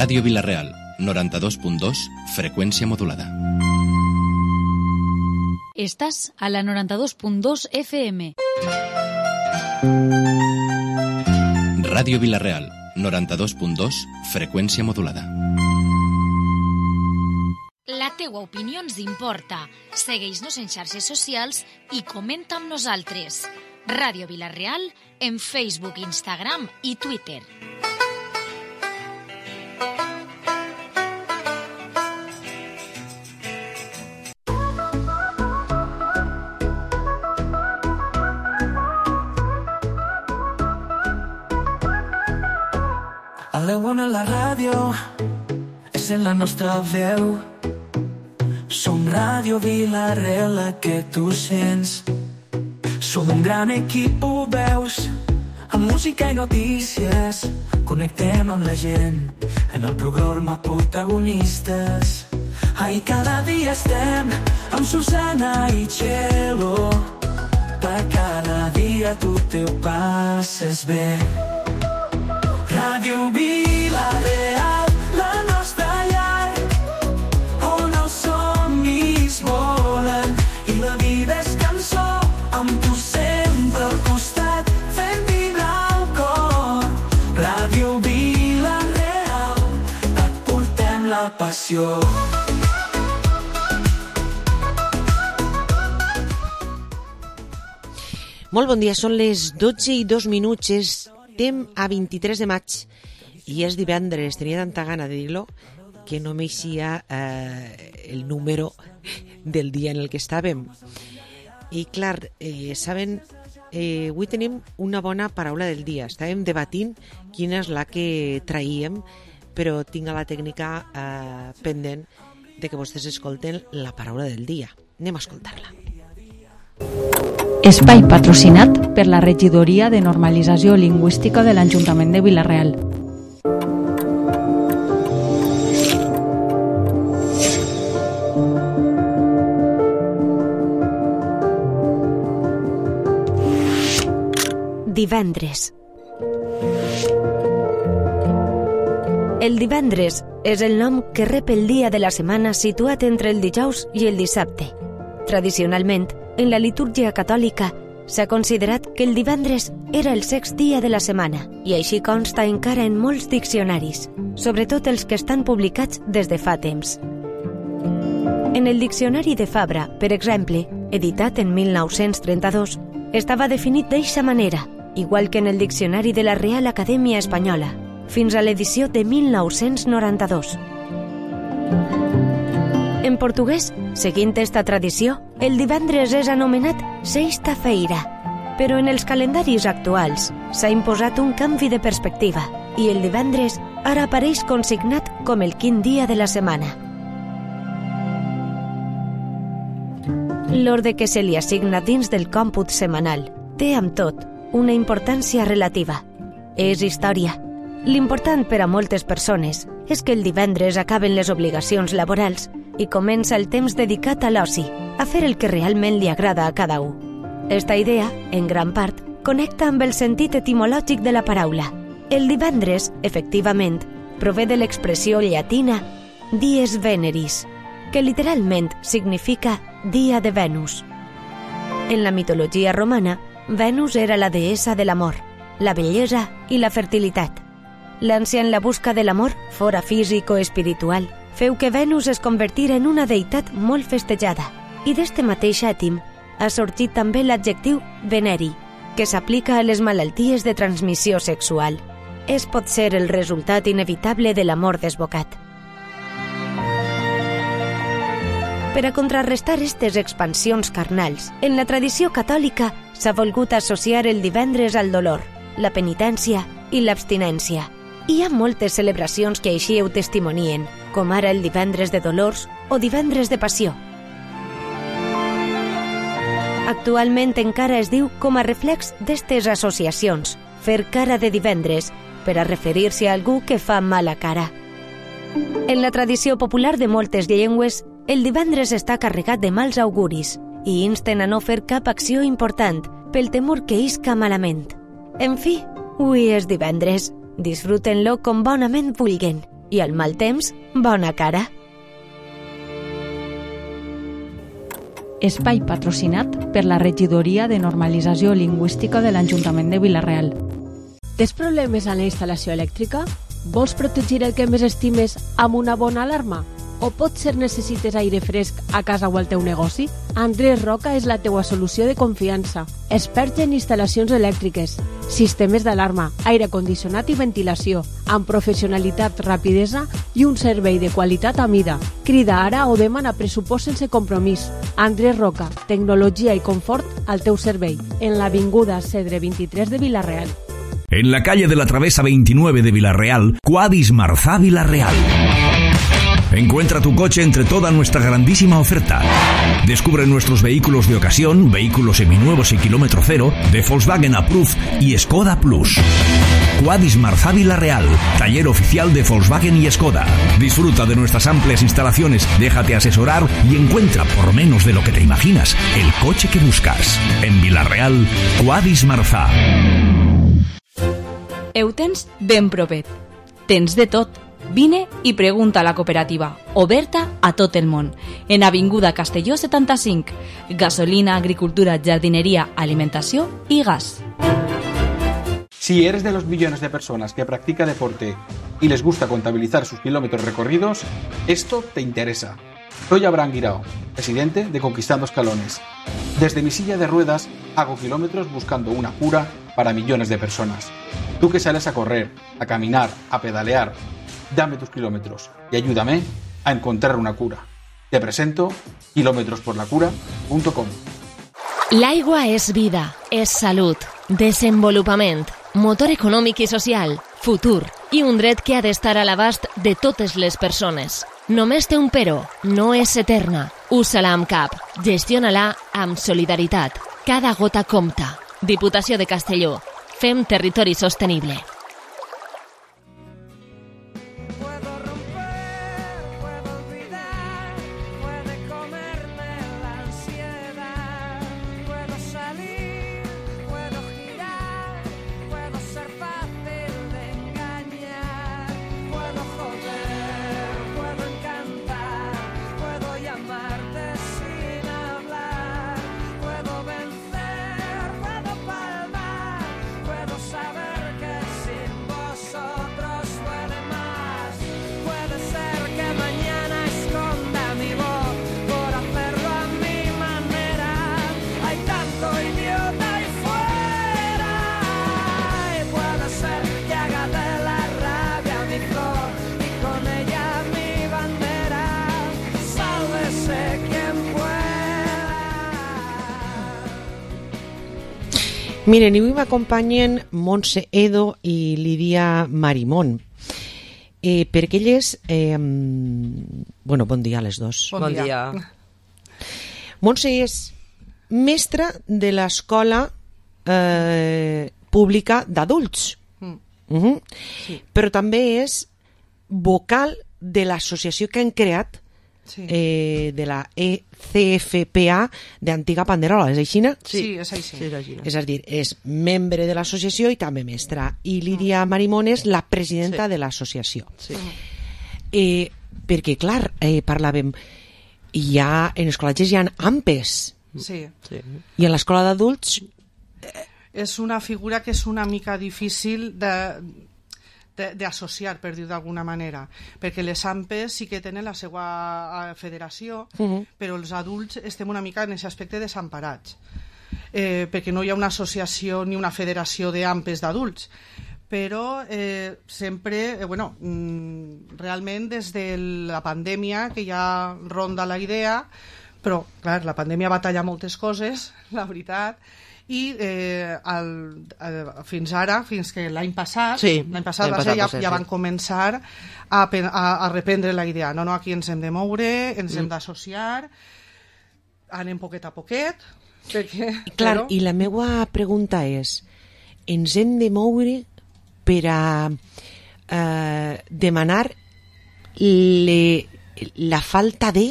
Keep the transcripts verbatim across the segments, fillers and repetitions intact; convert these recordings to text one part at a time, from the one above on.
Ràdio Vila-real, noranta-dos punt dos, freqüència modulada. Estàs a la noranta-dos punt dos F M. Ràdio Vila-real, noranta-dos punt dos, freqüència modulada. La teua opinió ens importa. Segueix-nos en xarxes socials i comenta amb nosaltres. Ràdio Vila-real en Facebook, Instagram i Twitter. A la una la ràdio és en la nostra veu. Som Ràdio Vila-real, la que tu sents. Som un gran equip, ho veus, amb música i notícies. Connectem amb la gent en el programa Protagonistes. Ai, cada dia estem amb Susana i Txelo. Per cada dia tu te ho passes bé. Ràdio Vila-real, la nostra llar, on els somnis volen i la vida és cançó, amb tu sempre al costat, fent vibrar el cor. Ràdio Vila-real, et portem la passió. Molt bon dia, són les dotze i dos minuts, estem a vint-i-tres de maig i és divendres. Tenia tanta gana de dir-lo que no m'eixia eh, el número del dia en el que estàvem. I clar, eh, saben, eh, avui tenim una bona paraula del dia. Estàvem debatint quina és la que traíem, però tinc a la tècnica eh, pendent de que vostès escolten la paraula del dia. Anem a escoltar-la. Espai patrocinat per la Regidoria de Normalització Lingüística de l'Ajuntament de Vila-real. Divendres. El divendres és el nom que rep el dia de la setmana situat entre el dijous i el dissabte. Tradicionalment, en la litúrgia catòlica, s'ha considerat que el divendres era el sext dia de la setmana i així consta encara en molts diccionaris, sobretot els que estan publicats des de fa temps. En el Diccionari de Fabra, per exemple, editat en mil nou-cents trenta-dos, estava definit d'eixa manera, igual que en el Diccionari de la Real Acadèmia Espanyola, fins a l'edició de mil nou-cents noranta-dos. En portuguès, seguint esta tradició, el divendres és anomenat sexta-feira, però en els calendaris actuals s'ha imposat un canvi de perspectiva i el divendres ara apareix consignat com el quint dia de la setmana. L'ordre que se li assigna dins del còmput setmanal té, amb tot, una importància relativa. És història. L'important per a moltes persones és que el divendres acaben les obligacions laborals i comença el temps dedicat a l'oci, a fer el que realment li agrada a cada un. Esta idea, en gran part, connecta amb el sentit etimològic de la paraula. El divendres, efectivament, prové de l'expressió llatina dies veneris, que literalment significa dia de Venus. En la mitologia romana, Venus era la deessa de l'amor, la bellesa i la fertilitat. L'ànsia en la busca de l'amor, fora físic o espiritual, feu que Venus es convertira en una deïtat molt festejada, i d'este mateix àtim ha sorgit també l'adjectiu veneri, que s'aplica a les malalties de transmissió sexual. És pot ser el resultat inevitable de l'amor desbocat. Per a contrarrestar estes expansions carnals, en la tradició catòlica s'ha volgut associar el divendres al dolor, la penitència i l'abstinència. Hi ha moltes celebracions que així ho testimonien, com ara el divendres de Dolors o divendres de Passió. Actualment encara es diu com a reflex d'estes associacions, fer cara de divendres, per a referir-se a algú que fa mala cara. En la tradició popular de moltes llengües, el divendres està carregat de mals auguris i insten a no fer cap acció important pel temor que isca malament. En fi, avui és divendres. Disfruten-lo com bonament vulguen I al mal temps, bona cara. Espai patrocinat per la Regidoria de Normalització Lingüística de l'Ajuntament de Vila-real. Tens problemes a la instal·lació elèctrica? Vols protegir el que més estimes amb una bona alarma? O potser necessites aire fresc a casa o al teu negoci? Andrés Roca és la teua solució de confiança. Expert en instal·lacions elèctriques, sistemes d'alarma, aire condicionat i ventilació, amb professionalitat, rapidesa i un servei de qualitat a mida. Crida ara o demana pressupost sense compromís. Andrés Roca, tecnologia i confort al teu servei, en l'avinguda Cedre vint-i-tres de Vila-real. En la calle de la Travesa veintinueve de Vila-real, Quadis Marzá Vila-real. Encuentra tu coche entre toda nuestra grandísima oferta. Descubre nuestros vehículos de ocasión, vehículos seminuevos y kilómetro cero, de Volkswagen Approved y Skoda Plus. Quadis Marzá Vila-real, taller oficial de Volkswagen y Skoda. Disfruta de nuestras amplias instalaciones, déjate asesorar y encuentra, por menos de lo que te imaginas, el coche que buscas. En Vila-real, Quadis Marzá. Ho tens ben propet. Tens de tot. Vine i pregunta a la cooperativa, oberta a tot el món, en Avinguda Castelló setanta-cinc. Gasolina, agricultura, jardinería, alimentació y gas. Si eres de los millones de personas que practica deporte y les gusta contabilizar sus kilómetros recorridos, esto te interesa. Soy Abraham Guirao, presidente de Conquistando Escalones. Desde mi silla de ruedas hago kilómetros buscando una cura para millones de personas. Tú que sales a correr, a caminar, a pedalear, dame tus kilómetros y ayúdame a encontrar una cura. Te presento kilómetros por la cura punto com. L'aigua és vida, és salut, desenvolupament, motor econòmic i social, futur i un dret que ha d'estar a l'abast de totes les persones. Només té un però, no és eterna. Usa-la amb cap, gestiona-la amb solidaritat. Cada gota compta. Diputació de Castelló. Fem territori sostenible. Miren, avui m'acompanyen Montse Edo i Lídia Marimón, eh, perquè elles... Eh, bueno, bon dia a les dos. Bon, bon dia. dia. Montse és mestra de l'escola eh, pública d'adults, mm. uh-huh. sí. però també és vocal de l'associació que han creat sí. eh, de la E C F P A d'Antiga Panderola, és així? Sí, és així. Sí, és, així. És a dir, és membre de l'associació i també mestra. I Lídia Marimón és la presidenta sí. de l'associació. Sí. Eh, perquè, clar, eh, parlàvem, hi ha, en els col·legis hi ha AMPEs. Sí. sí. I en l'escola d'adults... Eh, és una figura que és una mica difícil de... d'associar, per dir d'alguna manera, perquè les AMPEs sí que tenen la seva federació, uh-huh. però els adults estem una mica en aquest aspecte desemparats, eh, perquè no hi ha una associació ni una federació d'AMPEs d'adults, però eh, sempre, eh, bueno, mm, realment des de la pandèmia, que ja ronda la idea, però, clar, la pandèmia va tallar moltes coses, la veritat, i eh, el, el, fins ara, fins que l'any passat, sí, l'any passat, va passat ser, ja, ser, ja van sí. començar a, a, a reprendre la idea. No, no, aquí ens hem de moure, ens mm. hem d'associar, anem poquet a poquet, perquè... Clar, però... i la meva pregunta és, ens hem de moure per a eh, demanar le, la falta de...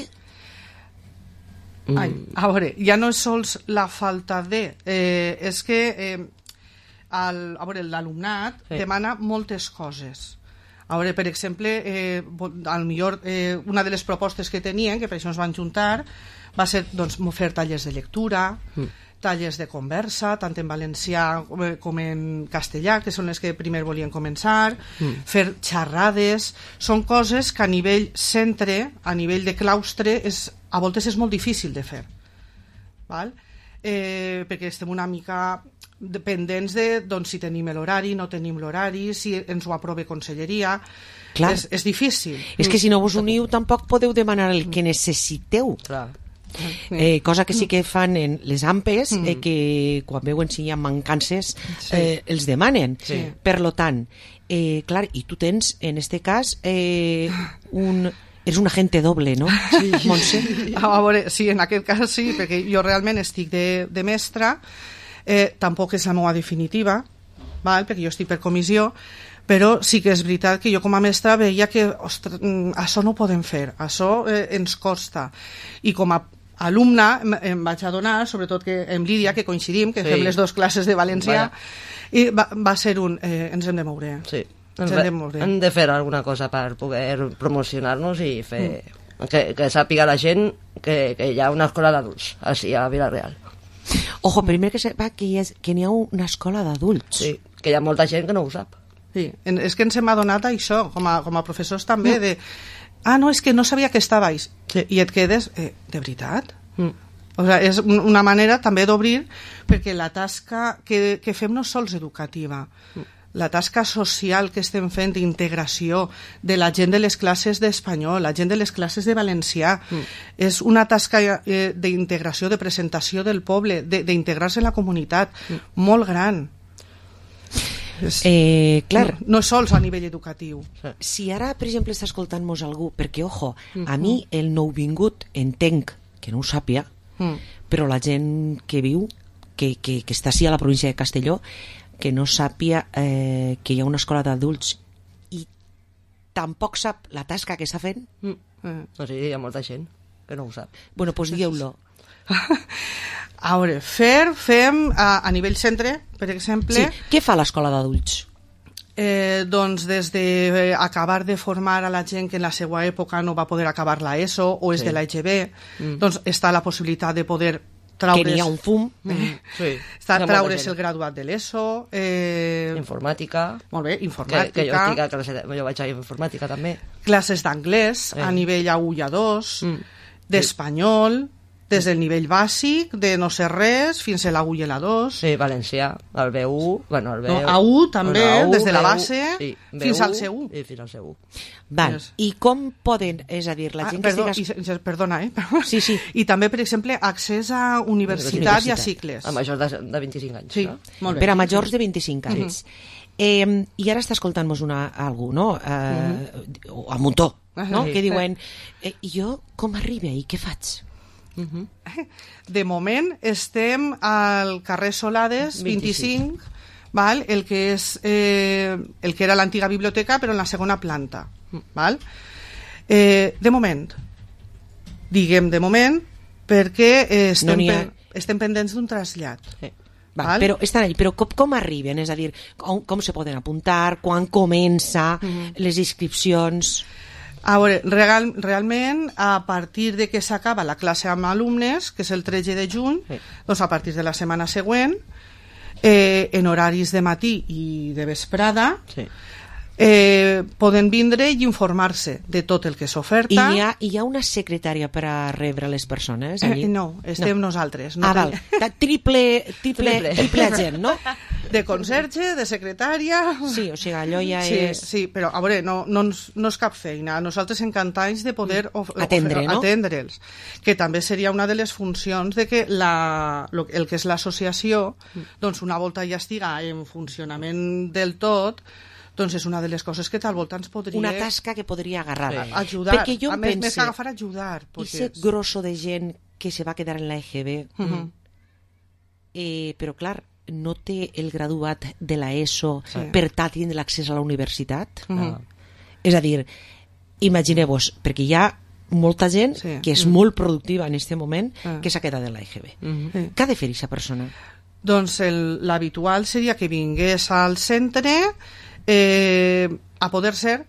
Ai, a veure, ja no és sols la falta de, eh, és que eh, el, a veure, l'alumnat sí. demana moltes coses. A veure, per exemple, eh, al millor, eh, una de les propostes que tenien, que per això ens van juntar, va ser doncs, fer tallers de lectura, mm. tallers de conversa, tant en valencià com en castellà, que són les que primer volien començar, mm. fer xerrades. Són coses que a nivell centre, a nivell de claustre, és, a voltes és molt difícil de fer. Val? Eh, perquè estem una mica dependents de doncs, si tenim l'horari, no tenim l'horari, si ens ho aprova conselleria. Clar. És, és difícil. És que si no vos uniu tampoc podeu demanar el que necessiteu. Clar. Eh, cosa que sí que fan en les A M P es, eh, que quan veuen si hi ha mancances eh, els demanen. Sí. Per lo tant, eh, clar, i tu tens en este cas eh, un... és un agente doble, no? Sí, Montse? A veure, sí, en aquest cas sí, perquè jo realment estic de, de mestra, eh, tampoc és la meva definitiva, val? Perquè jo estic per comissió, però sí que és veritat que jo com a mestra veia que, ostres, això no ho podem fer, això eh, ens costa. I com a alumna em, em vaig adonar, sobretot que amb Lídia, que coincidim, que sí. fem les dues classes de valencià, Vaya. i va, va ser un... Eh, ens hem de moure. Sí, ens hem de, moure. Hem de fer alguna cosa per poder promocionar-nos i fer... Mm. Que, que sàpiga la gent que, que hi ha una escola d'adults així a Vila-real. Ojo, primer que sepa que hi, ha, que n'hi ha una escola d'adults. Sí, que hi ha molta gent que no ho sap. Sí, és que ens hem adonat això, com a, com a professors també, mm. de... Ah, no, és que no sabia que estabais. Sí. I et quedes... Eh, de veritat? Mm. O sigui, és una manera també d'obrir, perquè la tasca que, que fem no és sols educativa. Mm. La tasca social que estem fent d'integració de la gent de les classes d'espanyol, la gent de les classes de valencià, mm. és una tasca eh, d'integració, de presentació del poble, d'integrar-se en la comunitat, mm. molt gran. Eh, clar, no, no és sols a nivell educatiu. Si ara, per exemple, està escoltant-nos algú, perquè, ojo, a mi el nouvingut entenc que no ho sàpia, mm. però la gent que viu, que, que, que està així a la província de Castelló, que no sàpia eh, que hi ha una escola d'adults i tampoc sap la tasca que està fent. Mm. Mm. No sé, hi ha molta gent que no ho sap. Bueno, doncs dieu-lo. A veure, fer, fem a, a nivell centre, per exemple... Sí. Què fa l'escola d'adults? Eh, doncs des d'acabar de, de formar a la gent que en la seva època no va poder acabar la ESO o és sí. de l'A G B, mm. doncs està la possibilitat de poder traure's... Que n'hi ha un fum. Mm. Sí. Està traure's el graduat de l'ESO... Eh... Informàtica. Molt bé, informàtica. Que, que jo, estic a classe de... jo vaig a informàtica també. Classes d'anglès eh. a nivell A u i A dos, mm. d'espanyol... des del nivell bàsic, de no ser res, fins a l'A u i l'A dos. Sí, valencià, el B u, bueno, el B u... No, A u també, A u, des de la base, sí, fins al C u. I fins al C u. Val, yes. I com poden, és a dir, la gent ah, perdó, que estigues... I, perdona, eh? Sí, sí. I també, per exemple, accés a universitat i a cicles. A majors de, de vint-i-cinc anys, sí, no? Molt bé. Per a majors de vint-i-cinc anys. Mm-hmm. Eh, I ara està escoltant-nos una, algú, no? Eh, mm-hmm. A muntó, no? Sí. Que diuen, eh, jo com arribe i què faig? Uh-huh. De moment estem al carrer Solades vint-i-cinc, val? El que és eh, el que era l'antiga biblioteca però en la segona planta, val? Eh, de moment diguem de moment perquè eh, estem, no ha... pen, estem pendents d'un trasllat. Sí. Va, però estan allà, però com, com arriben? És a dir, com, com se poden apuntar, quan comença, uh-huh. les inscripcions... A veure, real, realment, a partir de que s'acaba la classe amb alumnes, que és el tretze de juny, sí. doncs a partir de la setmana següent, eh, en horaris de matí i de vesprada, sí. eh, poden vindre i informar-se de tot el que s'oferta. I hi ha, hi ha una secretària per a rebre les persones allí? Eh, no, estem no. nosaltres. No ah, val. Triple, triple, triple. triple agent, no? De conserge, de secretària... Sí, o sigui, allò ja sí, és... Sí, però, a veure, no, no, no és cap feina. Nosaltres encantats de poder of atendre, no? atendre'ls. Que també seria una de les funcions de que la, lo, el que és l'associació, doncs una volta ja estiga en funcionament del tot, doncs és una de les coses que tal volta ens podria... Una tasca que podria agarrar. Sí. Ajudar. Perquè jo a més, més que agafar, ajudar. Perquè... Ese grosso de gent que se va quedar en la E G B, uh -huh. eh, però clar, no té el graduat de la ESO sí. per tal tindre l'accés a la universitat. Uh -huh. És a dir, imagineu-vos, perquè hi ha molta gent sí. que és uh -huh. molt productiva en aquest moment uh -huh. que s'ha quedat de la E G B. Uh -huh. Què ha de fer aquesta persona? Doncs l'habitual seria que vingués al centre, eh, a poder ser,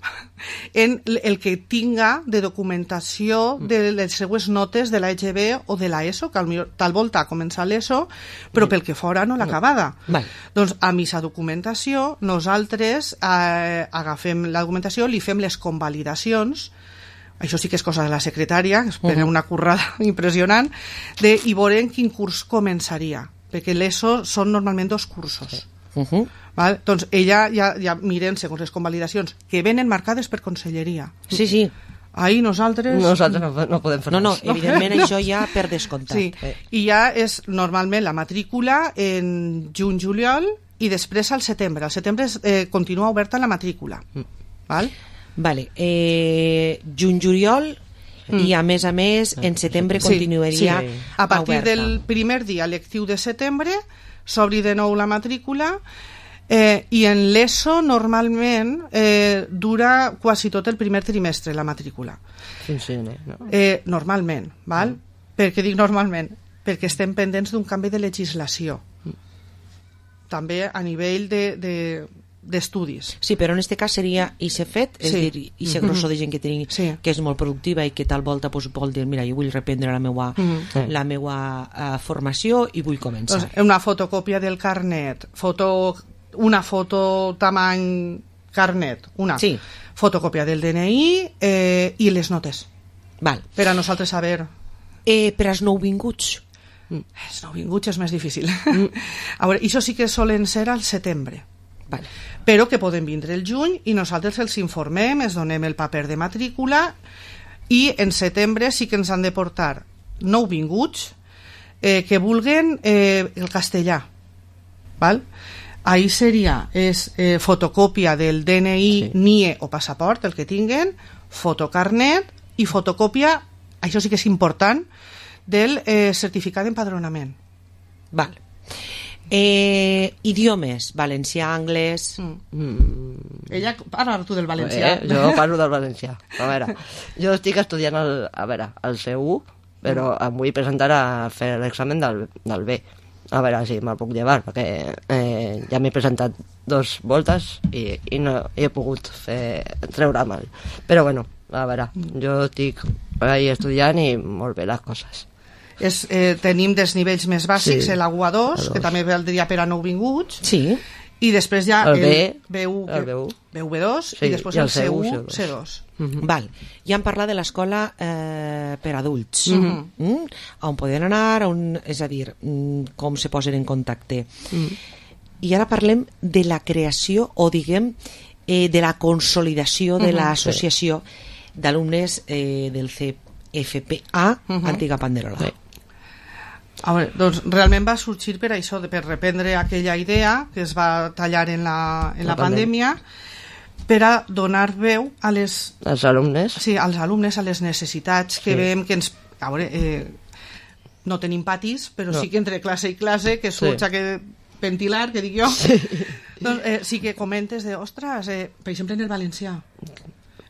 en el que tinga de documentació de les seues notes de la E G B o de la ESO, que potser tal volta a començar l'ESO, però pel que fora no l'ha acabada. Vale. Doncs amb aquesta documentació nosaltres eh, agafem la documentació, li fem les convalidacions, això sí que és cosa de la secretària, que espera una currada impressionant, de, i veurem quin curs començaria, perquè l'ESO són normalment dos cursos. Uh -huh. Val? Doncs ella ja, ja miren segons les convalidacions que venen marcades per conselleria. Sí, sí. Ahí nosaltres... Nosaltres no, no podem fer no, no, res. evidentment això ja per descomptat. Sí, eh. i ja és normalment la matrícula en juny-juliol i després al setembre. Al setembre eh, continua oberta la matrícula. Mm. Val? Vale. Eh, juny-juliol mm. i a més a més en setembre sí, continuaria sí. A partir oberta. del primer dia lectiu de setembre s'obri de nou la matrícula. Eh, I en l'ESO normalment eh, dura quasi tot el primer trimestre la matrícula. Fins sí, no? Eh, normalment, val? Mm. Per què dic normalment? Perquè estem pendents d'un canvi de legislació. Mm. També a nivell de, de, d'estudis. Sí, però en aquest cas seria ixe fet, és sí. dir, ixe grosso de gent que tenim, sí. que és molt productiva i que tal volta pues, vol dir, mira, jo vull reprendre la meua, mm. la meua uh, formació i vull començar. Doncs una fotocòpia del carnet, foto... una foto tamany carnet, una sí. fotocòpia del D N I eh, i les notes. Val. Per a nosaltres saber... Eh, per als nouvinguts? Mm. Els nouvinguts és més difícil. Mm. A veure, això sí que solen ser al setembre. Vale. Però que poden vindre el juny i nosaltres els informem, els donem el paper de matrícula i en setembre sí que ens han de portar nouvinguts eh, que vulguen eh, el castellà. Val? Ahí seria és eh, fotocòpia del D N I, sí. N I E o passaport, el que tinguen, fotocarnet i fotocòpia, això sí que és important, del eh, certificat d'empadronament. Val. Eh, idiomes, valencià, anglès... Mm. Mm. Ella parla tu del valencià. Eh, jo parlo del valencià. A veure, jo estic estudiant el, a veure, el C u, però em vull presentar a fer l'examen del, del B. A veure si me'l puc llevar, perquè eh, ja m'he presentat dos voltes i, i no he pogut fer, treure'm. Però bueno, a veure, jo estic ahí estudiant i molt bé les coses. És, eh, tenim dels nivells més bàsics, Sí. el A U dos, que també valdria per a nouvinguts, sí. i després ja El B, B U, el B u. B U dos Sí, i després i el el C u, C u, C dos. Mm-hmm. Val. Ja hem parlat de l'escola eh, per adults, Mm-hmm. mm? on poden anar, on, és a dir, mm, com se posen en contacte. Mm. I ara parlem de la creació o diguem eh, de la consolidació de Mm-hmm. l'associació d'alumnes eh, del C F P A, Mm-hmm. Antiga Panderola. Sí. A veure, doncs realment va sorgir per això, de, per reprendre aquella idea que es va tallar en la, en la, La pandèmia, per a donar veu a les, Els alumnes. sí, als alumnes, a les necessitats que Sí. veiem que ens... A veure, eh, no tenim patis, però No. sí que entre classe i classe, que Sí. surja que ventilar, que dic jo, sí, doncs, eh, sí que comentes de, ostres, eh, per exemple en el valencià.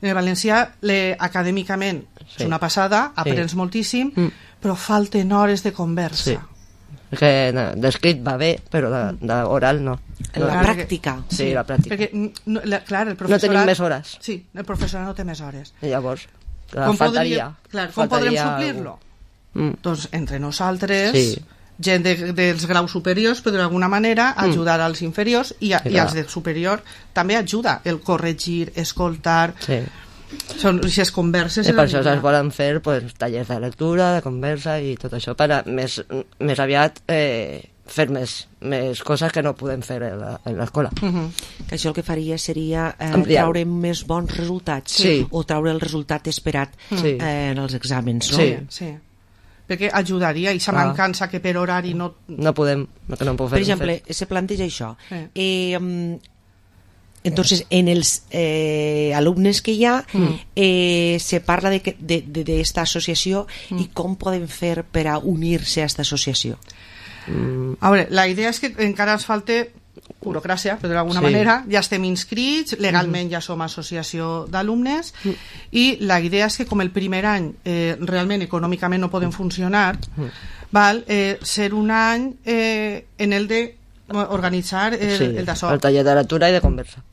En el valencià, le, acadèmicament, sí. és una passada, aprens Sí. moltíssim, Mm. però falten hores de conversa. Sí. Que no, d'escrit va bé, però d'oral no. La no. pràctica. Sí, la pràctica. Perquè, mm, no, la, clar, el No professorat... tenim més hores. Sí, el professorat no té més hores. I llavors, clar, Com faltaria. podríem, clar, com podrem faltaria suplir-lo? Mm. Doncs entre nosaltres, Sí. gent de, dels graus superiors, però d'alguna manera ajudar Mm. als inferiors i, a, Sí, i clar. als de superior també ajuda el corregir, escoltar, Sí. són aquestes converses. I en per la això vida. es volen fer pues, tallers de lectura, de conversa i tot això, per a més, més aviat eh, fer més, més coses que no podem fer a la- a l'escola. Uh -huh. Que això el que faria seria eh, Ampliar. traure més bons resultats, Sí. o traure el resultat esperat Sí. eh, en els exàmens, no? Sí. Sí, perquè ajudaria, i aquesta Ah. mancança que per horari no... No podem, no, que no puc fer. Per exemple, se planteja això. Sí. Eh, mm, entonces, en els eh, alumnes que hi ha, Mm. eh, se parla de que- de, de, de esta associació Mm. i com poden fer per a unir-se a esta associació. Mm, A veure, la idea és que encara ens falta burocràcia, però d'alguna Sí. manera ja estem inscrits, legalment ja som associació d'alumnes, i la idea és que com el primer any eh, realment econòmicament no poden funcionar, val, eh, ser un any eh, en el de organitzar el, sí, el d'això. el taller de lectura i de conversa.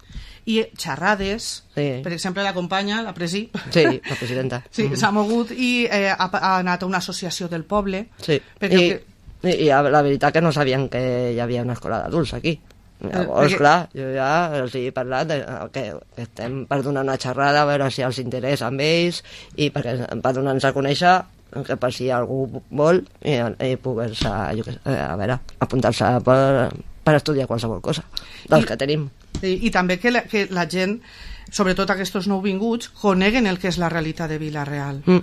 i xerrades, Sí. per exemple l'acompanya la presi, Sí, la presidenta. sí, s'ha mogut i eh, ha, ha anat a una associació del poble, Sí, perquè i, el i, i la veritat que no sabien que hi havia una escola d'adults aquí. Llavors, perquè- clar, jo ja els he parlat de, que, que estem per donar una xerrada, a veure si els interessa amb ells, i perquè, per donar-nos a conèixer, que per si algú vol, i, i poder-se, jo què sé, a veure, apuntar-se per, per estudiar qualsevol cosa, dels I- que tenim. I, i també que la, que la gent, sobretot aquests nouvinguts, coneguen el que és la realitat de Vila-real. Mm.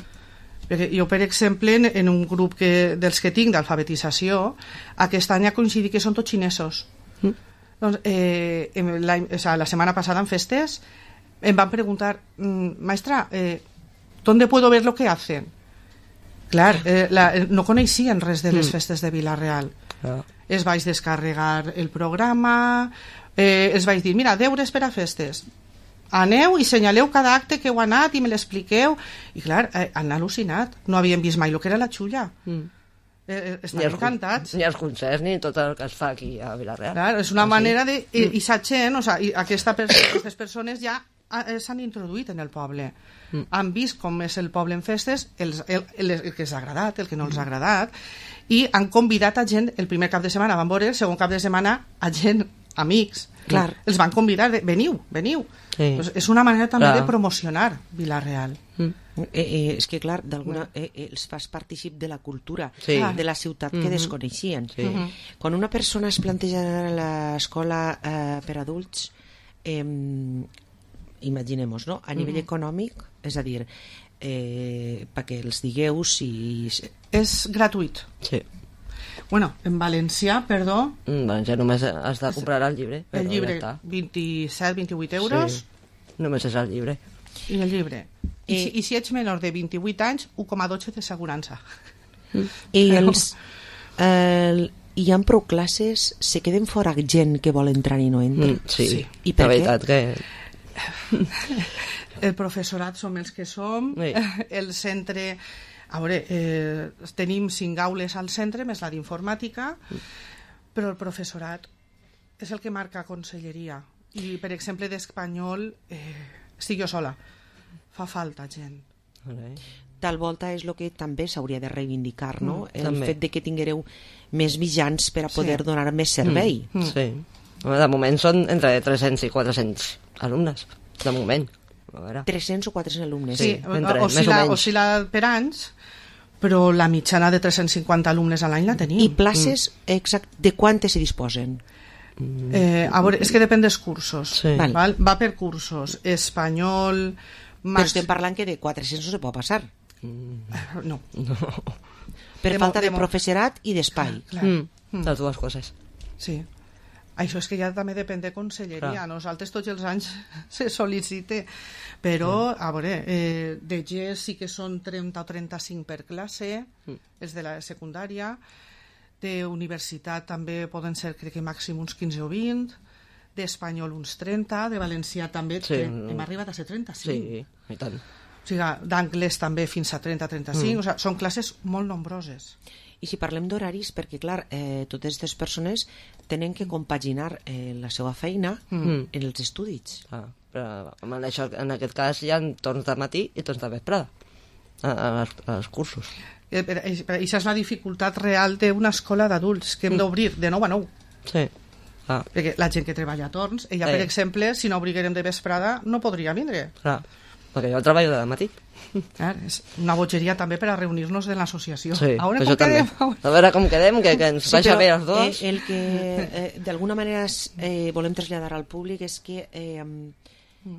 Perquè jo, per exemple, en, en un grup que, dels que tinc d'alfabetització, aquest any ha coincidit que són tots xinesos. Mm. Doncs, eh, em- la, o sea, la setmana passada en festes em van preguntar, mm, maestra, eh, ¿dónde puedo ver lo que hacen? Clar, eh, la, eh, no coneixien res de les Mm. festes de Vila-real. Ah. Es vaig descarregar el programa, eh, es vaig dir, mira, deures per a festes, aneu i senyaleu cada acte que heu anat i me l'expliqueu, i clar, eh, han al·lucinat, no havien vist mai el que era la xulla. Mm. Eh, estan Ni els, encantats. ni els concerts ni tot el que es fa aquí a Vila-real. Clar, és una Ah, sí? manera de... I, i sa gent, o sigui, aquesta, aquestes persones ja eh, s'han introduït en el poble. Mm. Han vist com és el poble en festes, els, el, el, el que els ha agradat, el que no els ha agradat, i han convidat a gent, el primer cap de setmana van veure, el segon cap de setmana a gent, amics, Clar. els van convidar, de, veniu, veniu. Sí. Pues és una manera també Clar. de promocionar Vila-real. Mm. Eh, eh, és que, clar, d'alguna eh, eh, els fas partícip de la cultura Sí. de la ciutat que Mhm. desconeixien. Sí. Mhm. Quan una persona es planteja l'escola eh, per adults, eh, imaginem-nos, no? A nivell Mhm. econòmic, és a dir, eh, perquè els digueu si... És gratuït. Sí. Bueno, en valencià, perdó, Mm, doncs ja només has de comprar el llibre. el però llibre, ja està. vint-i-set vint-i-vuit euros, Sí. Només és el llibre. i el llibre. I, Eh. si, I si ets menor de vint-i-vuit anys, un coma dotze d'assegurança. I els... Eh, hi ha prou classes, se queden fora gent que vol entrar i no entra. Mm, sí. Sí. I per la què? veritat que... El professorat som els que som, Sí. el centre... A veure, eh, tenim cinc aules al centre, més la d'informàtica, però el professorat és el que marca conselleria. I, per exemple, d'espanyol, eh, estic jo sola. Fa falta gent. Vale. Tal volta és el que també s'hauria de reivindicar, no? Mm, el també. fet de que tinguereu més mitjans per a poder Sí. donar més servei. Mm. Sí. Home, de moment són entre tres-cents i quatre-cents alumnes. De moment. A veure. tres-cents o quatre-cents alumnes. Sí, entre, més o oscil·la, menys. oscil·la per anys, però la mitjana de tres-cents cinquanta alumnes a l'any la tenim. I places, exact, de quantes se disposen? Eh, a veure, és que depèn dels cursos. Sí. Val. Val? Va per cursos. Espanyol... Però estem parlant que de quatre-cents no se pot passar. No. No. Per De mo- falta de, de mo- professorat i d'espai. Clar. Mm. Les dues coses. Sí. Això és que ja també depèn de conselleria. Clar. Nosaltres tots els anys se sol·licita. Però, a veure, eh, de G E S sí que són trenta o trenta-cinc per classe, Mm. els de la secundària. De universitat també poden ser, crec que màxim uns quinze o vint. D'espanyol uns trenta. De valencià també. Sí. que hem arribat a ser trenta-cinc. Sí, i tant. O sigui, d'anglès també fins a trenta a trenta-cinc. Mm. O sigui, són classes molt nombroses. I si parlem d'horaris, perquè clar, eh, totes aquestes persones tenen que compaginar eh, la seva feina Mm. en els estudis. Ah, però en, això, en aquest cas hi ha torns de matí i torns de vesprada a, a, les, als cursos. Eh, però Això és la dificultat real d'una escola d'adults, que hem d'obrir de nou a nou. Sí. Ah, Perquè la gent que treballa a torns, ella, Eh. per exemple, si no obriguérem de vesprada, no podria vindre. clar. Perquè jo treballo de matí. Clar, és una bogeria també per a reunir-nos de l'associació. Sí, a veure això com també. quedem. A veure com quedem, que, que ens vagi però, bé els dos. Eh, el que eh, d'alguna manera eh, volem traslladar al públic és que eh,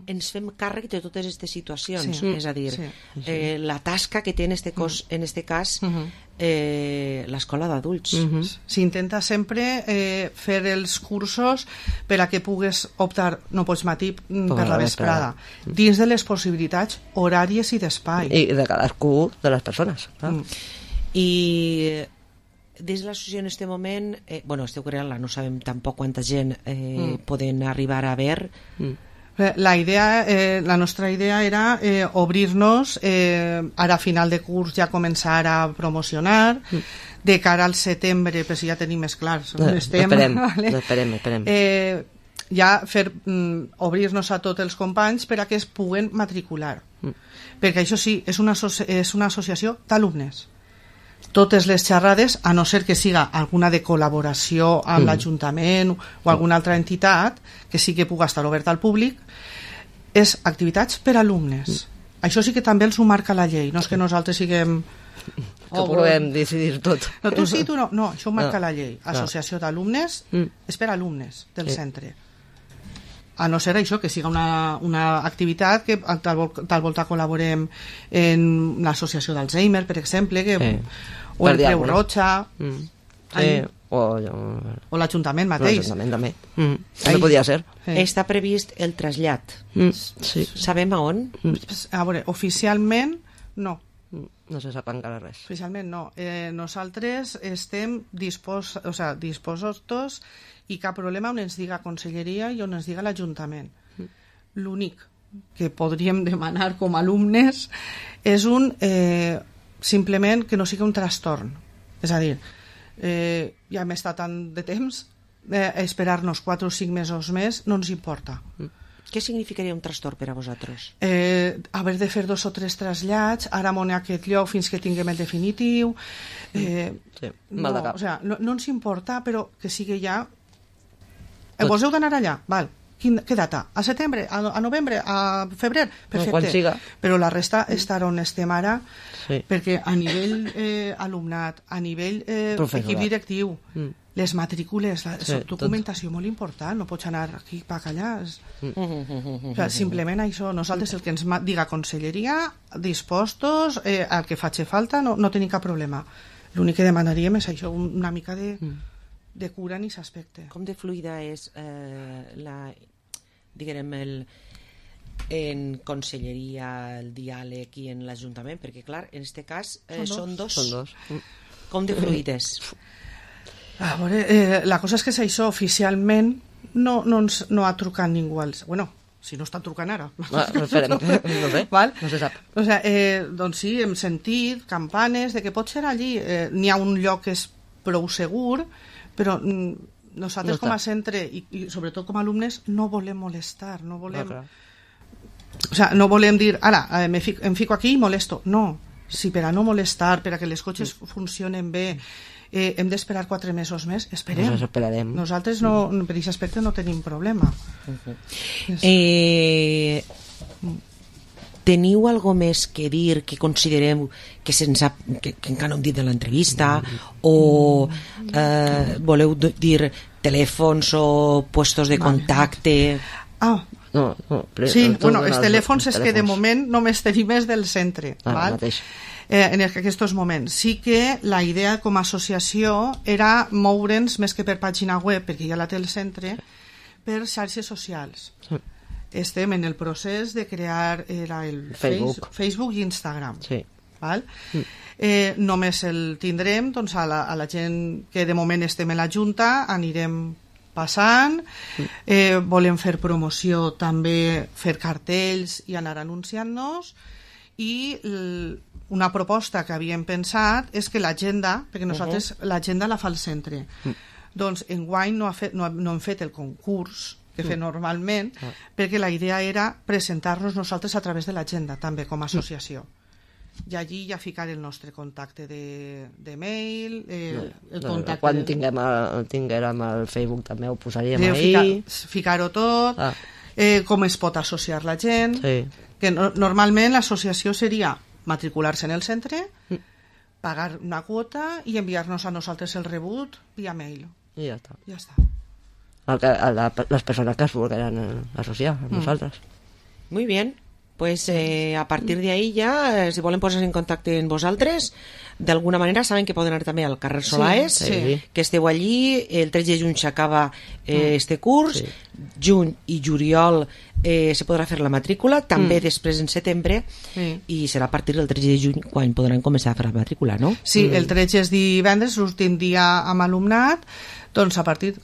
ens fem càrrec de totes aquestes situacions. Sí. És a dir, Sí. eh, la tasca que té en este, cos, en este cas Mhm. eh, l'escola d'adults. Mhm. S'intenta sempre eh, fer els cursos per a que pugues optar, no pots matí, mm, Per per la la vesprada, vesprada. dins de les possibilitats horàries i d'espai. I de cadascú de les persones. Clar. Mm. I eh, des de l'associació en este moment, eh, bueno, esteu creant-la, no sabem tampoc quanta gent eh, Mm. poden arribar a ver. Mm. Eh, La idea, eh, la nostra idea era eh, obrir-nos, eh, ara a final de curs ja començar a promocionar, Mm. de cara al setembre, però si ja tenim més clars on Eh, estem. esperem, vale? esperem, esperem. Eh, ja fer, mm, obrir-nos a tots els companys per a que es puguen matricular. Mm. Perquè això sí, és una, és una associació d'alumnes. Totes les xerrades, a no ser que siga alguna de col·laboració amb mm. l'Ajuntament o alguna altra entitat, que sí que puga estar oberta al públic, és activitats per a alumnes. Mm. Això sí que també els ho marca la llei, no és que nosaltres siguem... Que oh, puguem decidir tot. No, tu sí, tu no. No, això ho marca no. la llei. Associació d'alumnes mm. és per a alumnes del sí. centre. A no ser això, que siga una, una activitat que tal, tal volta col·laborem en l'associació d'Alzheimer, per exemple, que, sí. o el Creu Roja, mm. sí. o, o l'Ajuntament mateix. L'Ajuntament també. Mm. També podia ser. Sí. Està previst el trasllat. Mm. Sí. Sabem a on? Mm. A veure, oficialment, no. No se sap encara res. Oficialment no. Eh, nosaltres estem dispos, o sea, dispostos i cap problema on ens diga Conselleria i on ens diga l'Ajuntament. Mm. L'únic que podríem demanar com a alumnes és un eh, simplement que no sigui un trastorn. És a dir, eh, ja hem estat tant de temps, eh, esperar-nos quatre o cinc mesos més no ens importa. Mm. Què significaria un trastorn per a vosaltres? Eh, haver de fer dos o tres trasllats, ara m'ho a aquest lloc fins que tinguem el definitiu. Eh, sí, no, o sea, no, no ens importa, però que sigui ja... Eh, vos heu d'anar allà? Val. Quin, què data? A setembre? A, a novembre? A febrer? Perfecte. No, quan siga. Però la resta estar on estem ara, sí. perquè a nivell eh, alumnat, a nivell eh, equip directiu, mm. les matrícules, la sí, documentació tot. Molt important, no pots anar aquí pa allà. Mm. O sea, simplement això, nosaltres el que ens diga Conselleria, dispostos, eh, al que faci falta, no, no tenim cap problema. L'únic que demanaríem és això, una mica de... Mm. de cura en aquest aspecte. Com de fluida és eh, la, diguem, el, en Conselleria, el diàleg i en l'Ajuntament? Perquè, clar, en aquest cas eh, són dos. Són dos. Com de fluid és? A veure, eh, la cosa és que és això, oficialment no, no, ens, no ha trucat ningú als... Bueno, si no estan trucant ara. Ah, esperem, no sé, Val? no se sap. O sea, eh, doncs sí, hem sentit campanes de que pot ser allí. Eh, n'hi ha un lloc que és prou segur, però mm, nosaltres no com a centre i, i sobretot com a alumnes no volem molestar, no volem no, o sea, no volem dir ara, eh, me fico, em fico aquí i molesto, no, si per a no molestar, per a que les cotxes mm. funcionen bé, eh, hem d'esperar quatre mesos més, esperem. Nosaltres esperarem. Nosaltres no, per aquest aspecte no tenim problema. Uh-huh. eh... Teniu algo més que dir que considereu que, sense, que, que encara no hem dit de l'entrevista o eh, voleu dir telèfons o puestos de contacte? Ah, no, no, però, sí, bueno, els telèfons és que de moment només tenim més del centre, ah, val? Eh, en aquests moments. Sí que la idea com a associació era moure'ns més que per pàgina web, perquè ja la té el centre, per xarxes socials. Sí. Estem en el procés de crear era el Facebook, face, Facebook i Instagram. Sí. Val? Mm. Eh, només el tindrem doncs, a, la, a la gent que de moment estem en la Junta, anirem passant, mm. eh, volem fer promoció també, fer cartells i anar anunciant-nos, i l, una proposta que havíem pensat és que l'agenda, perquè nosaltres uh-huh. l'agenda la fa el centre, mm. doncs enguany no, ha fet, no, no hem fet el concurs que mm. fer normalment, ah. perquè la idea era presentar-nos nosaltres a través de l'agenda, també com a associació. Mm. I allí ja ficar el nostre contacte de, de mail, el, el no, contacte... Quan tinguem el, tinguem el Facebook també ho posaríem ahí. Ficar, ficar-ho tot, ah. eh, com es pot associar la gent, sí. que no, normalment l'associació seria matricular-se en el centre, mm. pagar una quota i enviar-nos a nosaltres el rebut via mail. I ja està. Ja està. El que, la, les persones que es vulguin associar amb mm. nosaltres. Muy bien, pues eh, a partir de ahí ya, eh, si volen posar en contacte amb vosaltres, d'alguna manera saben que poden anar també al carrer Solaes, sí, sí. que esteu allí, el tres de juny s'acaba eh, este curs, sí. juny i juliol eh, se podrà fer la matrícula, també mm. després en setembre, sí. i serà a partir del tres de juny quan podran començar a fer la matrícula, no? Sí, mm. el tretze és divendres, l'últim dia amb alumnat, doncs a partir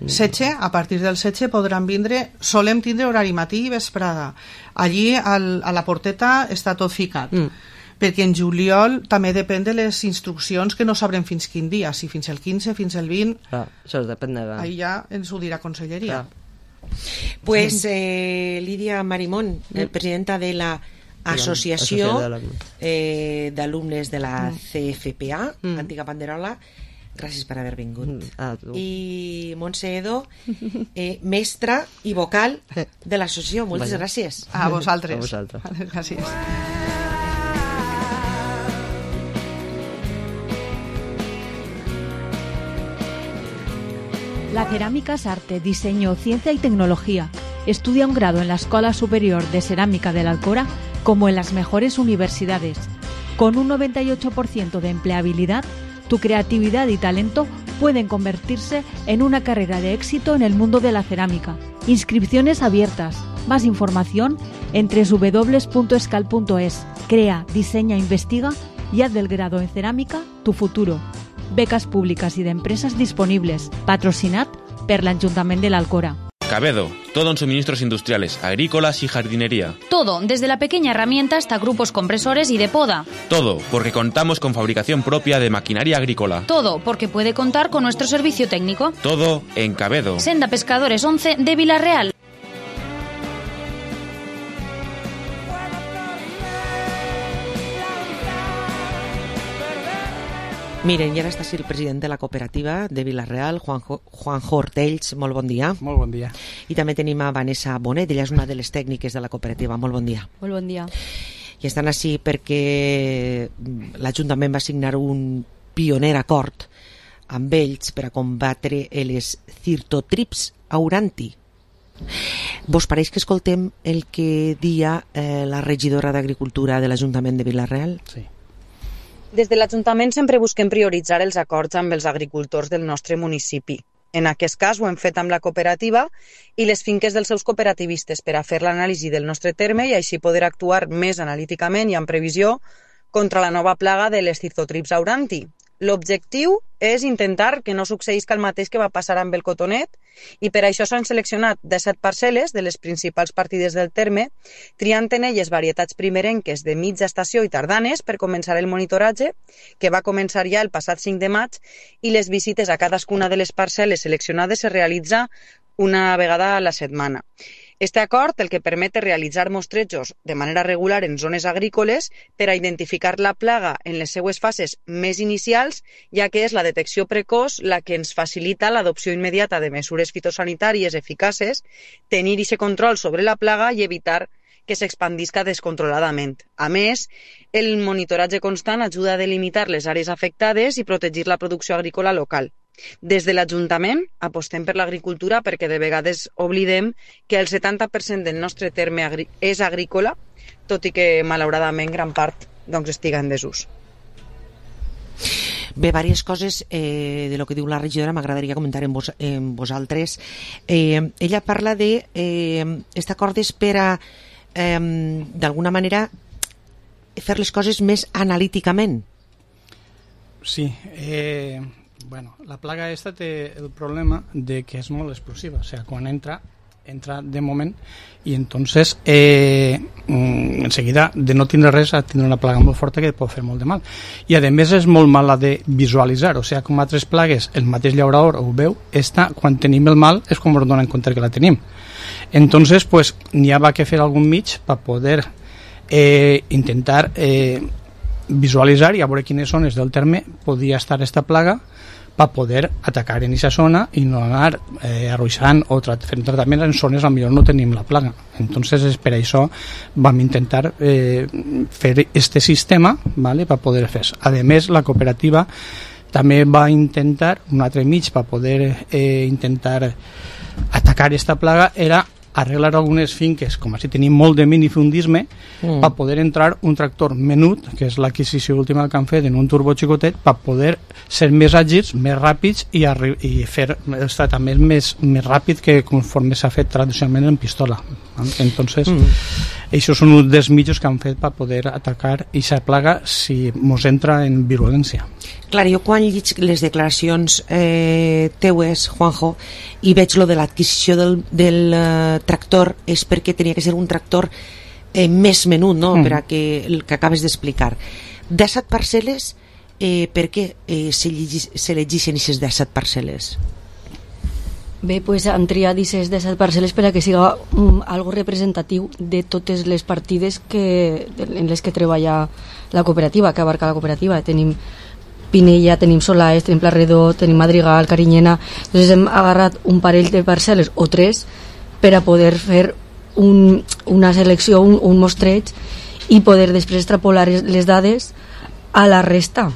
setze, a partir del setze podran vindre, solem tindre horari matí i vesprada. Allí al, a la porteta està tot ficat. Mm. Perquè en juliol també depèn de les instruccions que no sabrem fins quin dia, si fins el quinze, fins el vint. Ah, això depèn de... Ahí ja ens ho dirà Conselleria. Ah. Pues eh, Lídia Marimón, eh, presidenta de la Associació eh, d'Alumnes de la C F P A, mm. antiga Panderola, gràcies per haver vingut. Mm, I Montse Edo, eh, mestra i vocal de l'associació. Moltes Vaja. gràcies. A vosaltres. A vosaltres. Gràcies. La cerámica es arte, diseño, ciencia y tecnología. Estudia un grado en la Escuela Superior de Cerámica de la Alcora como en las mejores universidades. Con un noventa y ocho por ciento de empleabilidad, tu creatividad y talento pueden convertirse en una carrera de éxito en el mundo de la cerámica. Inscripciones abiertas. Más información en doble u doble u doble u punto escal punto es. Crea, diseña, investiga y haz del grado en cerámica tu futuro. Becas públicas y de empresas disponibles. Patrocinat per l'Ajuntament de l'Alcora. Cabedo, todo en suministros industriales, agrícolas y jardinería. Todo, desde la pequeña herramienta hasta grupos compresores y de poda. Todo, porque contamos con fabricación propia de maquinaria agrícola. Todo, porque puede contar con nuestro servicio técnico. Todo en Cabedo. Senda Pescadores once de Vilarreal. Miren, i ara està així el president de la cooperativa de Vilarreal, Juanjo, Juanjo Ortells. Molt bon dia. Molt bon dia. I també tenim a Vanessa Bonet, ella és una de les tècniques de la cooperativa. Molt bon dia. Molt bon dia. I estan així perquè l'Ajuntament va signar un pioner acord amb ells per a combatre les cirtotrips auranti. Vos pareix que escoltem el que dia eh, la regidora d'Agricultura de l'Ajuntament de Vilarreal? Sí. Des de l'Ajuntament sempre busquem prioritzar els acords amb els agricultors del nostre municipi. En aquest cas ho hem fet amb la cooperativa i les finques dels seus cooperativistes per a fer l'anàlisi del nostre terme i així poder actuar més analíticament i amb previsió contra la nova plaga de les cirtotrips auranti. L'objectiu és intentar que no succeïsca el mateix que va passar amb el cotonet i per això s'han seleccionat disset parcel·les de les principals partides del terme, triant en elles varietats primerenques de mitja estació i tardanes per començar el monitoratge, que va començar ja el passat cinc de maig, i les visites a cadascuna de les parcel·les seleccionades es realitza una vegada a la setmana. Este acord el que permet és realitzar mostrejos de manera regular en zones agrícoles per a identificar la plaga en les seues fases més inicials, ja que és la detecció precoç la que ens facilita l'adopció immediata de mesures fitosanitàries eficaces, tenir aquest control sobre la plaga i evitar que s'expandisca descontroladament. A més, el monitoratge constant ajuda a delimitar les àrees afectades i protegir la producció agrícola local. Des de l'Ajuntament apostem per l'agricultura perquè de vegades oblidem que el setanta per cent del nostre terme agri és agrícola, tot i que malauradament gran part doncs, estiga en desús. Bé, diverses coses eh, de lo que diu la regidora m'agradaria comentar en, vos, en vosaltres. Eh, ella parla de eh, este acord és per a eh, d'alguna manera fer les coses més analíticament. Sí, eh... Bueno, la plaga esta té el problema de que és molt explosiva, o sea, quan entra, entra de moment i entonces eh, enseguida de no tindre res a tindre una plaga molt forta que pot fer molt de mal. I a més és molt mala de visualitzar, o sea, com altres plagues, el mateix llaurador ho veu, esta, quan tenim el mal és com ens donen compte que la tenim. Entonces, pues, n'hi ha que fer algun mig per poder eh, intentar eh, visualitzar i a veure quines zones del terme podia estar esta plaga per poder atacar en aquesta zona i no anar eh, arruixant o tra fent tractaments en zones on millor no tenim la plaga. Entonces, per això vam intentar eh, fer este sistema, ¿vale?, per poder fer. A més, la cooperativa també va intentar, un altre mig per poder eh, intentar atacar esta plaga, era arreglar algunes finques, com així tenim molt de minifundisme, mm. per poder entrar un tractor menut, que és l'adquisició última que han fet en un turbo xicotet, per poder ser més àgils, més ràpids i, i fer els tractaments més, més ràpid que conforme s'ha fet tradicionalment en pistola. Entonces, mm. això són uns dels mitjos que han fet per poder atacar aquesta plaga si mos entra en virulència. Clar, jo quan lliig les declaracions eh, teues, Juanjo, i veig lo de l'adquisició del, del uh, tractor, és perquè tenia que ser un tractor eh, més menut, no?, mm. per a que, el que acabes d'explicar. disset parcel·les, eh, per què eh, s'elegixen aquestes disset parcel·les? Bé, pues, han triat aquestes disset parcel·les per a que siga um, algo representatiu de totes les partides que, en les que treballa la cooperativa, que abarca la cooperativa. Tenim Pinella, tenim Solaes, tenim Plarredó, tenim Madrigal, Carinyena. Entonces hem agarrat un parell de parcel·les o tres per a poder fer un, una selecció, un, un mostreig i poder després extrapolar les dades a la resta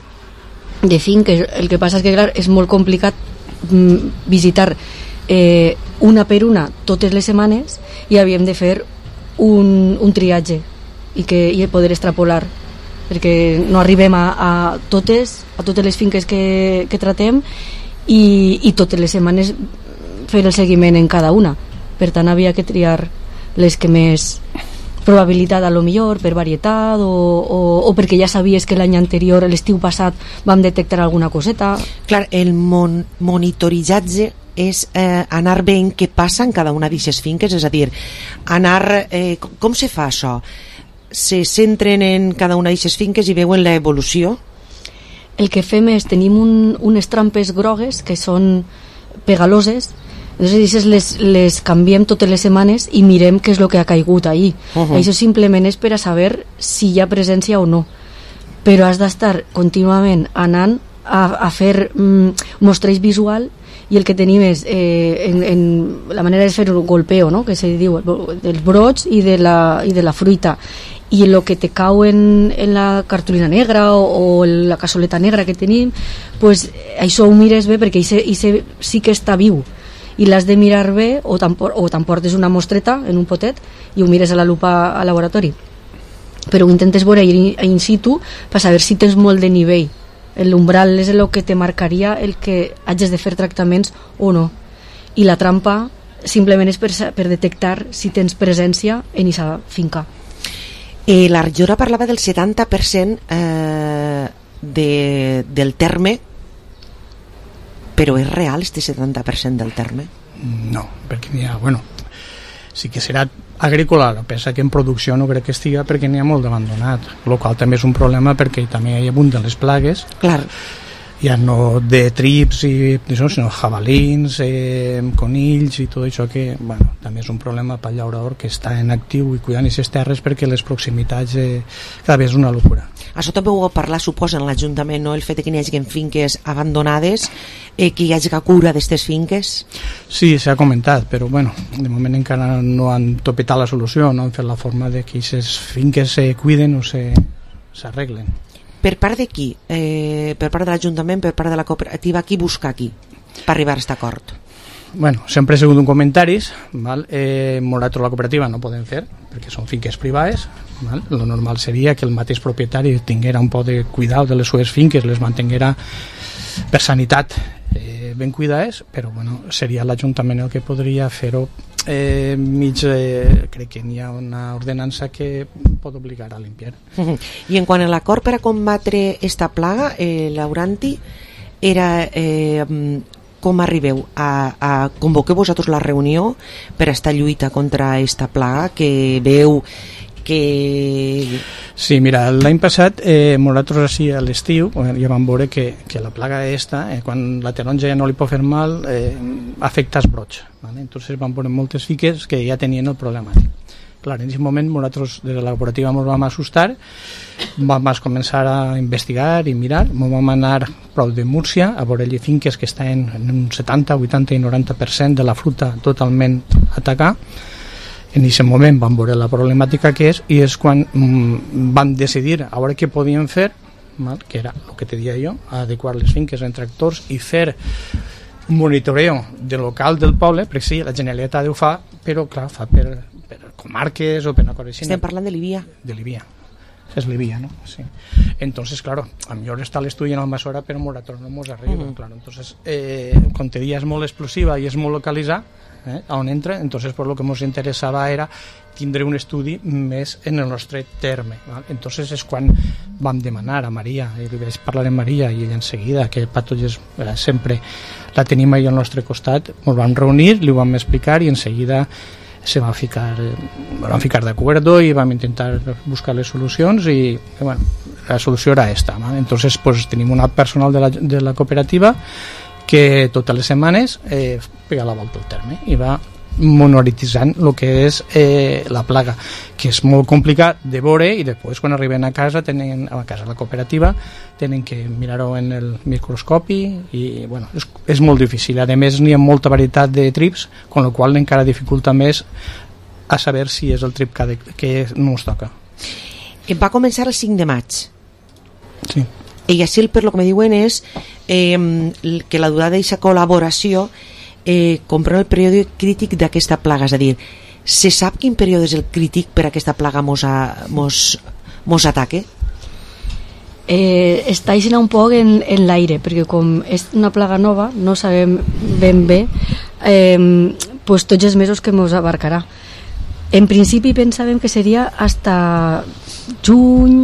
de finques. El que passa és que clar, és molt complicat mm, visitar eh, una per una totes les setmanes i havíem de fer un, un triatge i, que, i poder extrapolar, perquè no arribem a, a totes a totes les finques que, que tratem i, i totes les setmanes fer el seguiment en cada una. Per tant havia que triar les que més probabilitat a lo millor per varietat o, o, o perquè ja sabies que l'any anterior, l'estiu passat, vam detectar alguna coseta. Clar, el mon monitoritzatge és eh, anar veient què passa en cada una d'aquestes finques, és a dir, anar... Eh, com se fa això? Se centren en cada una d'aquestes finques i veuen l'evolució? El que fem és, tenim un, unes trampes grogues que són pegaloses. Entonces les, les canviem totes les setmanes i mirem què és el que ha caigut ahir. Uh -huh. Això simplement és per a saber si hi ha presència o no. Però has d'estar contínuament anant a, a fer mm, mostreig visual i el que tenim és eh, en, en, la manera és fer un golpeo, no? Que se diu, dels brots i de la, i de la fruita, i el que te cau en, en la cartolina negra o, o la cassoleta negra que tenim, pues, això ho mires bé perquè això sí que està viu i l'has de mirar bé, o t'emportes una mostreta en un potet i ho mires a la lupa al laboratori, però ho intentes veure in situ per saber si tens molt de nivell. L'umbral és el que te marcaria el que hagis de fer tractaments o no, i la trampa simplement és per, per detectar si tens presència en aquesta finca. Eh, la regidora parlava del setanta per cent eh, de, del terme, però és real este setanta per cent del terme? No, perquè n'hi ha, bueno, sí que serà agrícola, pensa que en producció no crec que estiga perquè n'hi ha molt d'abandonat, el qual també és un problema perquè també hi abunden les plagues. Clar. Ja no de trips i això, sinó jabalins, eh, conills i tot això que, bueno, també és un problema pel llaurador que està en actiu i cuidant aquestes terres perquè les proximitats eh, cada vegada és una locura. Això també ho va parlar, suposa, en l'Ajuntament, no? El fet que n'hi hagi finques abandonades, eh, que hi hagi cura d'aquestes finques? Sí, s'ha comentat, però bueno, de moment encara no han topetat la solució, no han fet la forma de que aquestes finques se cuiden o s'arreglen. Per part de qui? Eh, per part de l'Ajuntament, per part de la cooperativa, qui busca aquí per arribar a aquest acord? Bueno, sempre he sigut un comentaris, val? Eh, nosaltres la cooperativa no podem fer perquè són finques privades, val? Lo normal seria que el mateix propietari tinguera un poc de cuidado de les seves finques, les mantinguera per sanitat eh, ben cuidades, però bueno, seria l'Ajuntament el que podria fer-ho eh, mig, eh, crec que n'hi ha una ordenança que pot obligar a limpiar. Uh-huh. I en quant a l'acord per a combatre esta plaga, eh, Lauranti, era eh, com arribeu a, a convoqueu vosaltres la reunió per a esta lluita contra esta plaga que veu que... Sí, mira, l'any passat eh, nosaltres així a l'estiu ja vam veure que, que la plaga esta, eh, quan la taronja ja no li pot fer mal, eh, afecta els brots, ¿vale? Entonces vam veure moltes fiques que ja tenien el problema. Clar, en aquest moment nosaltres des de la cooperativa ens vam assustar, vam començar a investigar i mirar, ens vam anar prop de Múrcia a veure allà finques que estan en un setanta, vuitanta i noranta per cent de la fruta totalment atacada. En aquest moment vam veure la problemàtica que és i és quan mm, vam decidir a veure què podíem fer, mal, que era el que te deia jo, adequar les finques en tractors i fer un monitoreo de local del poble, perquè sí, la Generalitat ho fa, però clar, fa per, per comarques o per una cosa així. Estem parlant de Libia. De Libia. Es Libia, ¿no? Sí. Entonces, claro, a lo mejor está el estudio en Almassora, pero moratorios no nos arriba, uh-huh. Claro. Entonces, eh, com te dia és molt explosiva i és molt localitzada, eh, on entra, entonces pues lo que ens interessava era tindre un estudi més en el nostre terme, ¿vale? Entonces és quan vam demanar a Maria, i li vaig parlar amb Maria i ella en seguida, que Patolles eh, sempre la tenim ahí al nostre costat, ens vam reunir, li ho vam explicar i en seguida se va ficar, eh, vam ficar d'acuerdo i vam intentar buscar les solucions i eh, bueno, la solució era esta, ¿vale? Entonces pues tenim un personal de la, de la cooperativa que totes les setmanes eh, pega la volta al terme i va monitoritzant el que és eh, la plaga, que és molt complicat de veure, i després quan arriben a casa tenen, a casa la cooperativa tenen que mirar-ho en el microscopi i bueno, és, és molt difícil. A més n'hi ha molta varietat de trips, con la qual encara dificulta més a saber si és el trip que, de, que no ens toca. Va començar el cinc de maig. Sí. I així per lo que me diuen és eh, que la durada d'aquesta col·laboració eh, comprèn el període crític d'aquesta plaga, és a dir, se sap quin període és el crític per a aquesta plaga mos, a, mos, mos ataque? Eh, està així un poc en, en l'aire, perquè com és una plaga nova no sabem ben bé eh, pues tots els mesos que mos abarcarà. En principi pensàvem que seria hasta juny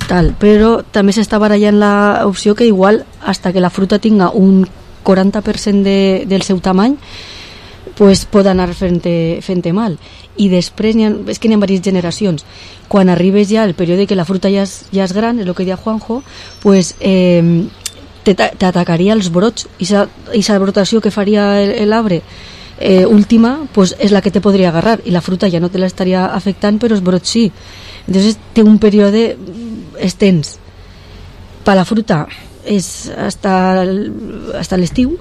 tal, però també s'està barallant l'opció que igual hasta que la fruta tinga un quaranta per cent de, del seu tamany pues pot anar fent-te fent mal, i després ha, és que n'hi ha diverses generacions. Quan arribes ja al període que la fruta ja és, ja és gran, és el que deia Juanjo, pues eh, t'atacaria els brots, i aquesta brotació que faria l'arbre eh, última pues és la que te podria agarrar, i la fruta ja no te l'estaria afectant, però els brots sí. Entonces té un període extens. Per la fruta és hasta, hasta l'estiu,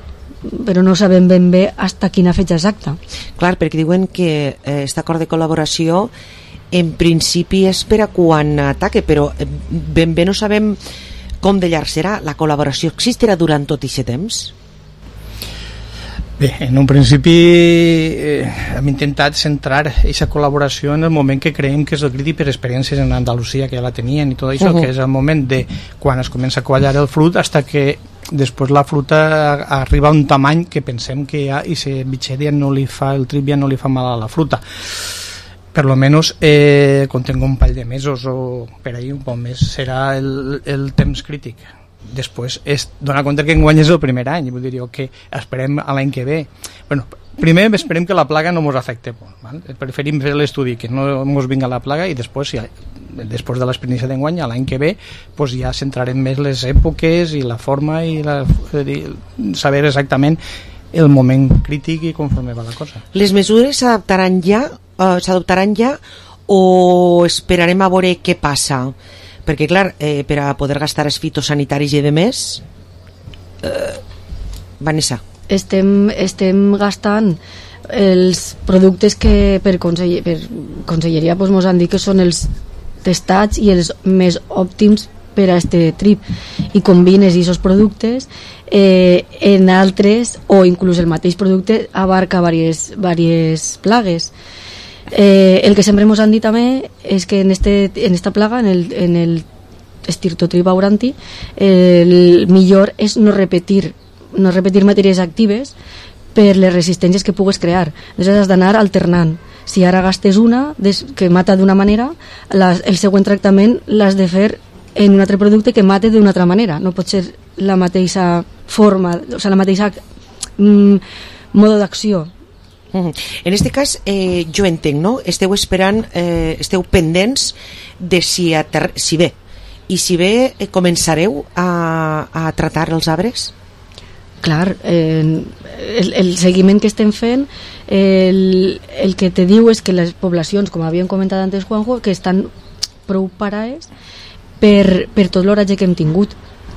però no sabem ben bé hasta quina fetge exacta. Clar, perquè diuen que eh, aquest acord de col·laboració en principi és per a quan ataque, però ben bé no sabem com de llarg serà. La col·laboració existirà durant tot aquest temps? Bé, en un principi eh, hem intentat centrar aquesta col·laboració en el moment que creiem que és el crític per experiències en Andalusia que ja la tenien i tot això, uh-huh. que és el moment de quan es comença a quallar el fruit hasta que després la fruta arriba a un tamany que pensem que ja, i si bitxet ja no li fa, el trip ja no li fa mal a la fruta. Per lo menos eh, quan tinc un parell de mesos o per ahí un poc més serà el, el temps crític. Després és donar compte que enguany és el primer any, vull dir que esperem a l'any que ve. Bueno, primer esperem que la plaga no ens afecti, val? Preferim fer l'estudi que no ens vinga la plaga, i després, ja, després de l'experiència d'enguany, a l'any que ve pues ja centrarem més les èpoques i la forma i la, saber exactament el moment crític i conforme va la cosa. Les mesures s'adaptaran ja, uh, s'adoptaran ja o esperarem a veure què passa? Perquè clar, eh, per a poder gastar els fitosanitaris i demés eh, Vanessa, estem, estem gastant els productes que per, conseller, per conselleria pues, mos han dit que són els testats i els més òptims per a este trip, i combines aquests productes eh, en altres, o inclús el mateix producte abarca diverses, diverses plagues. Eh, el que sempre ens han dit també és que en, este, en esta plaga, en el, en el Strychnine auranti, el millor és no repetir no repetir matèries actives per les resistències que pugues crear. Llavors has d'anar alternant. Si ara gastes una des, que mata d'una manera, la, el següent tractament l'has de fer en un altre producte que mate d'una altra manera. No pot ser la mateixa forma, o sigui, la mateixa mm, modo d'acció. En aquest cas, eh, jo entenc, no? Esteu esperant, eh, esteu pendents de si, ater... si bé. I si bé eh, començareu a, a tratar els arbres? Clar, eh, el, el seguiment que estem fent, el, el que te diu és que les poblacions, com havíem comentat antes, Juanjo, que estan prou parades per, per tot l'oratge que hem tingut,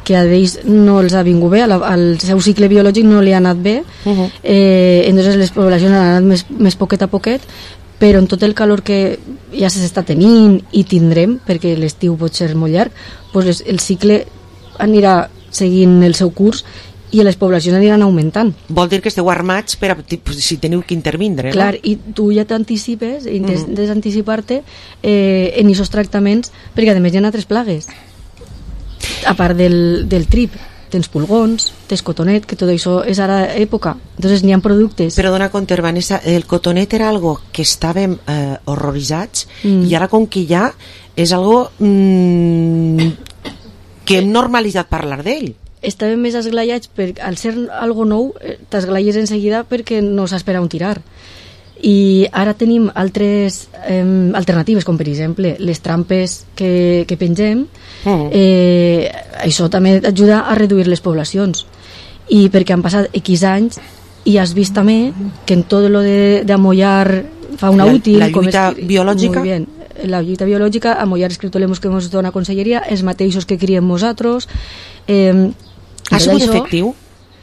que a ells no els ha vingut bé, al seu cicle biològic no li ha anat bé, uh-huh. eh, entonces les poblacions han anat més, més poquet a poquet, però en tot el calor que ja s'està tenint i tindrem, perquè l'estiu pot ser molt llarg, doncs el cicle anirà seguint el seu curs i les poblacions aniran augmentant. Vol dir que esteu armats per a, si teniu que intervindre, clar, no? I tu ja t'anticipes, intentes uh-huh. anticipar-te eh, en aquests tractaments, perquè a més hi ha altres plagues. A part del, del trip, tens pulgons, tens cotonet, que tot això és ara època, entonces n'hi ha productes. Però dona compte, Vanessa, el cotonet era algo que estàvem eh, horroritzats mm. i ara com que ja és algo mm, que hem normalitzat parlar d'ell. Estàvem més esglaiats, perquè al ser algo nou t'esglaies en seguida perquè no s'espera un tirar. I ara tenim altres eh, alternatives, com per exemple les trampes que, que pengem. Mm. eh, això també ajuda a reduir les poblacions, i perquè han passat X anys i has vist també que en tot lo de, de amollar fauna la, útil... La lluita com biològica? Muy bien. La lluita biològica, amollar els criptolemos que ens dona conselleria, els mateixos que criem nosaltres... Eh, ha sigut efectiu?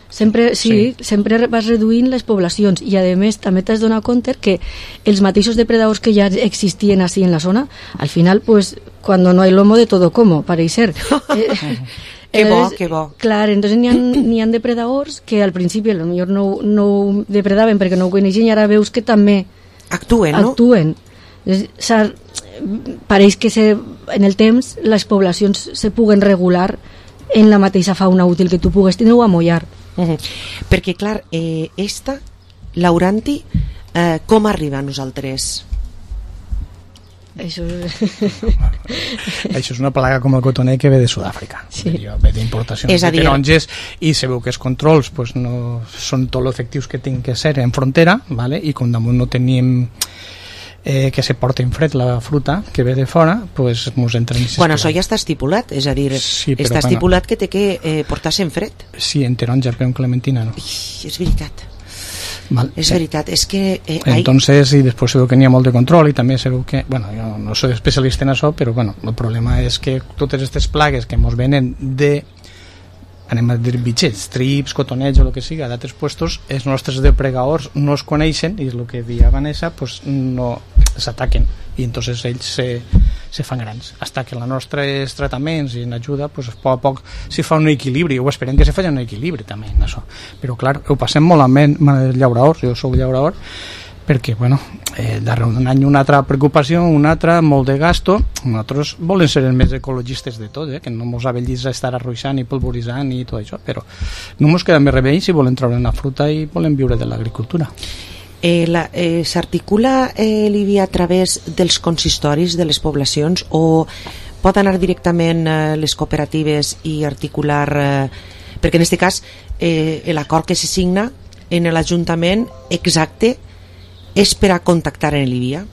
Sempre, sí, sí, sempre vas reduint les poblacions i a més també t'has donat compte que els mateixos depredadors que ja existien així en la zona, al final, pues, cuando no hay lomo de todo como, pareix ser. eh, Que bo, que bo. Clar, entonces n'hi ha, n'hi ha depredadors que al principi potser no, no ho depredaven perquè no ho coneixien i ara veus que també actuen, no? Actuen. Es, pareix que se, en el temps les poblacions se puguen regular en la mateixa fauna útil que tu pugues tindre o amollar. Uh-huh. Perquè, clar, eh, esta, l'auranti, eh, com arriba a nosaltres? Això... Això és una plaga com el cotoner que ve de Sud-àfrica, sí. Ve d'importacions de taronges i se veu que els controls pues, no són tot l'efectius que tinc que ser en frontera, vale? I com damunt no tenim eh, que se porta en fred la fruta que ve de fora, pues mos entren i bueno, això ja està estipulat, és a dir, sí, està bueno, estipulat que té que eh, portar-se en fred. Sí, en taronja, però en clementina no. Ix, és veritat. Mal. És veritat, és que... Eh, Entonces, y después se veu que n'hi ha molt de control i també se veu que... Bueno, jo no soy especialista en això, però bueno, el problema és que totes aquestes plagues que ens venen de, anem a dir bitxets, trips, cotonets o el que siga, d'altres puestos, els nostres depredadors no es coneixen i és el que deia Vanessa, pues no s'ataquen i entonces ells se, se fan grans hasta que els nostres tractaments i en ajuda pues, a poc a poc s'hi fa un equilibri o esperem que se faci un equilibri també en això. Però clar, ho passem molt amb els llauradors, jo soc llaurador perquè, bueno, eh, darrere d'un any una altra preocupació, una altra, molt de gasto. Nosaltres volem ser els més ecologistes de tot, eh? Que no ens avellis a estar arroixant i polvoritzant i tot això, però no ens queda més remei si volem treure una fruta i volem viure de l'agricultura. Eh, la, eh, s'articula eh, l'I B I a través dels consistoris de les poblacions o pot anar directament a eh, les cooperatives i articular eh, perquè en aquest cas eh, l'acord que se signa en l'Ajuntament exacte és per a contactar en l'I B I A?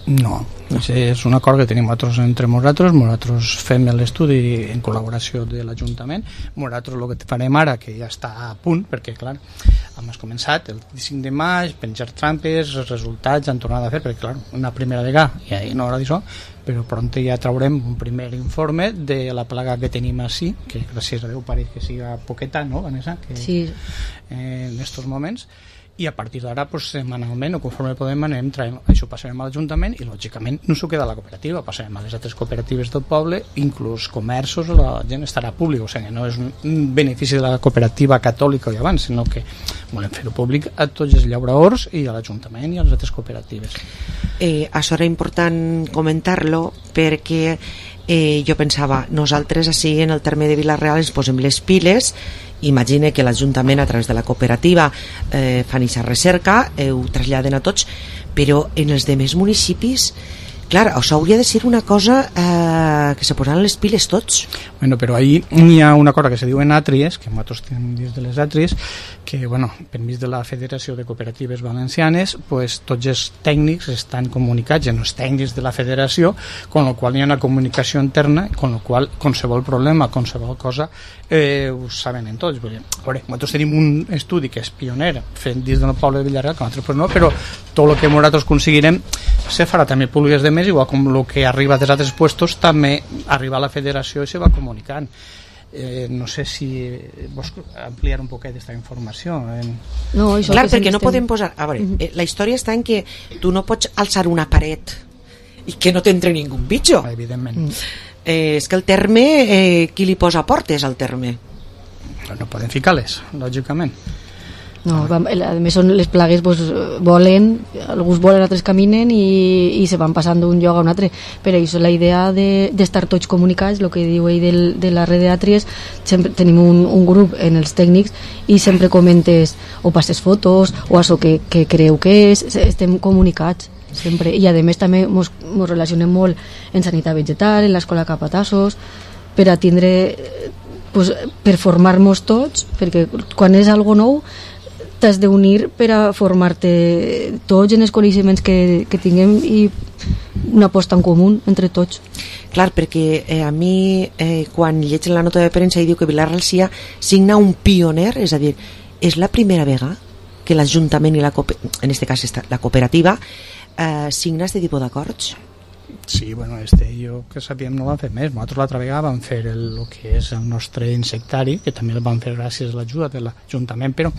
No, no. És un acord que tenim nosaltres entre nosaltres, nosaltres fem l'estudi en col·laboració de l'Ajuntament, nosaltres el que farem ara, que ja està a punt, perquè clar, hem començat el cinc de maig, penjar trampes, els resultats han tornat a fer, perquè clar, una primera vegada, i ahir no hora d'això, però pront ja traurem un primer informe de la plaga que tenim així, que gràcies a Déu pareix que siga poqueta, no, Vanessa? Que, sí. Eh, en aquests moments, i a partir d'ara, pues, setmanalment o conforme podem anem traiem, això passarem a l'Ajuntament i lògicament no s'ho queda a la cooperativa, passarem a les altres cooperatives del poble, inclús comerços, la gent estarà públic, o sigui, no és un benefici de la cooperativa catòlica i abans, sinó que volem fer-ho públic a tots els llauradors i a l'Ajuntament i a les altres cooperatives. Eh, això era important comentar-lo perquè eh, jo pensava, nosaltres així en el terme de Vila-real ens posem les piles. Imagine que l'Ajuntament a través de la cooperativa eh, fan aquesta recerca, eh, ho traslladen a tots, però en els demés municipis, clar, això hauria de ser una cosa eh, que se posaran les piles tots. Bueno, però ahí hi ha una cosa que se diu en Atries, que nosaltres tenim dins de les Atries, que, bueno, permís de la Federació de Cooperatives Valencianes, pues, tots els tècnics estan comunicats en els tècnics de la Federació, con lo qual hi ha una comunicació interna, con lo qual qualsevol problema, qualsevol cosa, eh, ho saben en tots. Vull dir, a veure, nosaltres tenim un estudi que és pioner, fet dins del poble de Villarreal, que nosaltres pues, no, però tot el que nosaltres aconseguirem se farà també públic de més, igual com el que arriba dels altres puestos també arriba a la Federació i se va comunicant. Eh, no sé si vols ampliar un poquet aquesta informació. En... No, això clar, perquè no podem posar... A veure, eh, la història està en que tu no pots alçar una paret i que no t'entre ningú bitxo. Evidentment. Eh, és que el terme, eh, qui li posa portes al terme? No poden ficar-les, lògicament. No, a més són les plagues pues, volen, alguns volen, altres caminen i, i se van passant d'un lloc a un altre, però això la idea d'estar de, tots comunicats, el que diu ell de, de la red de Atries, sempre tenim un, un grup en els tècnics i sempre comentes o passes fotos o això que, que creu que és, estem comunicats sempre, i a més també ens relacionem molt en sanitat vegetal, en l'escola Capatassos, per a tindre pues, per formar-nos tots, perquè quan és algo nou t'has d'unir per a formar-te tots en els coneixements que, que tinguem i una aposta en comú entre tots. Clar, perquè eh, a mi eh, quan lleig la nota de premsa i diu que Vilar Garcia signa un pioner, és a dir, és la primera vegada que l'Ajuntament i la en este cas la cooperativa eh, signa aquest tipus d'acords? Sí, bueno, este jo que sabíem no vam fer més. Nosaltres l'altra vegada vam fer el, el que és el nostre insectari, que també el vam fer gràcies a l'ajuda de l'Ajuntament, però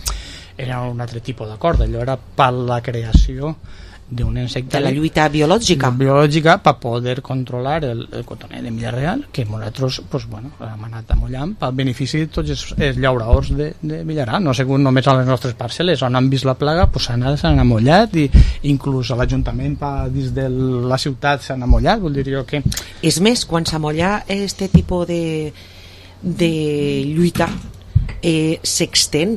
era un altre tipus d'acord. Allò era per la creació d'un insectari. De la lluita biològica. Biològica per poder controlar el, el cotonet de Villarreal, que nosaltres pues, bueno, hem anat amollant pel benefici de tots els, els llauradors de, de Villarreal. No segur només a les nostres parcel·les on han vist la plaga, pues, s'han s'han amollat i inclús a l'Ajuntament dins de la ciutat s'han amollat, vull dir jo que... És més, quan s'amolla este tipus de, de lluita eh, s'extén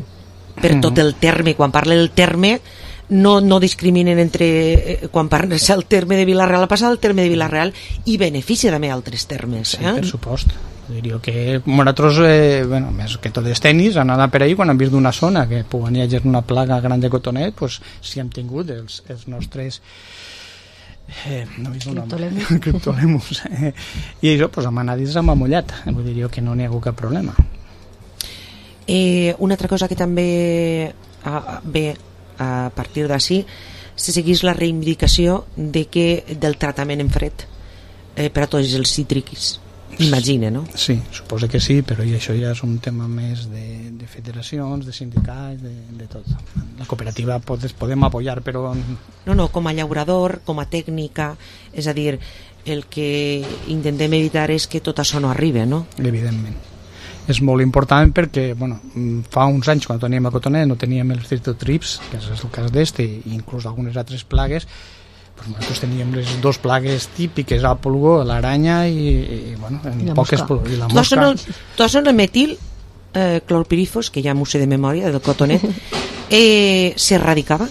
per tot el terme. Quan parla del terme no, no discriminen entre eh, quan parles el terme de Vilarreal passa al terme de Vilarreal i beneficia també altres termes. Sí, eh? per supost. Diria que nosaltres, eh, bueno, més que tots els tècnics, han anat per ahí quan han vist d'una zona que podia haver una plaga gran de cotonet, pues, si hem tingut els, els nostres eh, no he vist un nom criptolemus eh, i això, pues, hem anat i s'hem amollat. Vull dir jo que no n'hi ha hagut cap problema. Eh, una altra cosa que també ah, ve a partir d'ací se segueix la reivindicació de que del tractament en fred eh, per a tots els cítrics, imagina, no? Sí, suposo que sí, però i això ja és un tema més de, de federacions, de sindicats, de, de tot. La cooperativa podes, podem apoyar, però... No, no, com a llaurador, com a tècnica, és a dir, el que intentem evitar és que tot això no arribi, no? Evidentment. És molt important perquè, bueno, fa uns anys quan teníem el cotonet no teníem els citotrips, que és el cas d'este, i inclús algunes altres plagues, pues nosaltres teníem les dues plagues típiques, el pulgó, l'aranya i, i, bueno, en I poques mosca. I la Tots mosca. són el, tots són el metil eh, clorpirifos, que ja m'ho sé de memòria del cotonet, eh, s'erradicava?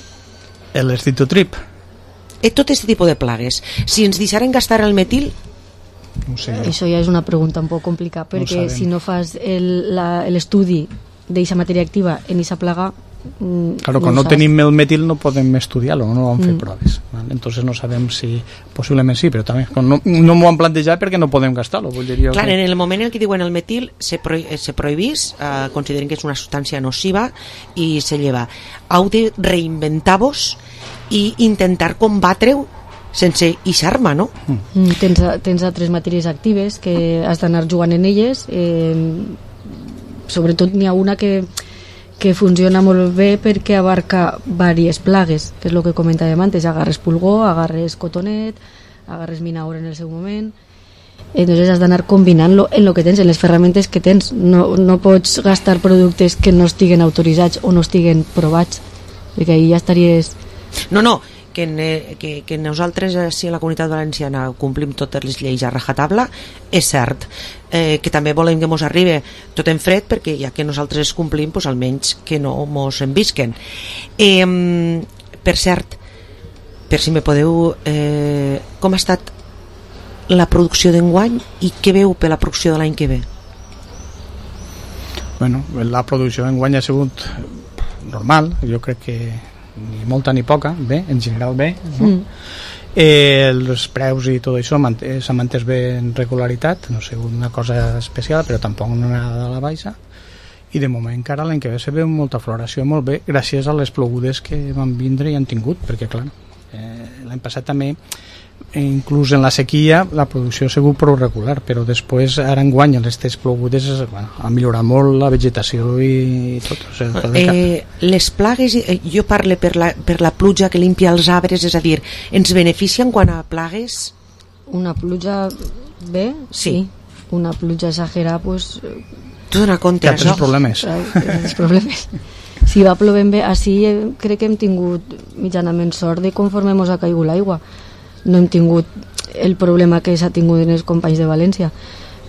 El citotrip. Eh, tot aquest tipus de plagues. Si ens deixaren gastar el metil, no sé, això ja és una pregunta un poc complicada, perquè no si no fas l'estudi d'aquesta matèria activa en aquesta plaga, mm, claro, quan no, no tenim el metil no podem estudiar-lo, no vam fer mm. proves, ¿vale? Entonces no sabem si, possiblement sí, però també no, no m'ho han plantejat perquè no podem gastar-lo. Vull dir jo clar, que... en el moment en què diuen el metil se, pro, se prohibís, eh, consideren que és una substància nociva i se lleva. Heu de reinventar-vos i intentar combatre-ho sense ixar-me, no? Mm, tens, tens altres matèries actives que has d'anar jugant en elles, eh, sobretot n'hi ha una que, que funciona molt bé perquè abarca diverses plagues, que és el que comentàvem antes, agarres pulgó, agarres cotonet, agarres minaure en el seu moment, entonces has d'anar combinant-lo en lo que tens, en les ferramentes que tens. No, no pots gastar productes que no estiguen autoritzats o no estiguen provats, perquè ahir ja estaries... No, no, que, ne, que, que nosaltres si a la Comunitat Valenciana complim totes les lleis a rajatabla, és cert, eh, que també volem que mos arribi tot en fred, perquè ja que nosaltres complim, pues, almenys que no mos envisquen. Eh, per cert, per si me podeu eh, com ha estat la producció d'enguany i què veu per la producció de l'any que ve? Bueno, la producció d'enguany ha sigut normal, jo crec que ni molta ni poca, bé, en general bé, no? Mm. Eh, els preus i tot això s'ha mantès bé en regularitat, no sé, una cosa especial, però tampoc no anava a la baixa, i de moment encara l'any que ve se veu molta floració molt bé, gràcies a les plogudes que van vindre i han tingut, perquè clar, eh, l'any passat també inclús en la sequia la producció ha sigut prou regular, però després ara enguany aquestes plogudes, bueno, ha millorat molt la vegetació i tot, o sigui, eh, les plagues, eh, jo parlo per la, per la pluja que limpia els arbres, és a dir, ens beneficien quan a plagues? Una pluja bé, sí, sí. Una pluja exagerada, pues, tu dona compte que altres problemes. Altres problemes. Si va plovent bé, així crec que hem tingut mitjanament sort de conforme mos ha caigut l'aigua. No hem tingut el problema que s'ha tingut en els companys de València,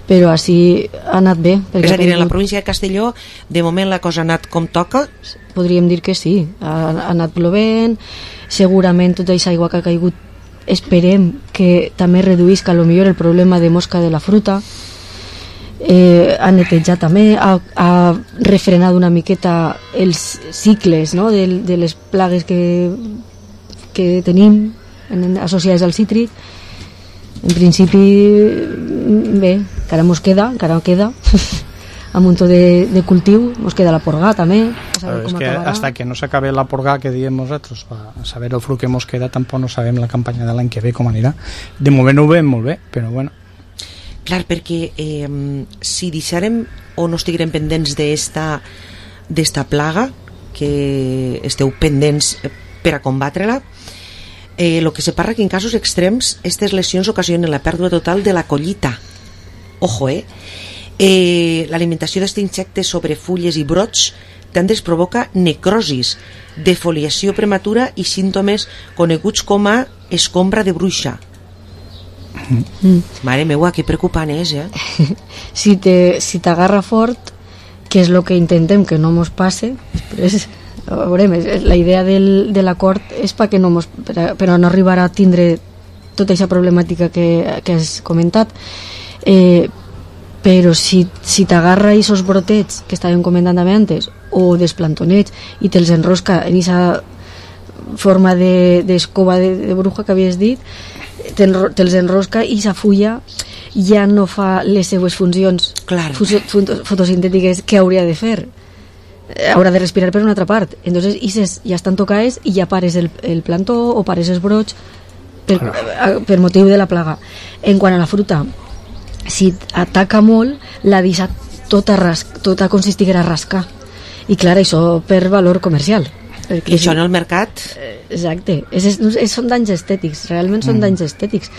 però així ha anat bé. És a dir, en la província de Castelló de moment la cosa ha anat com toca? Podríem dir que sí, ha, ha anat plovent, segurament tota aquesta aigua que ha caigut esperem que també reduïsca potser el problema de mosca de la fruta, eh, ha netejat també, ha, ha refrenat una miqueta els cicles, no?, de, de les plagues que, que tenim en, associades al cítric, En principi, bé, encara mos queda, encara queda un munt de, de cultiu, mos queda la porgà també. Claro, és que hasta que no s'acabe la porgà que diem nosaltres, per saber el fruit que mos queda, tampoc no sabem la campanya de l'any que ve com anirà. De moment ho veiem molt bé, però bueno. Clar, perquè eh, si deixarem o no estiguem pendents d'esta d'esta plaga, que esteu pendents per a combatre-la, el eh, que se parla que en casos extrems aquestes lesions ocasionen la pèrdua total de la collita. Ojo, eh? eh L'alimentació d'aquest insecte sobre fulles i brots també es provoca necrosis, defoliació prematura i símptomes coneguts com a escombra de bruixa. Mm. Mare meua, que preocupant és, eh? Si te, si t'agarra fort, que és el que intentem que no mos passe, després, veurem, la idea del, de l'acord és perquè no mos, per, a, per a no arribar a tindre tota aquesta problemàtica que, que has comentat. Eh, però si, si t'agarra aquests brotets que estàvem comentant també antes, o desplantonets, i te'ls enrosca en aquesta forma d'escova de, de, de bruja que havies dit, te'ls enrosca i sa fulla ja no fa les seues funcions claro. fotosintètiques que hauria de fer, haurà de respirar per una altra part, entonces ises ja estan tocades i ja pares el, el plantó o pares els brots per, claro. per motiu de la plaga. En quant a la fruta, si ataca molt, la deixa tota, ras, tota consistiguera a rascar, i clar, això per valor comercial. I això en el mercat? Exacte, és, és, és, són danys estètics, realment són mm. danys estètics.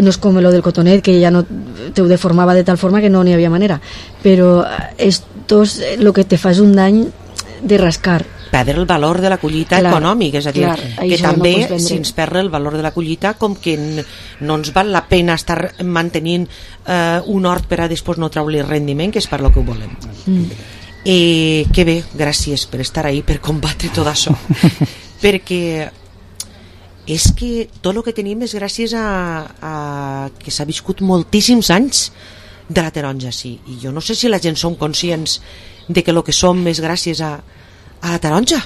No és com el del cotonet, que ja no te ho deformava de tal forma que no n'hi havia manera, però estos el que te fa és un dany de rascar. Perdre el valor de la collita clar, econòmic, és a dir, clar, que també no si ens perd el valor de la collita, com que no ens val la pena estar mantenint eh, un hort per a després no treure-li rendiment, que és per lo que ho volem. Mm. Eh, que bé, gràcies per estar ahí, per combatre tot això. Perquè és que tot el que tenim és gràcies a, a que s'ha viscut moltíssims anys de la taronja, sí. I jo no sé si la gent som conscients de que el que som és gràcies a, a la taronja.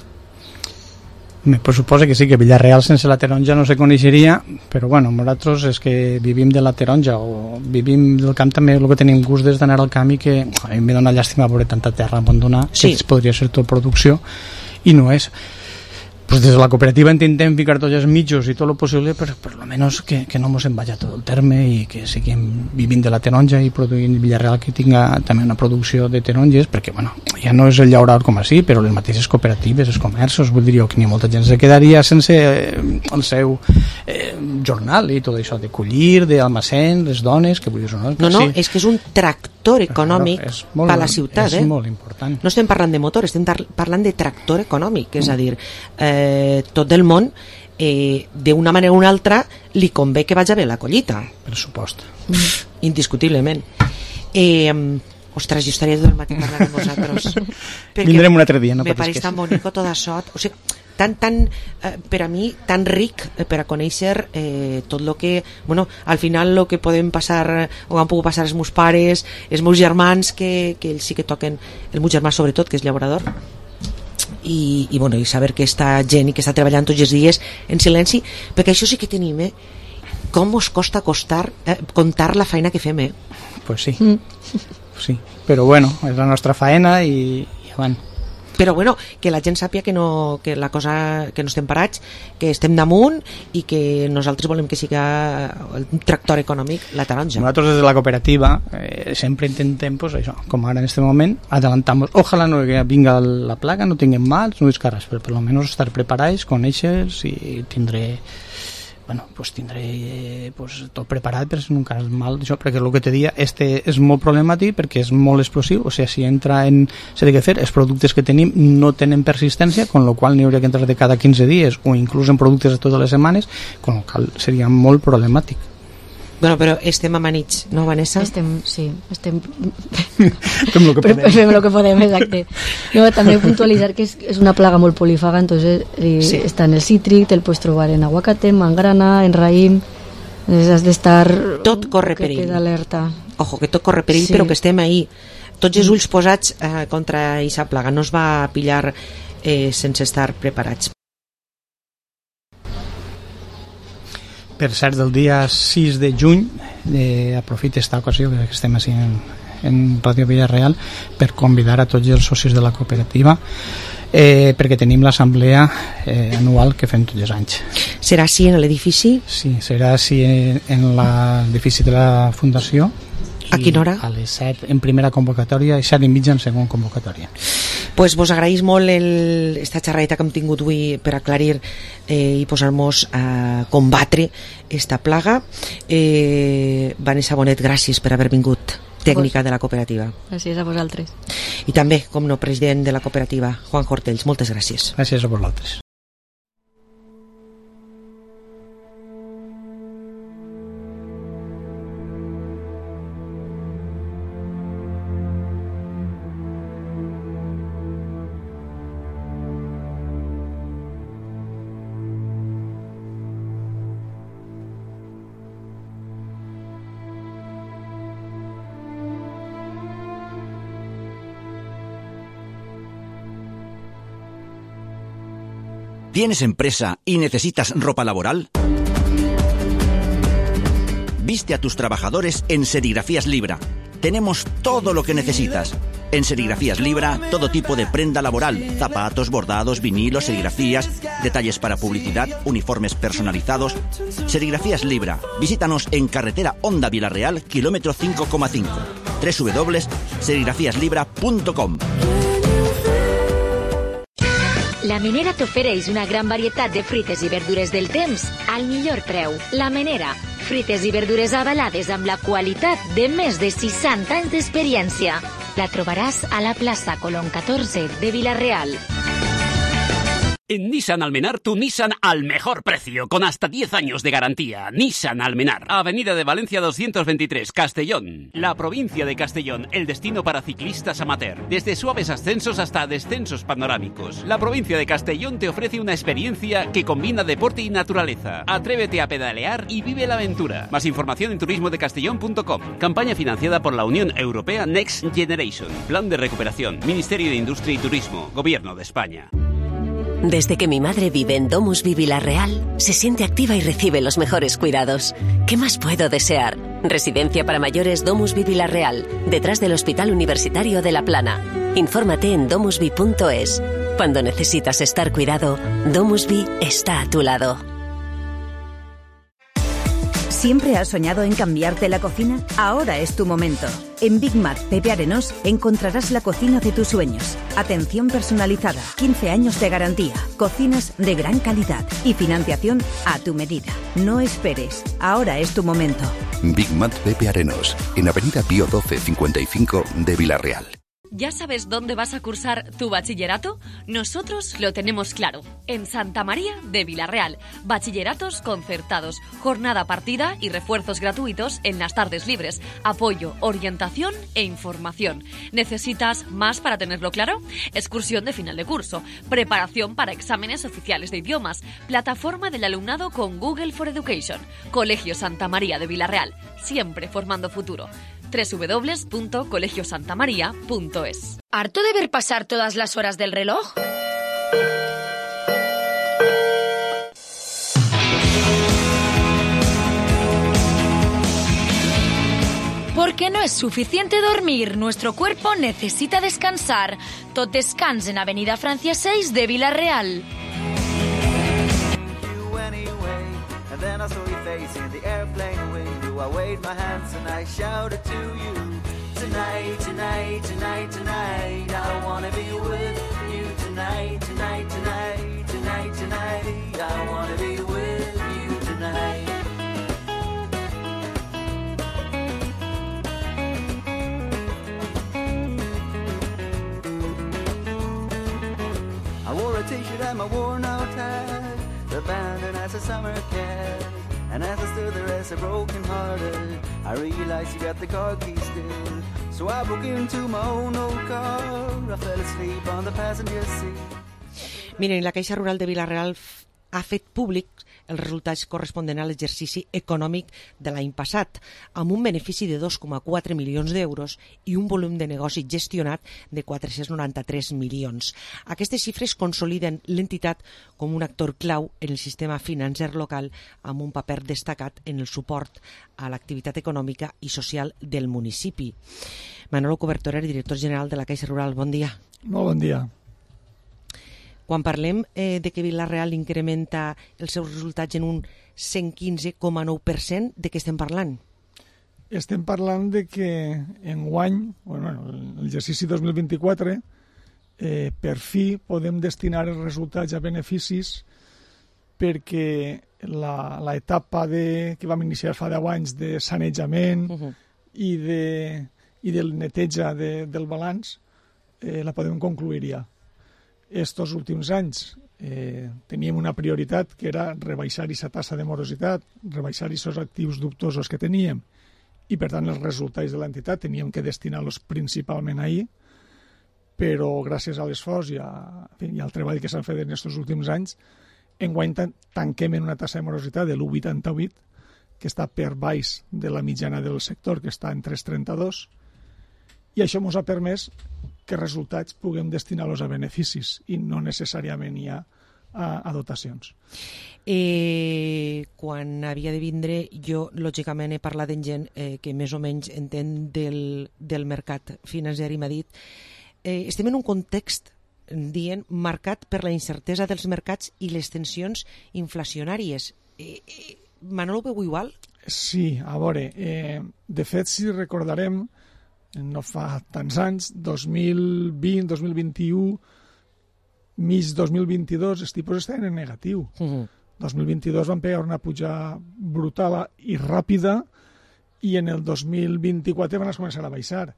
Pues suposa que sí, que Villarreal sense la taronja no se coneixeria, però bueno, nosaltres és que vivim de la taronja o vivim del camp, també el que tenim gust és d'anar al camp, i que a mi me dona llàstima veure tanta terra abandonar, sí. que podria ser tot producció i no és. Pues des de la cooperativa intentem ficar tots els mitjos i tot el possible, però per lo menos que, que no mos en vagi tot el terme i que seguim vivint de la taronja i produint Villarreal que tinga també una producció de taronges, perquè bueno, ja no és el llaurador com així, però les mateixes cooperatives, els comerços, vull dir jo que ni molta gent se quedaria sense el seu eh, jornal i tot això de collir, d'almacén, les dones, que vull dir, no? No, no, sí. És que és un tractor econòmic per a la ciutat, és eh? molt important. No estem parlant de motor, estem parlant de tractor econòmic, és a dir, eh, tot el món eh, d'una manera o una altra li convé que vagi bé la collita, per supost, indiscutiblement. eh, ostres, jo estaria tot el matí parlant amb vosaltres vindrem un altre dia, no me pareix tan bonic tot això, o sigui, tan, tan, eh, per a mi tan ric eh, per a conèixer eh, tot el que, bueno, al final el que podem passar o han pogut passar els meus pares, els meus germans, que, que ells sí que toquen, el meu germà sobretot, que és llaurador, i, i, bueno, i saber que està gent i que està treballant tots els dies en silenci, perquè això sí que tenim, eh? Com us costa costar, eh, comptar la feina que fem, eh? Pues sí, mm. sí, però bueno, és la nostra faena i, i avant. Però bueno, que la gent sàpia que no, que la cosa, que no estem parats, que estem damunt i que nosaltres volem que siga el tractor econòmic la taronja. Nosaltres des de la cooperativa eh, sempre intentem, pues, això, com ara en este moment, adelantamos, ojalá no que vinga la plaga, no tinguem mals, no discarres, però per almenys estar preparats, conèixer i tindré bueno, pues tindré pues, tot preparat per si en un cas mal, això, perquè el que te dia este és molt problemàtic perquè és molt explosiu, o sigui, si entra en s'ha de fer, els productes que tenim no tenen persistència, con lo qual n'hi hauria que entrar de cada quinze dies o inclús en productes de totes les setmanes, con lo qual seria molt problemàtic. Bueno, però estem amanits, no, Vanessa? Estem, sí, estem... fem el que podem. Fem el que podem, exacte. No, també puntualitzar que és, és una plaga molt polífaga, entonces eh, sí. Està en el cítric, te'l pots trobar en aguacate, mangrana, en raïm, has d'estar... Tot corre perill. D'alerta. Ojo, que tot corre perill, sí. Però que estem ahí, tots els ulls posats eh, contra aquesta plaga, no es va pillar eh, sense estar preparats. per cert, del dia sis de juny, eh, aprofito aquesta ocasió que estem així en, en Ràdio Villarreal per convidar a tots els socis de la cooperativa, eh, perquè tenim l'assemblea eh, anual que fem tots els anys. Serà així en l'edifici? Sí, serà així en, en l'edifici de la Fundació. A quina hora? A les set en primera convocatòria i set i mitja en segona convocatòria. Pues vos agraïs molt el, esta xerradeta que hem tingut avui per aclarir eh, i posar-nos a combatre esta plaga. Eh, Vanessa Bonet, gràcies per haver vingut, tècnica de la cooperativa. Gràcies a vosaltres. I també, com no, president de la cooperativa, Juan Hortells, moltes gràcies. Gràcies a vosaltres. ¿Tienes empresa y necesitas ropa laboral? Viste a tus trabajadores en Serigrafías Libra. Tenemos todo lo que necesitas. En Serigrafías Libra, todo tipo de prenda laboral, zapatos, bordados, vinilos, serigrafías, detalles para publicidad, uniformes personalizados. Serigrafías Libra. Visítanos en carretera Honda Villarreal, kilómetro cinco coma cinco. doble u doble u doble u punto serigrafías libra punto com. La Menera t'ofereix una gran varietat de fruites i verdures del temps al millor preu. La Menera, fruites i verdures avalades amb la qualitat de més de seixanta anys d'experiència. La trobaràs a la plaça Colón catorze de Vila-real. En Nissan Almenar, tu Nissan al mejor precio, con hasta diez años de garantía. Nissan Almenar, Avenida de Valencia doscientos veintitrés, Castellón. La provincia de Castellón, el destino para ciclistas amateur. Desde suaves ascensos hasta descensos panorámicos. La provincia de Castellón te ofrece una experiencia que combina deporte y naturaleza. Atrévete a pedalear y vive la aventura. Más información en turismo de castellón punto com. Campaña financiada por la Unión Europea Next Generation. Plan de recuperación. Ministerio de Industria y Turismo. Gobierno de España. Desde que mi madre vive en DomusVi Vila-real, se siente activa y recibe los mejores cuidados. ¿Qué más puedo desear? Residencia para mayores DomusVi Vila-real, detrás del Hospital Universitario de La Plana. Infórmate en domusvi punto es. Cuando necesitas estar cuidado, DomusVi está a tu lado. ¿Siempre has soñado en cambiarte la cocina? Ahora es tu momento. En Big Mac Pepe Arenós encontrarás la cocina de tus sueños. Atención personalizada, quince años de garantía, cocinas de gran calidad y financiación a tu medida. No esperes, ahora es tu momento. Big Mac Pepe Arenós, en Avenida Pío doce cincuenta y cinco de Vila-real. ¿Ya sabes dónde vas a cursar tu bachillerato? Nosotros lo tenemos claro. En Santa María de Vila-real. Bachilleratos concertados, jornada partida y refuerzos gratuitos en las tardes libres. Apoyo, orientación e información. ¿Necesitas más para tenerlo claro? Excursión de final de curso. Preparación para exámenes oficiales de idiomas. Plataforma del alumnado con Google for Education. Colegio Santa María de Vila-real. Siempre formando futuro. doble u doble u doble u punto colegio santa maría punto es. ¿Harto de ver pasar todas las horas del reloj? Porque no es suficiente dormir, nuestro cuerpo necesita descansar. Tot descans en Avenida Francia seis de Vila-real. I waved my hands and I shouted to you. Tonight, tonight, tonight, tonight, I wanna be with you. Tonight, tonight, tonight, tonight, tonight, I wanna be with you tonight. I wore a t-shirt and my worn out hat, abandoned as a summer cat. And as I stood there as a broken hearted, I realized you got the car key still. So I broke into my own old car. I fell asleep on the passenger seat. Miren, la Caixa Rural de Vila-real ha fet públics els resultats corresponents a l'exercici econòmic de l'any passat, amb un benefici de dos coma quatre milions d'euros i un volum de negoci gestionat de quatre-cents noranta-tres milions. Aquestes xifres consoliden l'entitat com un actor clau en el sistema financer local, amb un paper destacat en el suport a l'activitat econòmica i social del municipi. Manolo Cobertorer, director general de la Caixa Rural, bon dia. Molt bon dia. Quan parlem eh, de que Vila-real incrementa els seus resultats en un cent quinze coma nou per cent, de què estem parlant? Estem parlant de que enguany, bueno, l'exercici dos mil vint-i-quatre, eh, per fi podem destinar els resultats a beneficis perquè l'etapa que vam iniciar fa deu anys de sanejament uh -huh. i, de, i del neteja de, del balanç eh, la podem concluir ja. Estos últims anys eh, teníem una prioritat que era rebaixar aquesta tassa de morositat, rebaixar aquests actius dubtosos que teníem i per tant els resultats de l'entitat teníem que destinar-los principalment ahir, però gràcies a l'esforç i, a, i al treball que s'han fet en aquests últims anys, enguany tanquem en una tassa de morositat de l'u coma vuitanta-vuit, que està per baix de la mitjana del sector, que està en tres coma trenta-dos, i això ens ha permès que resultats puguem destinar-los a beneficis i no necessàriament ja a, a dotacions. Eh, quan havia de vindre, jo lògicament he parlat amb gent eh, que més o menys entén del, del mercat financer i m'ha dit eh, estem en un context dient marcat per la incertesa dels mercats i les tensions inflacionàries. Eh, eh, Manolo, ho veu igual? Sí, a veure, eh, de fet, si recordarem, no fa tants anys, dos mil vint, dos mil vint-i-u, mig dos mil vint-i-dos, els tipus estaven en negatiu. Uh-huh. dos mil vint-i-dos van pegar una puja brutal i ràpida i en el dos mil vint-i-quatre van començar a baixar.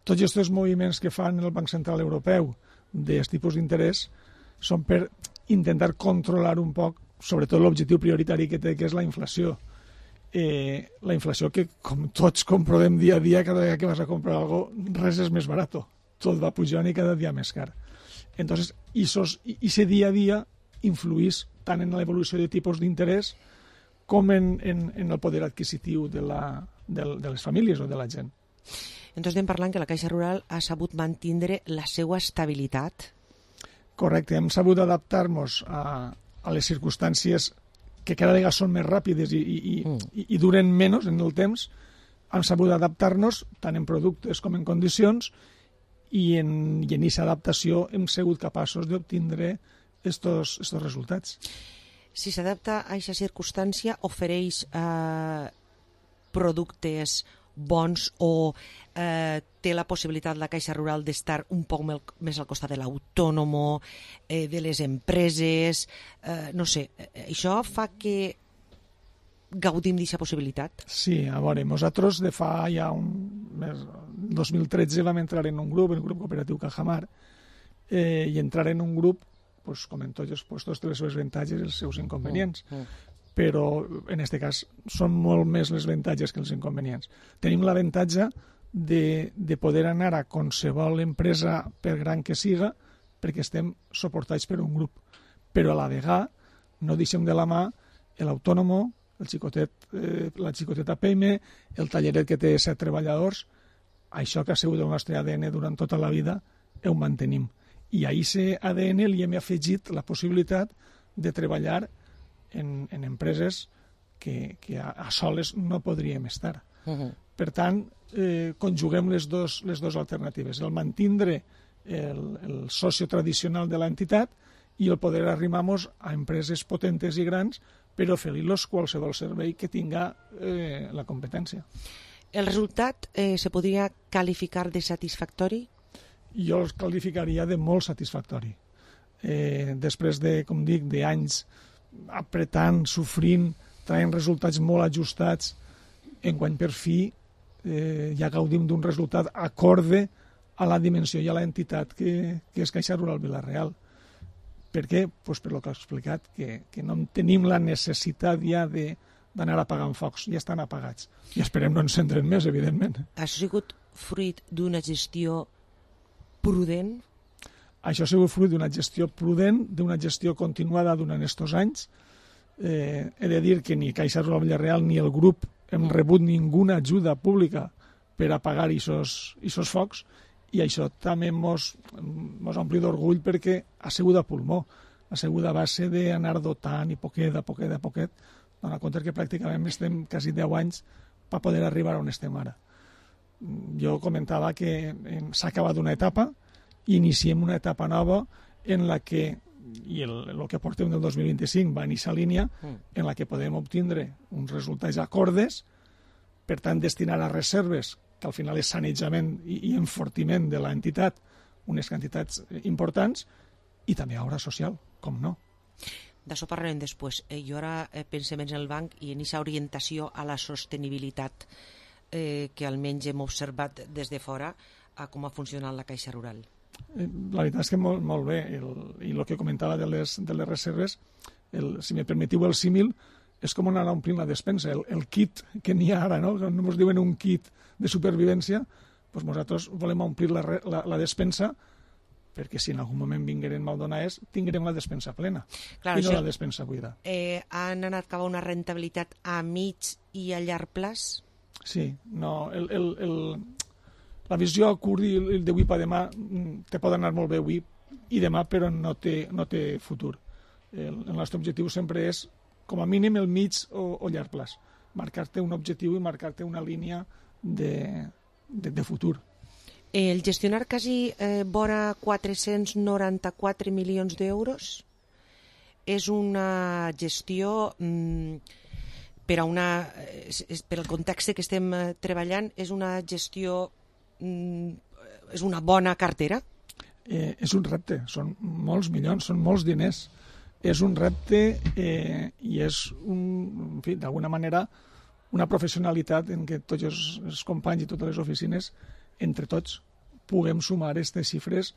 Tots aquests moviments que fan el Banc Central Europeu dels tipus d'interès són per intentar controlar un poc, sobretot l'objectiu prioritari que té, que és la inflació. Eh, la inflació que, com tots comprovem dia a dia, cada vegada que vas a comprar algo, res és més barat. Tot va pujant i cada dia més car. Entonces, aquest dia a dia influís tant en l'evolució de tipus d'interès com en, en, en el poder adquisitiu de, la, de, de les famílies o de la gent. Entonces estem parlant que la Caixa Rural ha sabut mantindre la seva estabilitat? Correcte, hem sabut adaptar-nos a, a les circumstàncies que cada vegada són més ràpides i, i, i, mm. i, i duren menys en el temps. Hem sabut adaptar-nos tant en productes com en condicions i en i en aquesta adaptació hem sigut capaços d'obtindre estos, estos resultats. Si s'adapta a aquesta circumstància, ofereix eh, productes bons o eh, té la possibilitat la Caixa Rural d'estar un poc més al costat de l'autònomo, eh, de les empreses, eh, no sé, això fa que gaudim d'aquesta possibilitat? Sí, a veure, nosaltres de fa ja un... dos mil tretze vam entrar en un grup, el grup cooperatiu Cajamar, eh, i entrar en un grup, pues, com en tots els puestos, té les seus avantatges i els seus inconvenients. Mm, mm. Però en aquest cas són molt més les avantatges que els inconvenients. Tenim l'avantatge de, de poder anar a qualsevol empresa, per gran que siga, perquè estem suportats per un grup. Però a la vegada no deixem de la mà l'autònomo, el xicotet, eh, la xicoteta P M, el talleret que té set treballadors. Això que ha sigut el nostre A D N durant tota la vida ho mantenim. I a aquest A D N li hem afegit la possibilitat de treballar en, en empreses que, que a, a soles no podríem estar. Uh-huh. Per tant, eh, conjuguem les dos, les dos alternatives, el mantindre el, el socio tradicional de l'entitat i el poder arrimar-nos a empreses potentes i grans per oferir-los qualsevol servei que tinga eh, la competència. El resultat eh, se podria qualificar de satisfactori? Jo els qualificaria de molt satisfactori. Eh, després de, com dic, d'anys apretant, sofrint, traient resultats molt ajustats, enguany per fi eh, ja gaudim d'un resultat acorde a la dimensió i a l'entitat que, que és Caixa Rural Vila-real. Per què? Pues per lo que he explicat, que, que no tenim la necessitat ja de, d'anar apagant focs, ja estan apagats. I esperem no encendre'n més, evidentment. Ha sigut fruit d'una gestió prudent? Això ha sigut fruit d'una gestió prudent, d'una gestió continuada durant aquests anys. Eh, he de dir que ni Caixa Rural Vilareal ni el grup hem rebut ninguna ajuda pública per a pagar aquests focs, i això també mos, mos ompli d'orgull perquè ha sigut a pulmó, ha sigut a base d'anar dotant i poquet a poquet a poquet, dona compte que pràcticament estem quasi deu anys per poder arribar on estem ara. Jo comentava que s'ha acabat una etapa i iniciem una etapa nova en la que, i el, el que portem del dos mil vint-i-cinc va en aquesta línia, en la que podem obtindre uns resultats acordes, per tant destinar a reserves, que al final és sanejament i, i enfortiment de l'entitat, unes quantitats importants, i també a obra social, com no. D'això parlarem després. Eh, jo ara eh, pensem en el banc i en aquesta orientació a la sostenibilitat eh, que almenys hem observat des de fora a com ha funcionat la Caixa Rural. Eh, la veritat és que molt, molt bé, el, i el que comentava de les, de les reserves, el, si me permetiu el símil, és com anar omplint la despensa, el, el kit que n'hi ha ara, no? Que no ens diuen un kit de supervivència, doncs nosaltres volem omplir la, la, la despensa perquè si en algun moment vingueren maldonaes, tinguem la despensa plena, clar, i no això, la despensa buida. Eh, han anat cap a una rentabilitat a mig i a llarg plaç? Sí, no, el, el, el, la visió a curt i el d'avui per demà te pot anar molt bé avui i demà, però no té, no té futur. El, el nostre objectiu sempre és, com a mínim, el mig o, o llarg plaç. Marcar-te un objectiu i marcar-te una línia de, de, de futur. El gestionar quasi eh, vora quatre-cents noranta-quatre milions d'euros és una gestió mm, per a una és, per al context que estem eh, treballant, és una gestió mm, és una bona cartera? Eh, és un repte, són molts milions, són molts diners. És un repte eh, i és un, en fi, d'alguna manera una professionalitat en què tots els, els companys i totes les oficines, entre tots, puguem sumar aquestes xifres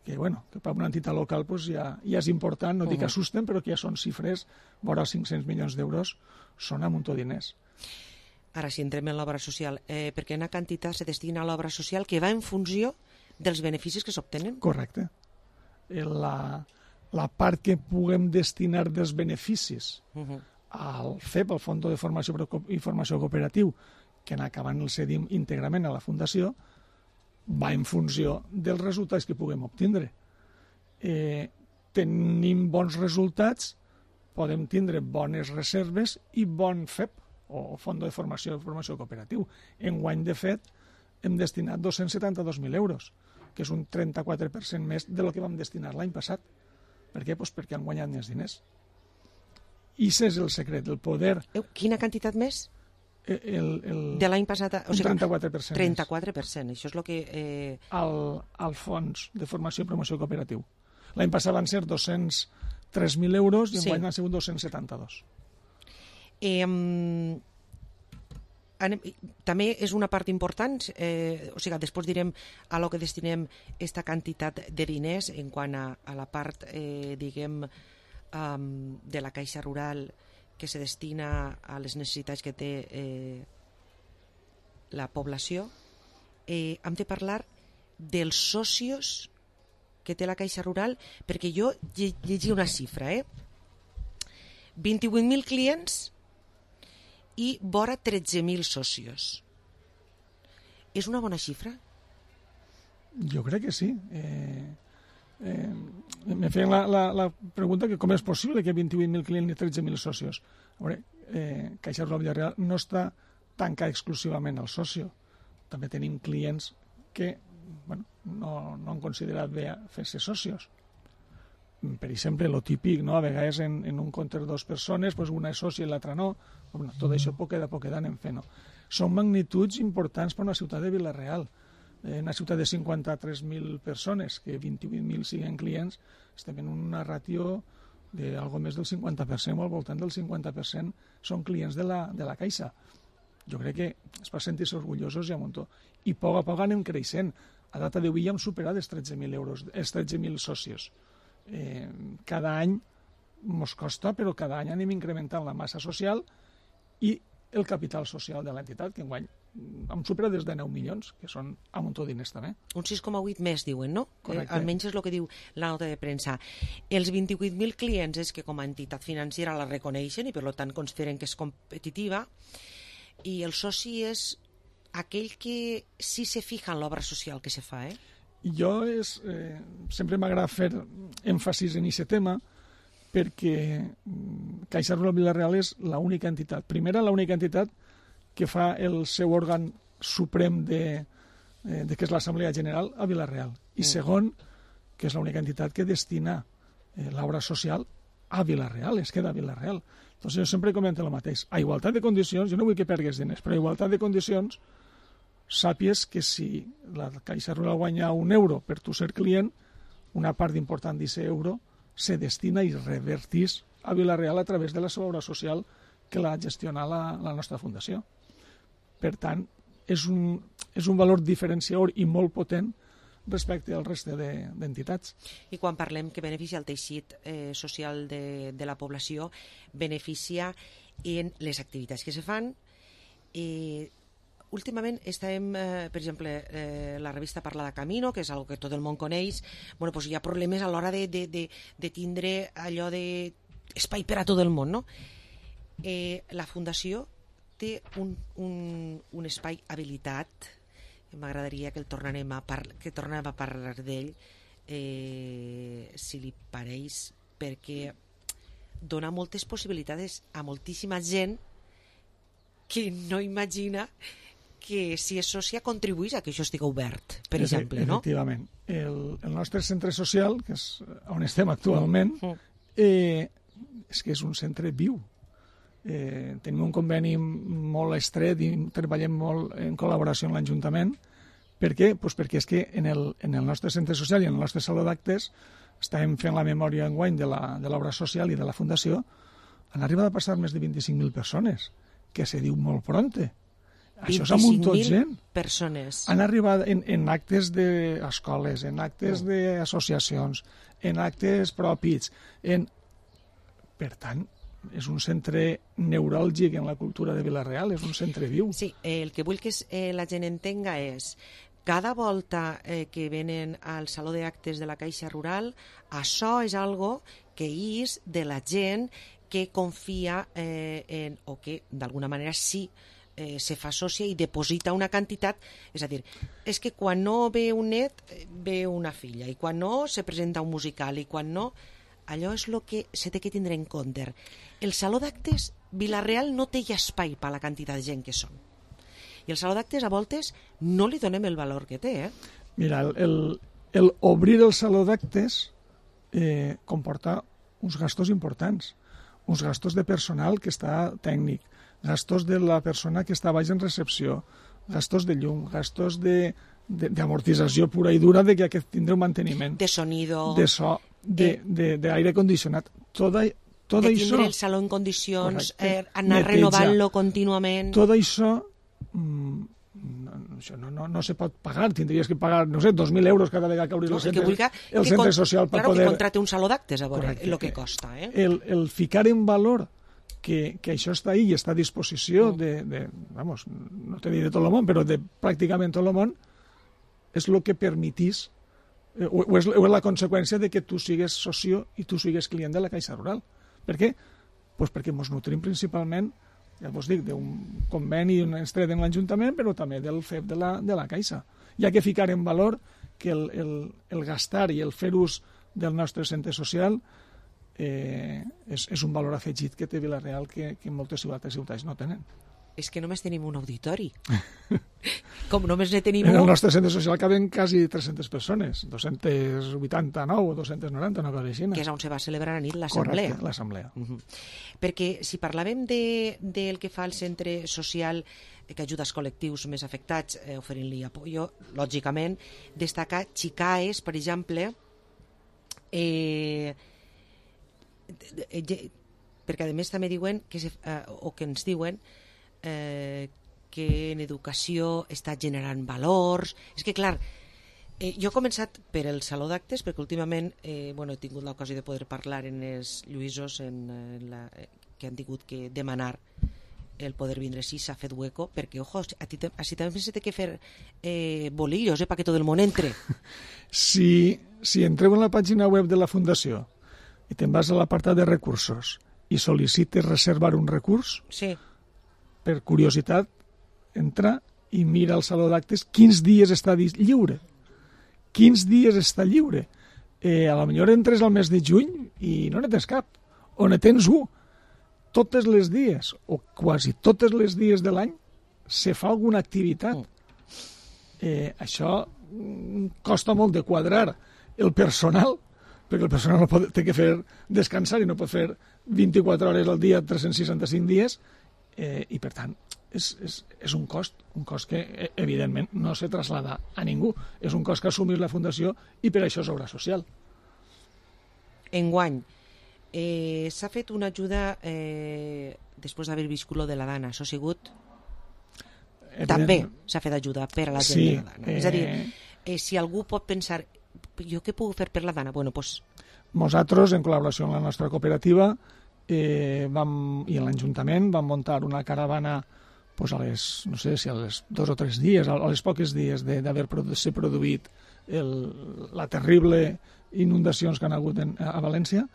que, bueno, que per una entitat local pues, ja, ja és important, no dic que assusten, però que ja són xifres, vora cinc-cents milions d'euros, són un munt de diners. Ara, si entrem en l'obra social, eh, perquè una quantitat se destina a l'obra social que va en funció dels beneficis que s'obtenen? Correcte. La, la part que puguem destinar dels beneficis uh -huh. al F E P, al Fons de Formació i Formació Cooperatiu, que anar acabant el cedim íntegrament a la Fundació, va en funció dels resultats que puguem obtindre. Eh, tenim bons resultats, podem tindre bones reserves i bon F E P, o Fons de Formació i Formació Cooperatiu. Enguany, de fet, hem destinat dos-cents setanta-dos mil euros, que és un trenta-quatre per cent més del que vam destinar l'any passat. Per què? Pues perquè han guanyat més diners. I aquest és el secret, el poder... Quina quantitat més? El, el, de l'any passat... O sigui, trenta-quatre per cent. trenta-quatre per cent, això és el que... Eh... Al, al Fons de Formació i Promoció Cooperatiu. L'any passat van ser dos-cents tres mil euros i enguany sí. Han sigut dos-cents setanta-dos. Eh, anem, també és una part important, eh, o sigui, després direm a lo que destinem aquesta quantitat de diners en quant a, a la part, eh, diguem, um, de la Caixa Rural que se destina a les necessitats que té eh, la població. Eh, hem de parlar dels socios que té la Caixa Rural, perquè jo llegia una xifra, eh? vint-i-vuit mil clients i vora tretze mil socios. És una bona xifra? Jo crec que sí. Eh, eh, me feien la, la, la pregunta que com és possible que vint-i-vuit mil clients i tretze mil socios. A veure, eh, Caixa Rural Vilareal no està tancat exclusivament al socio. També tenim clients que bueno, no, no han considerat bé fer-se socios. Per exemple, lo típic, no? A vegades en, en un compte de dues persones, pues una és sòcia i l'altra no. Bueno, tot això poc a poc anem fent. No? Són magnituds importants per una ciutat de Vila-real. Eh, una ciutat de cinquanta-tres mil persones, que vint-i-vuit mil siguin clients, estem en una ràtio d'algo més del cinquanta per cent o al voltant del cinquanta per cent són clients de la, de la Caixa. Jo crec que es pot sentir-se orgullosos i a muntó. I poc a poc anem creixent. A data d'avui ja hem superat els tretze mil euros, els tretze mil socios. Eh, cada any ens costa, però cada any anem incrementant la massa social i el capital social de l'entitat, que enguany hem superat des de nou milions, que són a muntó diners també. Un sis coma vuit més, diuen, no? Correcte. Eh, almenys és el que diu la nota de premsa. Els vint-i-vuit mil clients és que com a entitat financera la reconeixen i per tant consideren que és competitiva, i el soci és aquell que sí se fija en l'obra social que se fa, eh? Jo és, eh, sempre m'agrada fer èmfasis en aquest tema perquè Caixa Rural Vila-real és l'única entitat, primera l'única entitat que fa el seu òrgan suprem de, de que és l'Assemblea General a Vila-real, i segon que és l'única entitat que destina eh, l'obra social a Vila-real, es queda a Vila-real. Entonces jo sempre comento el mateix, a igualtat de condicions, jo no vull que pergues diners, però a igualtat de condicions sàpies que si la Caixa Rural guanya un euro per tu ser client, una part important d'aquest euro se destina i revertís a Vila-real a través de la seva obra social que la gestiona la, la nostra fundació. Per tant, és un, és un valor diferenciador i molt potent respecte al reste d'entitats. I quan parlem que beneficia el teixit eh, social de, de la població, beneficia en les activitats que se fan. Eh, últimament estàvem, eh, per exemple, eh, la revista Parla de Camino, que és algo que tot el món coneix. Bueno, pues hi ha problemes a l'hora de, de, de, de tindre allò de espai per a tot el món, no? Eh, la Fundació té un, un, un espai habilitat, m'agradaria que el tornarem a, par que tornem a parlar d'ell, eh, si li pareix, perquè dona moltes possibilitats a moltíssima gent que no imagina que si és sòcia contribuís a que això estigui obert, per Efe, exemple, no? Efectivament. El, el nostre centre social, que és on estem actualment, eh, és que és un centre viu. Eh, tenim un conveni molt estret i treballem molt en col·laboració amb l'Ajuntament. Per què? Pues perquè és que en el, en el nostre centre social i en el nostre saló d'actes estàvem fent la memòria enguany de l'obra social i de la Fundació. Han arribat a passar més de vint-i-cinc mil persones, que se diu molt pronte. Això és amb un tot gent. Persones. Han arribat en, en actes d'escoles, en actes mm. d'associacions, en actes propis. En... Per tant, és un centre neuràlgic en la cultura de Vila-real, és un centre viu. Sí, eh, el que vull que eh, la gent entenga és cada volta eh, que venen al Saló d'Actes de la Caixa Rural, això és algo que és de la gent que confia eh, en, o que d'alguna manera sí eh, se fa sòcia i deposita una quantitat. És a dir, és que quan no ve un net, ve una filla, i quan no se presenta un musical, i quan no... Allò és el que se té que tindre en compte. El Saló d'Actes, Vila-real no té ja espai per la quantitat de gent que són. I el Saló d'Actes, a voltes, no li donem el valor que té, eh? Mira, el, el, el obrir el Saló d'Actes eh, comporta uns gastos importants, uns gastos de personal que està tècnic, gastos de la persona que està baix en recepció, gastos de llum, gastos de d'amortització pura i dura de que aquest tindrà un manteniment. De sonido. De so, d'aire condicionat. Tot, tot de això... tindre el saló en condicions, eh, anar renovant-lo contínuament. Tot això, mm, no, això no, no, no se pot pagar. Tindries que pagar, no sé, dos mil euros cada vegada que obris no, el centre, vulga, el centre con, social per claro, poder... que contrate un saló d'actes, a veure el que costa. Eh? El, el ficar en valor que, que això està ahí i està a disposició mm. de, de, vamos, no te diré tot el món, però de pràcticament tot el món, és el que permetís, eh, o, o, és, o és la conseqüència de que tu sigues socio i tu sigues client de la Caixa Rural. Per què? Pues perquè ens nutrim principalment, ja vos dic, d'un conveni un estret en l'Ajuntament, però també del F E P de la, de la Caixa. Hi ha que ficar en valor que el, el, el gastar i el fer ús del nostre centre social eh, és, és un valor afegit que té Vila-real que, que moltes ciutats, ciutats no tenen. És que només tenim un auditori. Com només ne tenim un... En el un... nostre centre social caben quasi tres-centes persones, dos-cents vuitanta-nou o dos-cents noranta, no cal així. Que és on se va celebrar a nit l'assemblea. Correcte, l'assemblea. Uh -huh. Perquè si parlàvem de, del que fa el centre social que ajuda els col·lectius més afectats, eh, oferint-li apoyo, lògicament, destacar Xicaes, per exemple, eh, de, de, de, perquè a més també diuen que se, eh, o que ens diuen Eh, que en educació està generant valors. És que, clar, eh, jo he començat per el Saló d'Actes, perquè últimament eh, bueno, he tingut l'ocasió de poder parlar en els lluïsos en, en la, eh, que han tingut que demanar el poder vindre si s'ha fet hueco, perquè, ojo, a ti així també s'ha de fer eh, bolillos, eh, perquè tot el món entre. Si, si entreu en la pàgina web de la Fundació i te'n vas a l'apartat de recursos i sol·licites reservar un recurs, sí. Per curiositat, entra i mira el saló d'actes quins dies està lliure. Quins dies està lliure. Eh, a la millor entres al mes de juny i no ne tens cap, o ne tens un. Totes les dies, o quasi totes les dies de l'any, se fa alguna activitat. Eh, això costa molt de quadrar el personal, perquè el personal no pot, té que fer descansar i no pot fer vint-i-quatre hores al dia, tres-cents seixanta-cinc dies, eh, i per tant és, és, és un cost, un cost que evidentment no se traslada a ningú, és un cost que assumir la Fundació i per això és obra social. Enguany, eh, s'ha fet una ajuda eh, després d'haver viscut lo de la Dana, això ha sigut... També s'ha fet ajuda per a la gent sí, de la Dana. Eh... És a dir, eh, si algú pot pensar, jo què puc fer per la Dana? Bueno, doncs... Nosaltres, en col·laboració amb la nostra cooperativa eh, vam, i en l'Ajuntament, vam muntar una caravana pues, a les, no sé si a les dos o tres dies, a les poques dies d'haver produ produït el, la terrible inundacions que han hagut en, a València,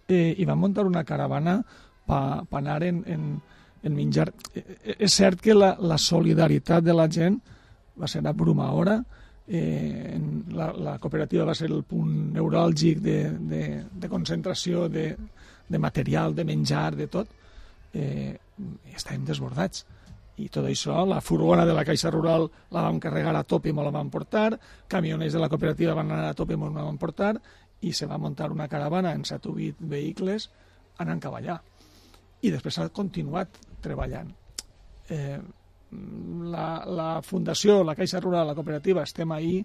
eh, i vam muntar una caravana per pa anar en, en, en menjar. Eh, és cert que la, la solidaritat de la gent va ser abrumadora. Eh, la, la cooperativa va ser el punt neuràlgic de, de, de concentració de, de material, de menjar, de tot. Eh, estàvem desbordats. I tot això, la furgona de la Caixa Rural la vam carregar a tope i me la vam portar, camioners de la cooperativa van anar a tope i me la van portar, i se va muntar una caravana en set o vuit vehicles anant cap allà. I després s'ha continuat treballant. Eh, la, la Fundació, la Caixa Rural, la cooperativa, estem ahí,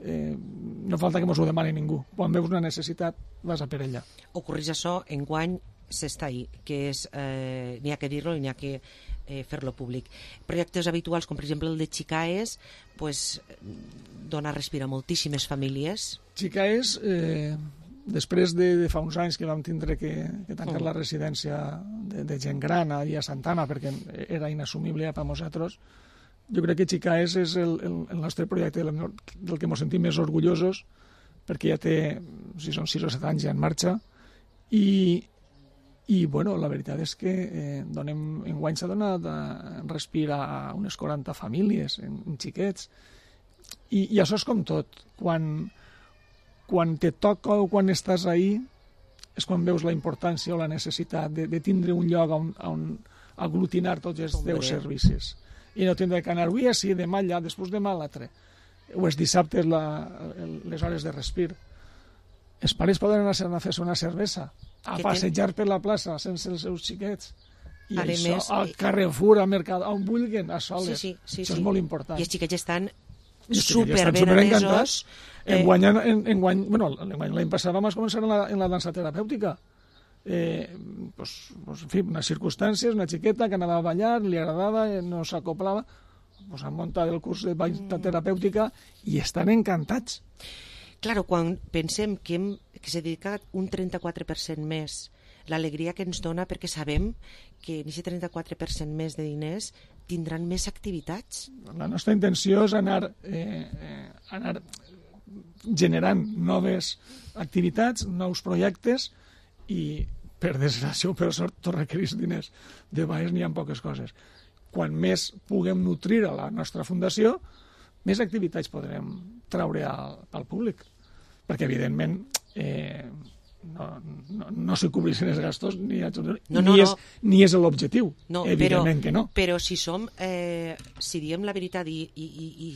eh, no falta que mos ho demani ningú. Quan veus una necessitat, vas a per ella. Ocorreix això, enguany s'està ahí, que és, eh, n'hi ha que dir-lo i n'hi ha que eh, fer-lo públic. Projectes habituals, com per exemple el de Xicaes, pues, dona a respirar moltíssimes famílies. Xicaes, eh, després de, de fa uns anys que vam tindre que, que tancar mm. la residència de, de gent gran allà a Santana, perquè era inassumible per nosaltres, jo crec que Xicaes és el, el, el nostre projecte del, del que ens sentim més orgullosos, perquè ja té, si són sis o set anys ja en marxa, i I, bueno, la veritat és que eh, donem, enguany s'ha donat a respirar a unes quaranta famílies, en, en xiquets. I, I això és com tot. Quan, quan te toca o quan estàs ahí, és quan veus la importància o la necessitat de, de tindre un lloc on, on aglutinar tots els teus servicis. I no tindre que anar avui així, demà allà, després demà l'altre. O els dissabtes la, les hores de respir. Els pares poden anar a fer una cervesa, a passejar per la plaça sense els seus xiquets. I Ara això, més, al Carrefour, al Mercat, on vulguin, a soles. Sí, sí, sí, això sí. és molt important. I els xiquets estan superben atesos. Enguany, enguany, bueno, l'any passat vam començar en la, en la dansa terapèutica. Eh, pues, pues, en fi, unes circumstàncies, una xiqueta que anava a ballar, li agradava, no s'acoplava, pues, han muntat el curs de dansa terapèutica i estan encantats. Claro, quan pensem que, hem, que s'ha dedicat un trenta-quatre per cent més, l'alegria que ens dona perquè sabem que en aquest trenta-quatre per cent més de diners tindran més activitats. La nostra intenció és anar, eh, eh, anar generant noves activitats, nous projectes, i per desgràcia o per sort tot requereix diners. De vegades n'hi ha poques coses. Quan més puguem nutrir a la nostra fundació, més activitats podrem traure al, al públic, perquè evidentment eh, no, no, no se cobrissin els gastos ni, no, no, ni, és, no. ni és l'objectiu, no, evidentment però, que no. Però si som, eh, si diem la veritat i, i, i, i,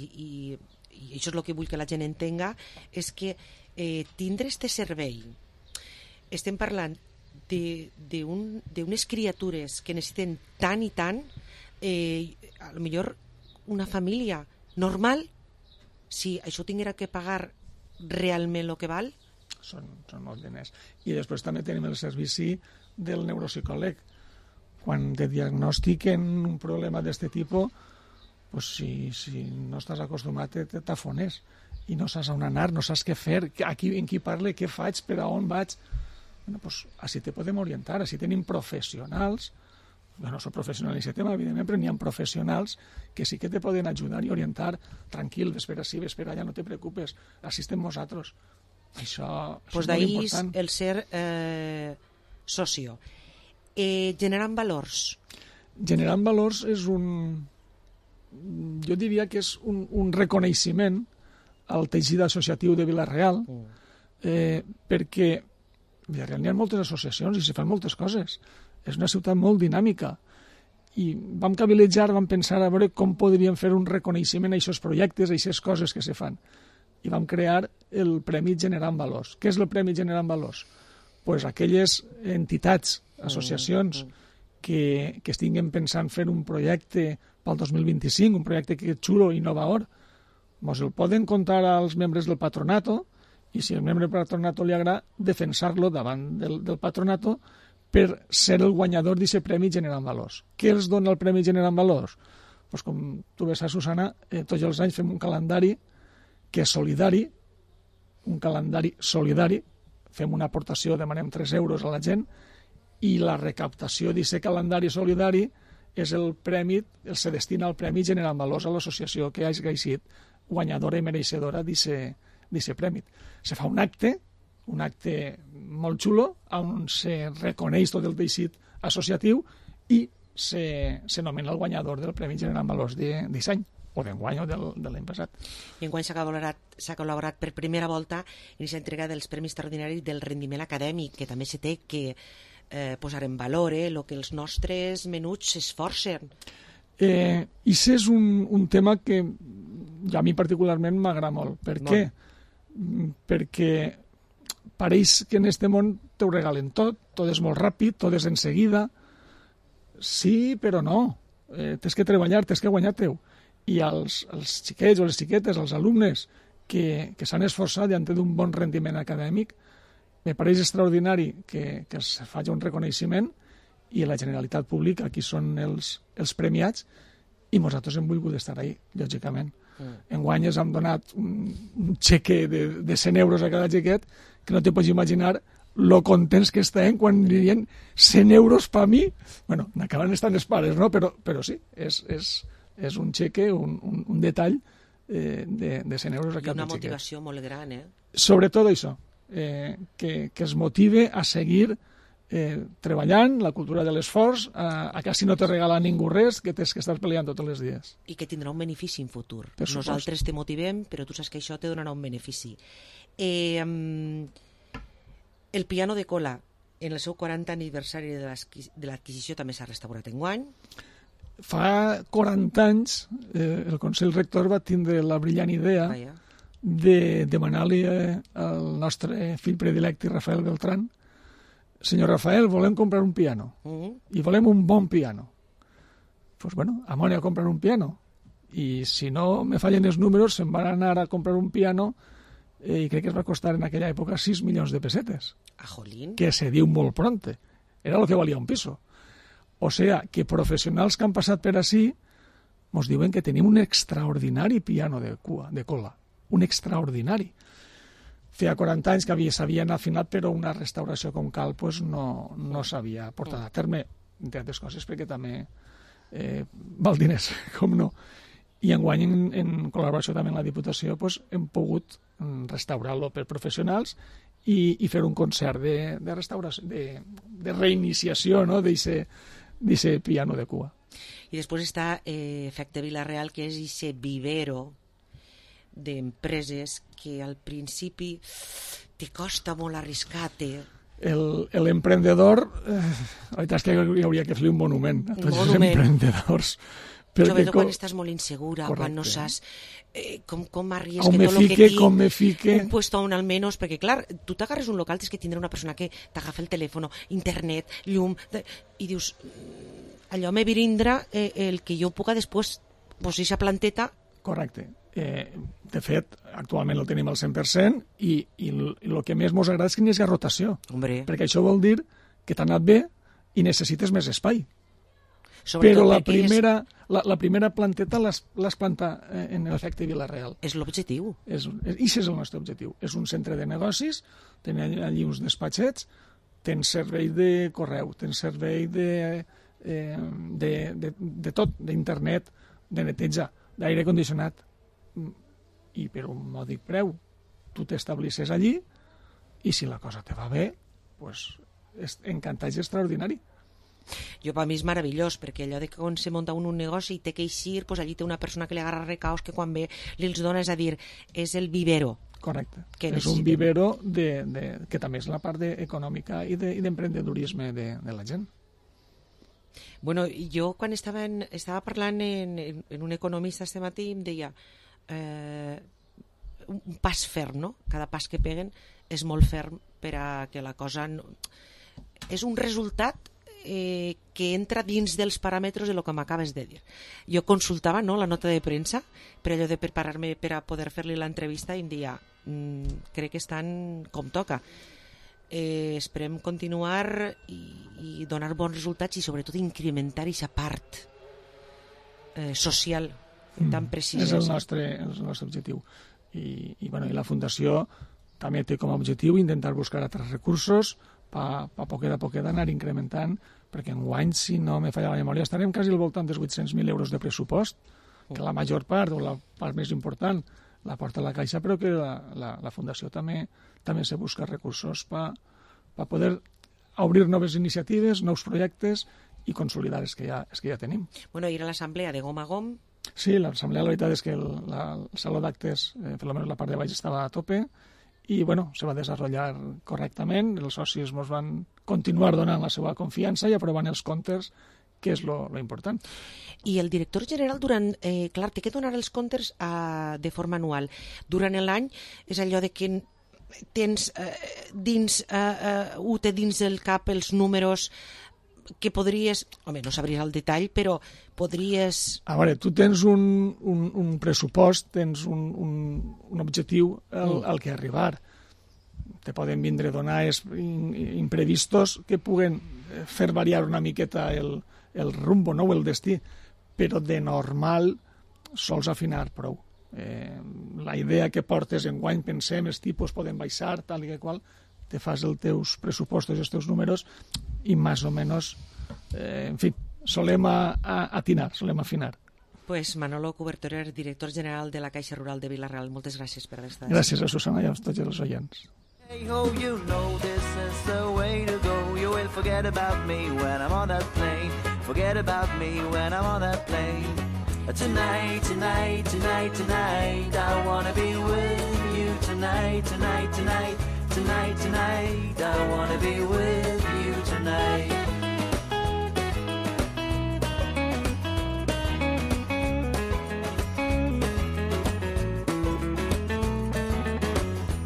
i això és el que vull que la gent entenga, és que eh, tindre este servei, estem parlant d'unes criatures que necessiten tant i tant, eh, a lo millor una família normal, si això tinguera que pagar realment el que val? Són, són molts diners. I després també tenim el servici del neuropsicòleg. Quan te diagnostiquen un problema d'aquest tipus, pues si, si no estàs acostumat t'afones i no saps on anar, no saps què fer, a qui, en qui parle, què faig, per a on vaig. Bueno, pues, així te podem orientar, així tenim professionals jo no soc professional en aquest tema, evidentment, però n'hi ha professionals que sí que te poden ajudar i orientar. Tranquil, ves per ací, ves per allà, no te preocupes, assistem nosaltres. Això, això pues és molt d'ahí important. el ser eh, socio. Eh, generant valors. Generant valors és un... Jo diria que és un, un reconeixement al teixit associatiu de Vila-real, eh, perquè a Vila-real n'hi ha moltes associacions i s'hi fan moltes coses. És una ciutat molt dinàmica. I vam cavilejar, vam pensar a veure com podríem fer un reconeixement a aquests projectes, a aquestes coses que se fan. I vam crear el Premi Generant Valors. Què és el Premi Generant Valors? Pues aquelles entitats, associacions, que, que estiguen pensant fer un projecte pel dos mil vint-i-cinc, un projecte que és xulo i innovador, mos el poden contar als membres del patronato i si el membre del patronato li agrada, defensar-lo davant del, del patronato per ser el guanyador d'aquest Premi Generant Valors. Què els dona el Premi Generant Valors? Pues com tu ves a Susana, eh, tots els anys fem un calendari que és solidari, un calendari solidari, fem una aportació, demanem tres euros a la gent, i la recaptació d'aquest calendari solidari és el premi, el se destina al Premi Generant Valors a l'associació que hagi sigut guanyadora i mereixedora d'aquest premi. Se fa un acte, un acte molt xulo, on se reconeix tot el teixit associatiu i se, se nomena el guanyador del Premi Generant Valors de disseny, o d'enguany o del, de l'any passat. I enguany s'ha col·laborat, s'ha col·laborat per primera volta en aquesta entrega dels Premis Extraordinaris del rendiment acadèmic, que també se té que eh, posar en valor eh, el que els nostres menuts s'esforcen. Eh, I això és un, un tema que a mi particularment m'agrada molt. Per molt. què? Perquè pareix que en este món te ho regalen tot, tot és molt ràpid, tot és en seguida. Sí, però no. Eh, tens que treballar, tens que guanyar-te-ho. I els, els xiquets o les xiquetes, els alumnes que, que s'han esforçat i han tingut un bon rendiment acadèmic, me pareix extraordinari que, que es faci un reconeixement i la Generalitat Pública, aquí són els, els premiats, i nosaltres hem volgut estar ahí, lògicament. Mm. Enguany ens hem donat un, un xeque de, de cent euros a cada xiquet, que no te pots imaginar lo contents que estem quan dirien cent euros per mi. Bueno, n'acaben estant els pares, no? Però, però sí, és, és, és un xeque, un, un, un detall eh, de, de cent euros a cada xiquet. I una motivació molt gran, eh? Sobretot això, eh, que, que es motive a seguir eh, treballant, la cultura de l'esforç, a, a quasi no te regala ningú res, que tens que estar peleant tots els dies. I que tindrà un benefici en futur. Per Nosaltres supost. te motivem, però tu saps que això te donarà un benefici. Eh, el piano de cola, en el seu quaranta aniversari de l'adquisició, també s'ha restaurat enguany. Fa quaranta anys eh, el Consell Rector va tindre la brillant idea Vaya. de demanar-li eh, al nostre fill predilecte, Rafael Beltrán: senyor Rafael, volem comprar un piano. Uh-huh. I volem un bon piano. Pues bueno, amone a comprar un piano. I si no me fallen els números, se'n van anar a comprar un piano eh, i crec que es va costar en aquella època sis milions de pessetes. A jolín. Que se diu molt pronte. Era el que valia un piso. O sea, que professionals que han passat per ací ens diuen que tenim un extraordinari piano de cua, de cola. Un extraordinari. Feia quaranta anys que s'havien afinat, però una restauració com cal pues, no, no s'havia portat a terme, entre altres coses, perquè també eh, val diners, com no. I enguany, en, en col·laboració també amb la Diputació, pues, hem pogut restaurar-lo per professionals i, i fer un concert de, de restauració, de, de reiniciació, no?, d'aquest piano de cua. I després està eh, Efecte Vila-real, que és aquest vivero d'empreses que al principi te costa molt arriscar-te. L'emprendedor, eh, la veritat és que hi hauria que fer un monument a tots els emprendedors. Sobretot quan estàs molt insegura, correcte. Quan no saps eh, com, com arriesgues que tot el que tinc, com me fique. Un puesto on almenys, perquè clar, tu t'agarres un local, tens que tindre una persona que t'agafa el telèfon, internet, llum, de, i dius, allò me virindra eh, el que jo puga després posar aquesta planteta. Correcte. Eh, de fet, actualment el tenim al cent per cent i, i el que més ens agrada és que n'hi hagi rotació. Hombre. Perquè això vol dir que t'ha anat bé i necessites més espai. Sobretot però la primera, és... la, la primera planteta l'has plantat en l'Efecte Vila-real. És l'objectiu. I això és el nostre objectiu. És un centre de negocis, tenen allí uns despatxets, tens servei de correu, tens servei de, eh, de, de, de tot, d'internet, de neteja, d'aire condicionat, i per un mòdic preu tu t'establisses allí i si la cosa te va bé, pues, és encantatge extraordinari. Jo, per mi és meravellós, perquè allò de que quan se munta un, un negoci i té que eixir, pues allí té una persona que li agarra recaus que quan ve li els dona, és a dir, és el vivero. Correcte. Que és un vivero de, de, que també és la part de, econòmica i d'emprendedorisme de, de, de la gent. Bueno, jo quan estava, en, estava parlant en, en, en un economista este matí em deia eh, un pas ferm, no? Cada pas que peguen és molt ferm per a que la cosa... No... És un resultat eh, que entra dins dels paràmetres de lo que m'acabes de dir. Jo consultava, no, la nota de premsa per allò de preparar-me per a poder fer-li l'entrevista i em deia, mm, crec que estan com toca. Eh, esperem continuar i, i donar bons resultats i sobretot incrementar aquesta part eh, social tan precisa. És el nostre, el nostre objectiu. I, i, bueno, i la Fundació també té com a objectiu intentar buscar altres recursos per pa poquet a poquet anar incrementant, perquè enguany, si no me falla la memòria, estarem quasi al voltant dels vuit-cents mil euros de pressupost, que la major part, o la part més important, la porta la Caixa, però que la, la, la Fundació també també se busca recursos per pa poder obrir noves iniciatives, nous projectes i consolidar els que ja, els que ja tenim. Bueno, ir a l'assemblea de gom a gom. Sí, l'assemblea, la veritat és que el, la, el saló d'actes, eh, per almenys la part de baix, estava a tope i, bueno, se va desenvolupar correctament, els socis ens van continuar donant la seva confiança i aprovant els comptes, que és lo, lo important. I el director general, durant, eh, clar, té que donar els comptes eh, de forma anual. Durant l'any és allò de que tens eh, dins, eh, eh, ho té dins el cap els números que podries, home, no sabries el detall, però podries... A veure, tu tens un, un, un pressupost, tens un, un, un objectiu al, al que arribar. Te poden vindre donades imprevistos que puguen fer variar una miqueta el, el rumbo, no? O el destí, però de normal sols afinar prou. Eh, la idea que portes enguany, pensem, els tipus poden baixar, tal i que qual, te fas els teus pressupostos i els teus números i més o menys, eh, en fi, solem a, a, atinar, solem afinar. Pues Manolo Cubertorer, director general de la Caixa Rural de Vila-real, moltes gràcies per haver estat. Gràcies a Susana i a tots els oients. Hey ho, you know this is the way to go. You will forget about me when I'm on that plane. Forget about me when I'm on that plane. Tonight, tonight, tonight, tonight, I wanna be with you tonight, tonight, tonight, tonight, tonight, I wanna be with you tonight.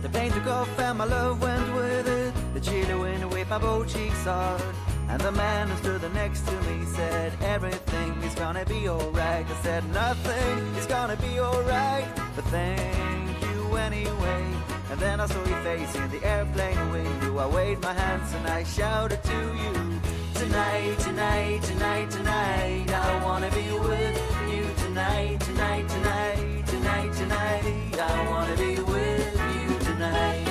The pain took off and my love went with it. The chilly wind away my both cheeks hard. And the man who stood next to me said, everything is gonna be alright. I said, nothing is gonna be alright, but thank you anyway. And then I saw your face in the airplane window. I waved my hands and I shouted to you, tonight, tonight, tonight, tonight, I wanna be with you tonight, tonight, tonight, tonight, tonight, I wanna be with you tonight.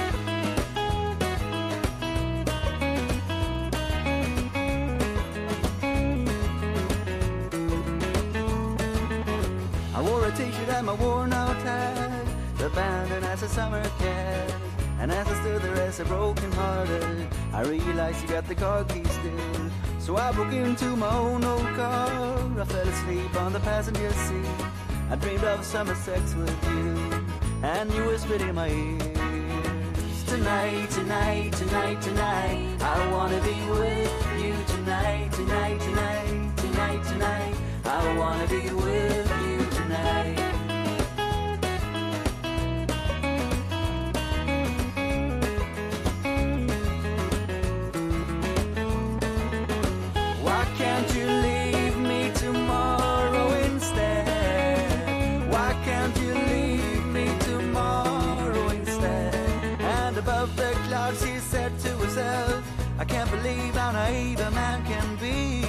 I wore a t-shirt and my worn-out hat, abandoned as a summer cat. And as I stood there as a broken-hearted, I realized you got the car keys still. So I broke into my own old car. I fell asleep on the passenger seat. I dreamed of summer sex with you, and you whispered in my ears, tonight, tonight, tonight, tonight, I wanna be with you tonight, tonight, tonight, tonight, tonight, I wanna be with you tonight. Why can't you leave me tomorrow instead? Why can't you leave me tomorrow instead? And above the clouds she said to herself, I can't believe how naive a man can be.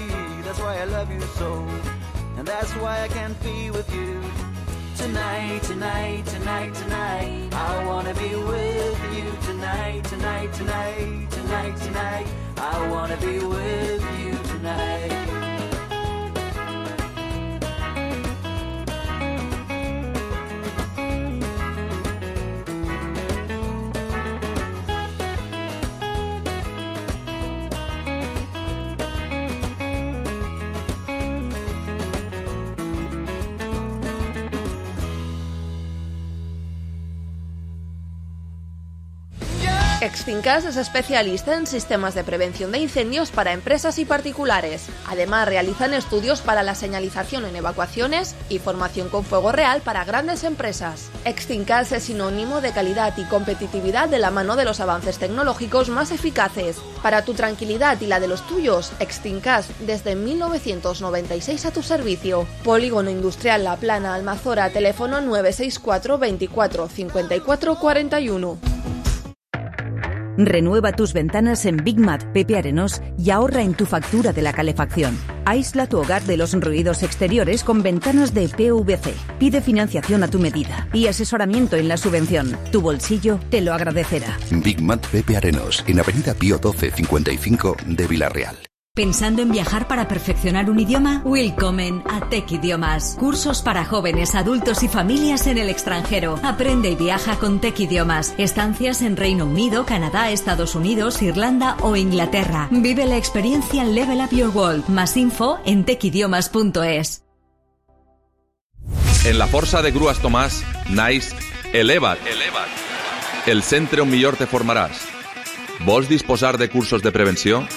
That's why I love you so, and that's why I can't be with you tonight, tonight, tonight, tonight. I wanna be with you tonight, tonight, tonight, tonight, tonight. I wanna be with you tonight. Exfincas es especialista en sistemas de prevención de incendios para empresas y particulares. Además, realizan estudios para la señalización en evacuaciones y formación con fuego real para grandes empresas. Exfincas es sinónimo de calidad y competitividad de la mano de los avances tecnológicos más eficaces. Para tu tranquilidad y la de los tuyos, Exfincas desde mil novecientos noventa y seis a tu servicio. Polígono Industrial La Plana, Almazora, teléfono nueve seis cuatro veinticuatro cincuenta y cuatro cuarenta y uno. Renueva tus ventanas en Big Mat Pepe Arenós y ahorra en tu factura de la calefacción. Aísla tu hogar de los ruidos exteriores con ventanas de P V C. Pide financiación a tu medida y asesoramiento en la subvención. Tu bolsillo te lo agradecerá. Big Mat Pepe Arenós, en Avenida Pío doce cincuenta y cinco de Villarreal. ¿Pensando en viajar para perfeccionar un idioma? Willkommen a Tech Idiomas. Cursos para jóvenes, adultos y familias en el extranjero. Aprende y viaja con Tech Idiomas. Estancias en Reino Unido, Canadá, Estados Unidos, Irlanda o Inglaterra. Vive la experiencia en Level Up Your World. Más info en tech idiomas punto es. En la Força de Grues Tomàs, naix Eleva't. Eleva't. El centre on millor te formaràs. Vols disposar de cursos de prevenció?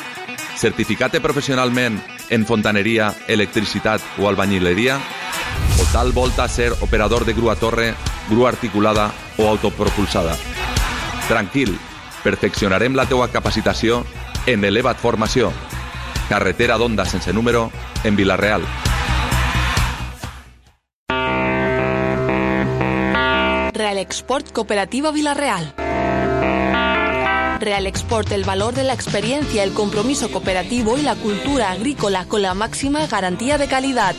Certificate professionalment en fontaneria, electricitat o albañileria? O tal volta ser operador de grua torre, grua articulada o autopropulsada? Tranquil, perfeccionarem la teua capacitació en Eleva't Formació. Carretera d'Onda sense número, en Vila-real. Real Export Cooperativa Vila-real. Real Export, el valor de la experiencia, el compromiso cooperativo y la cultura agrícola con la máxima garantía de calidad.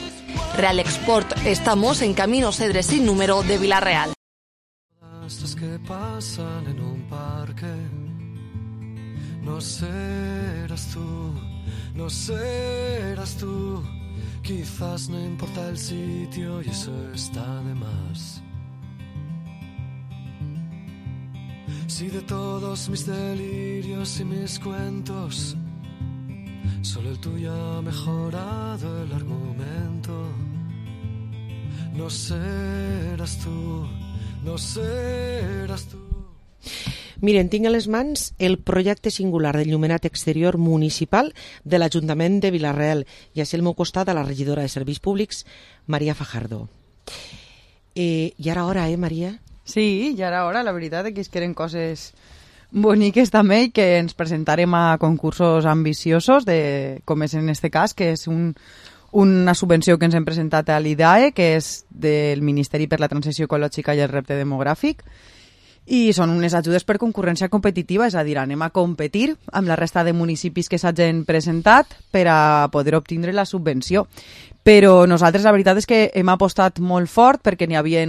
Real Export, estamos en Camino Cedres sin número de Vila-real. Las que pasan en un parque, no serás tú, no serás tú. Quizás no importa el sitio y eso está de más. Si de todos mis delirios y mis cuentos, solo el tuyo ha mejorado el argumento. No seràs tu, no seràs tu. Miren, tinc a les mans el projecte singular de llumenat exterior municipal de l'Ajuntament de Vila-real i així al meu costat a la regidora de Serveis Públics, Maria Fajardo. Eh, I ara hora, eh, Maria? Sí, ja era hora, la veritat és que es queren coses boniques també i que ens presentarem a concursos ambiciosos, de, com és en este cas, que és un, una subvenció que ens hem presentat a l'I D A E, que és del Ministeri per la Transició Ecològica i el Repte Demogràfic, i són unes ajudes per concurrència competitiva, és a dir, anem a competir amb la resta de municipis que s'hagin presentat per a poder obtindre la subvenció. Però nosaltres la veritat és que hem apostat molt fort perquè n'hi havia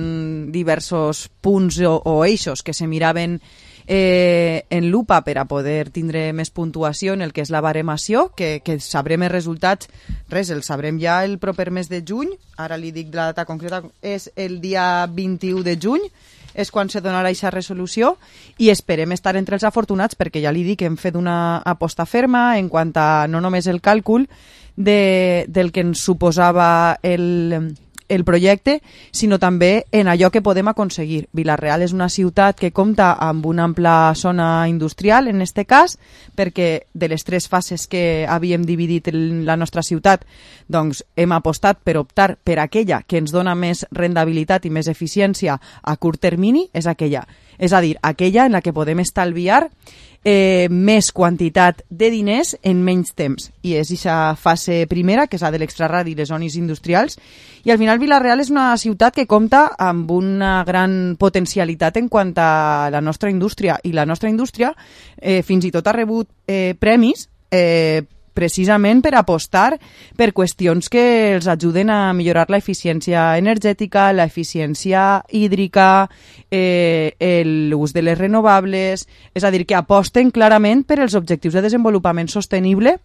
diversos punts o, o eixos que se miraven eh, en lupa per a poder tindre més puntuació en el que és la baremació, que, que sabrem els resultats, res, el sabrem ja el proper mes de juny, ara li dic la data concreta, és el dia vint-i-u de juny, és quan se donarà aquesta resolució i esperem estar entre els afortunats perquè ja li dic que hem fet una aposta ferma en quant a no només el càlcul de, del que ens suposava el, el projecte, sinó també en allò que podem aconseguir. Vila-real és una ciutat que compta amb una ampla zona industrial, en este cas, perquè de les tres fases que havíem dividit en la nostra ciutat, doncs hem apostat per optar per aquella que ens dona més rendibilitat i més eficiència a curt termini, és aquella. És a dir, aquella en la que podem estalviar eh, més quantitat de diners en menys temps. I és aquesta fase primera, que és la de l'extraradi i les zones industrials. I al final Vila-real és una ciutat que compta amb una gran potencialitat en quant a la nostra indústria. I la nostra indústria eh, fins i tot ha rebut eh, premis eh, precisament per apostar per qüestions que els ajuden a millorar la eficiència energètica, la eficiència hídrica, eh, l'ús de les renovables, és a dir, que aposten clarament per els objectius de desenvolupament sostenible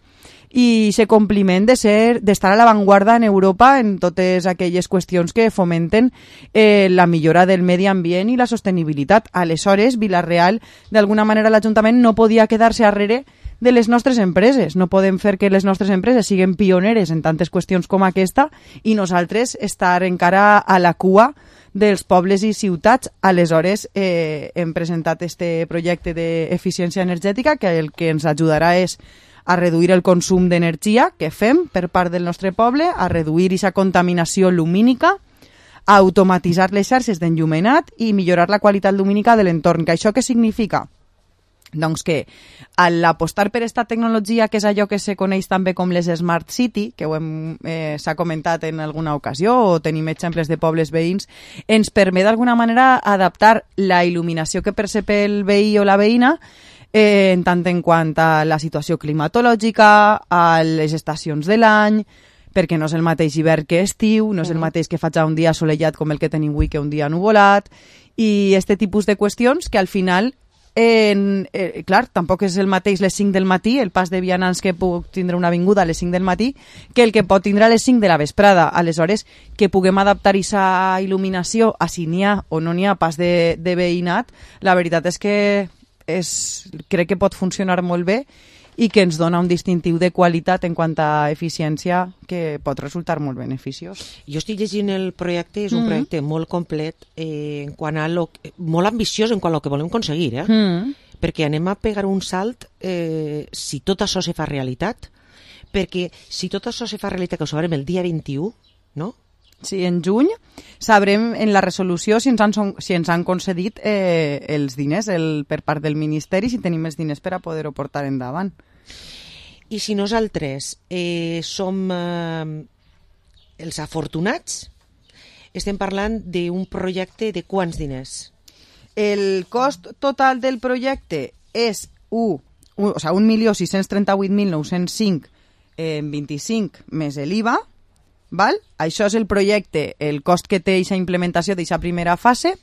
i se compliment de ser d'estar a l'avantguarda en Europa en totes aquelles qüestions que fomenten eh, la millora del medi ambient i la sostenibilitat. Aleshores, Vila-real, d'alguna manera l'Ajuntament no podia quedar-se arrere de les nostres empreses. No podem fer que les nostres empreses siguin pioneres en tantes qüestions com aquesta i nosaltres estar encara a la cua dels pobles i ciutats. Aleshores, eh, hem presentat este projecte d'eficiència energètica que el que ens ajudarà és a reduir el consum d'energia que fem per part del nostre poble, a reduir aquesta contaminació lumínica, a automatitzar les xarxes d'enllumenat i millorar la qualitat lumínica de l'entorn. Que això què significa? Doncs que a l'apostar per aquesta tecnologia, que és allò que se coneix també com les Smart City, que ho hem, eh, s'ha comentat en alguna ocasió o tenim exemples de pobles veïns, ens permet d'alguna manera adaptar la il·luminació que percep el veí o la veïna eh, en tant en quant a la situació climatològica, a les estacions de l'any, perquè no és el mateix hivern que estiu, no és el mateix que faig un dia assolellat com el que tenim avui que un dia nuvolat, i este tipus de qüestions que al final, eh, eh, clar, tampoc és el mateix les cinc del matí, el pas de vianants que puc tindre una avinguda a les cinc del matí, que el que pot tindre a les cinc de la vesprada. Aleshores, que puguem adaptar aquesta il·luminació a si n'hi ha o no n'hi ha pas de, de veïnat, la veritat és que és, crec que pot funcionar molt bé i que ens dona un distintiu de qualitat en quant a eficiència que pot resultar molt beneficiós. Jo estic llegint el projecte, és un mm-hmm. projecte molt complet, eh, en quant a lo, molt ambiciós en quant a lo que volem aconseguir, eh? Mm. Perquè anem a pegar un salt eh, si tot això se fa realitat, perquè si tot això se fa realitat, que ho sabrem el dia vint-i-u, no? Sí, en juny sabrem en la resolució si ens han, si ens han concedit eh, els diners el, per part del Ministeri, si tenim els diners per a poder-ho portar endavant. I si nosaltres eh, som eh, els afortunats, estem parlant d'un projecte de quants diners? El cost total del projecte és un, un, o sigui, un milió sis-cents trenta-vuit mil nou-cents cinc eh, vint-i-cinc més l'I V A. Val? Això és el projecte, el cost que té aquesta implementació d'aquesta primera fase,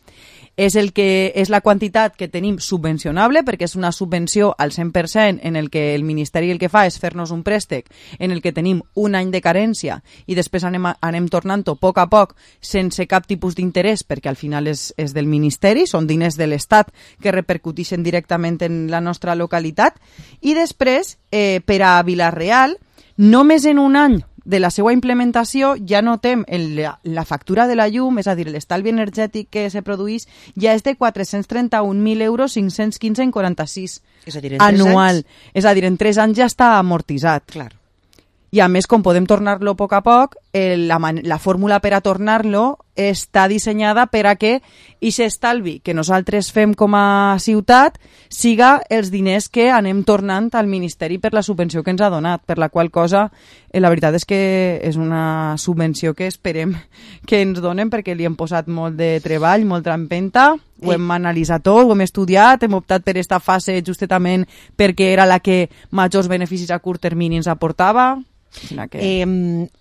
és, el que, és la quantitat que tenim subvencionable, perquè és una subvenció al cent per cent en el que el Ministeri el que fa és fer-nos un préstec en el que tenim un any de carència i després anem, a, anem tornant-ho a poc a poc sense cap tipus d'interès, perquè al final és, és del Ministeri, són diners de l'Estat que repercuteixen directament en la nostra localitat, i després, eh, per a Vila-real, només en un any de la seva implementació ja notem el, la, la factura de la llum, és a dir, l'estalvi energètic que se produeix, ja és de quatre-cents trenta-un mil euros cinc-cents quinze coma quaranta-sis és a dir, en anual. És a dir, en tres anys ja està amortitzat. Clar. I a més, com podem tornar-lo a poc a poc, eh, la, la fórmula per a tornar-lo està dissenyada per a que aquest estalvi que nosaltres fem com a ciutat siga els diners que anem tornant al Ministeri per la subvenció que ens ha donat, per la qual cosa eh, la veritat és que és una subvenció que esperem que ens donen perquè li hem posat molt de treball, molt d'empenta, ho hem analitzat tot, ho hem estudiat, hem optat per aquesta fase justament perquè era la que majors beneficis a curt termini ens aportava. Que... Eh,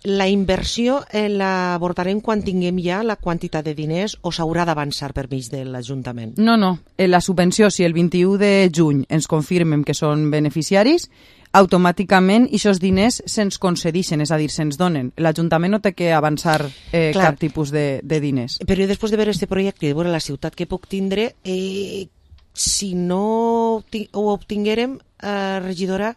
la inversió eh, l'abordarem quan tinguem ja la quantitat de diners o s'haurà d'avançar per mig de l'Ajuntament? No, no. La subvenció, si el vint-i-u de juny ens confirmem que són beneficiaris, automàticament aquests diners se'ns concedeixen, és a dir, se'ns donen. L'Ajuntament no té que avançar eh, cap tipus de, de diners. Però després de veure aquest projecte i de veure la ciutat que puc tindre, eh, si no ho obtinguérem, eh, regidora,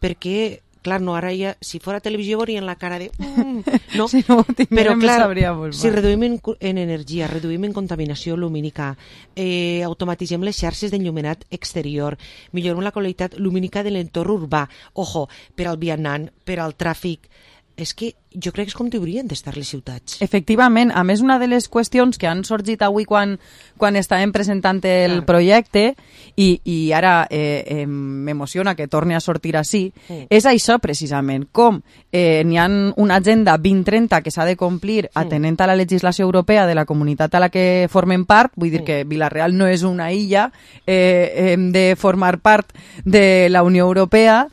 perquè... Clar, no, ara ja, si fora televisió veurien la cara de... Mm, no, si no ho però clar, molt si reduïm en, en energia, reduïm en contaminació lumínica, eh, automatitzem les xarxes d'enllumenat exterior, millorem la qualitat lumínica de l'entorn urbà, ojo, per al vianant, per al tràfic... És que jo crec que és com deurien d'estar les ciutats. Efectivament. A més, una de les qüestions que han sorgit avui quan, quan estàvem presentant el ah. projecte, i, i ara eh, eh, m'emociona que torni a sortir així, mm. és això precisament, com eh, n'hi ha una agenda vint trenta que s'ha de complir atenent a la legislació europea de la comunitat a la que formem part, vull dir mm. que Vila-real no és una illa, eh, hem de formar part de la Unió Europea.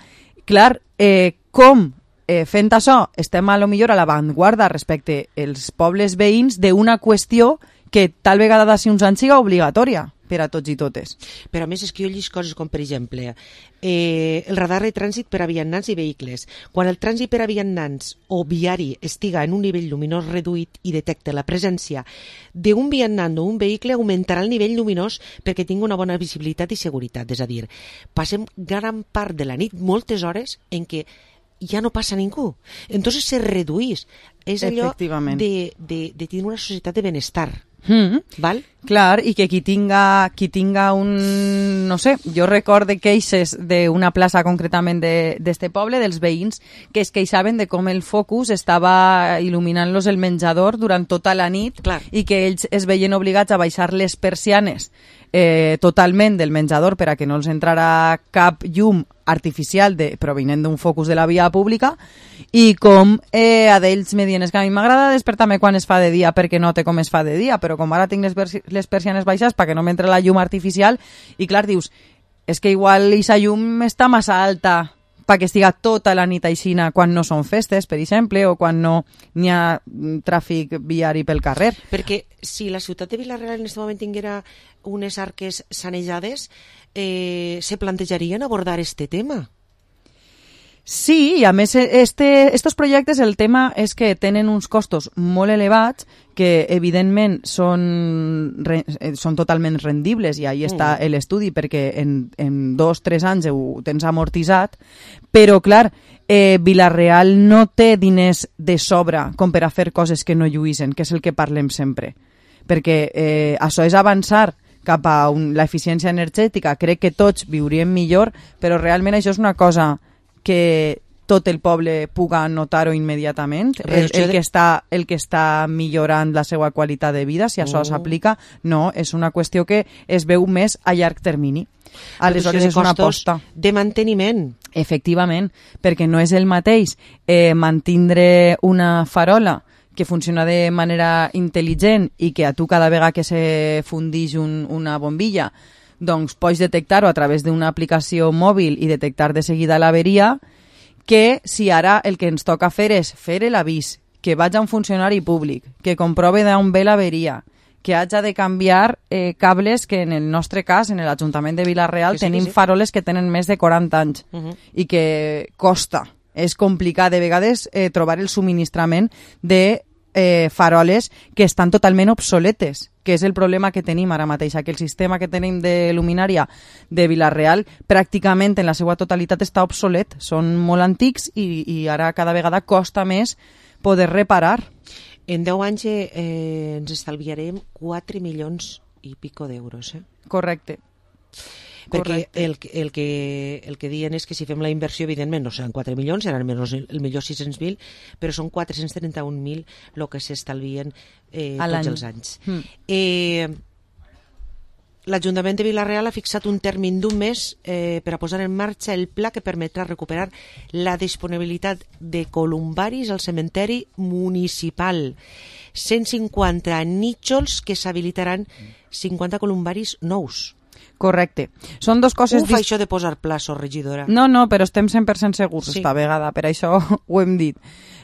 Clar, eh, com Eh, fent això, estem a lo millor a l'avantguarda respecte als pobles veïns d'una qüestió que tal vegada d'ací uns anys siga obligatòria per a tots i totes. Però a més és que jo llegis coses com, per exemple, eh, el radar de trànsit per a vianants i vehicles. Quan el trànsit per a vianants o viari estiga en un nivell luminós reduït i detecta la presència d'un vianant o un vehicle, augmentarà el nivell luminós perquè tingui una bona visibilitat i seguretat. És a dir, passem gran part de la nit, moltes hores, en què ja no passa ningú. Entonces se reduís. És allò de, de, de tenir una societat de benestar. Mm. Val? Clar, i que qui tinga, qui tinga un... No sé, jo recorde queixes d'una plaça concretament d'este poble, dels veïns, que es queixaven de com el focus estava il·luminant-los el menjador durant tota la nit. Clar. I que ells es veien obligats a baixar les persianes eh, totalment del menjador per a que no els entrara cap llum artificial de, provinent d'un focus de la via pública, i com eh, a d'ells me diuen, és que a mi m'agrada despertar-me quan es fa de dia perquè no té com es fa de dia, però com ara tinc les, les persianes baixes perquè no m'entra la llum artificial, i clar, dius, és que igual aquesta llum està massa alta perquè estiga tota la nit aixina quan no són festes, per exemple, o quan no n'hi ha tràfic viari pel carrer. Perquè si la ciutat de Vila-real en aquest moment tinguera unes arques sanejades, eh, se plantejarien abordar este tema? Sí, i a més este, estos projectes el tema és que tenen uns costos molt elevats que evidentment són, re, són totalment rendibles, i ahí està mm. l'estudi, perquè en, en dos o tres anys ho tens amortitzat, però clar, eh, Vila-real no té diners de sobre com per a fer coses que no lluïsen, que és el que parlem sempre, perquè eh, això és avançar cap a un, l'eficiència energètica. Crec que tots viuríem millor, però realment això és una cosa que tot el poble puga notar-ho immediatament, el, el, que està, el que està millorant la seva qualitat de vida, si això oh. s'aplica, no, és una qüestió que es veu més a llarg termini. Aleshores és una aposta. De manteniment. Efectivament, perquè no és el mateix eh, mantindre una farola que funciona de manera intel·ligent i que a tu cada vegada que se fundix un, una bombilla doncs pots detectar-ho a través d'una aplicació mòbil i detectar de seguida l'averia, que si ara el que ens toca fer és fer l'avís, que vaig a un funcionari públic, que comprove d'on ve l'averia, que haja de canviar eh, cables, que en el nostre cas, en l'Ajuntament de Vila-real, sí, tenim sí, sí. faroles que tenen més de quaranta anys uh -huh. i que costa. És complicat de vegades eh, trobar el subministrament de eh, faroles que estan totalment obsoletes, que és el problema que tenim ara mateix, que el sistema que tenim de luminària de Vila-real pràcticament en la seva totalitat està obsolet, són molt antics i, i ara cada vegada costa més poder reparar. En deu anys eh, ens estalviarem quatre milions i pico d'euros. Eh? Correcte. Perquè el, el, que, el que diuen és que si fem la inversió, evidentment no seran quatre milions, seran menys el millor sis-cents mil, però són quatre-cents trenta-un mil el que s'estalvien eh, tots els anys. Mm. Eh, L'Ajuntament de Vila-real ha fixat un termini d'un mes eh, per a posar en marxa el pla que permetrà recuperar la disponibilitat de columbaris al cementeri municipal. cent cinquanta nítxols que s'habilitaran cinquanta columbaris nous. Correcte. Són dos coses... Uf, dist... això de posar plaços, regidora. No, no, però estem cent per cent segurs sí. esta vegada, per això ho hem dit.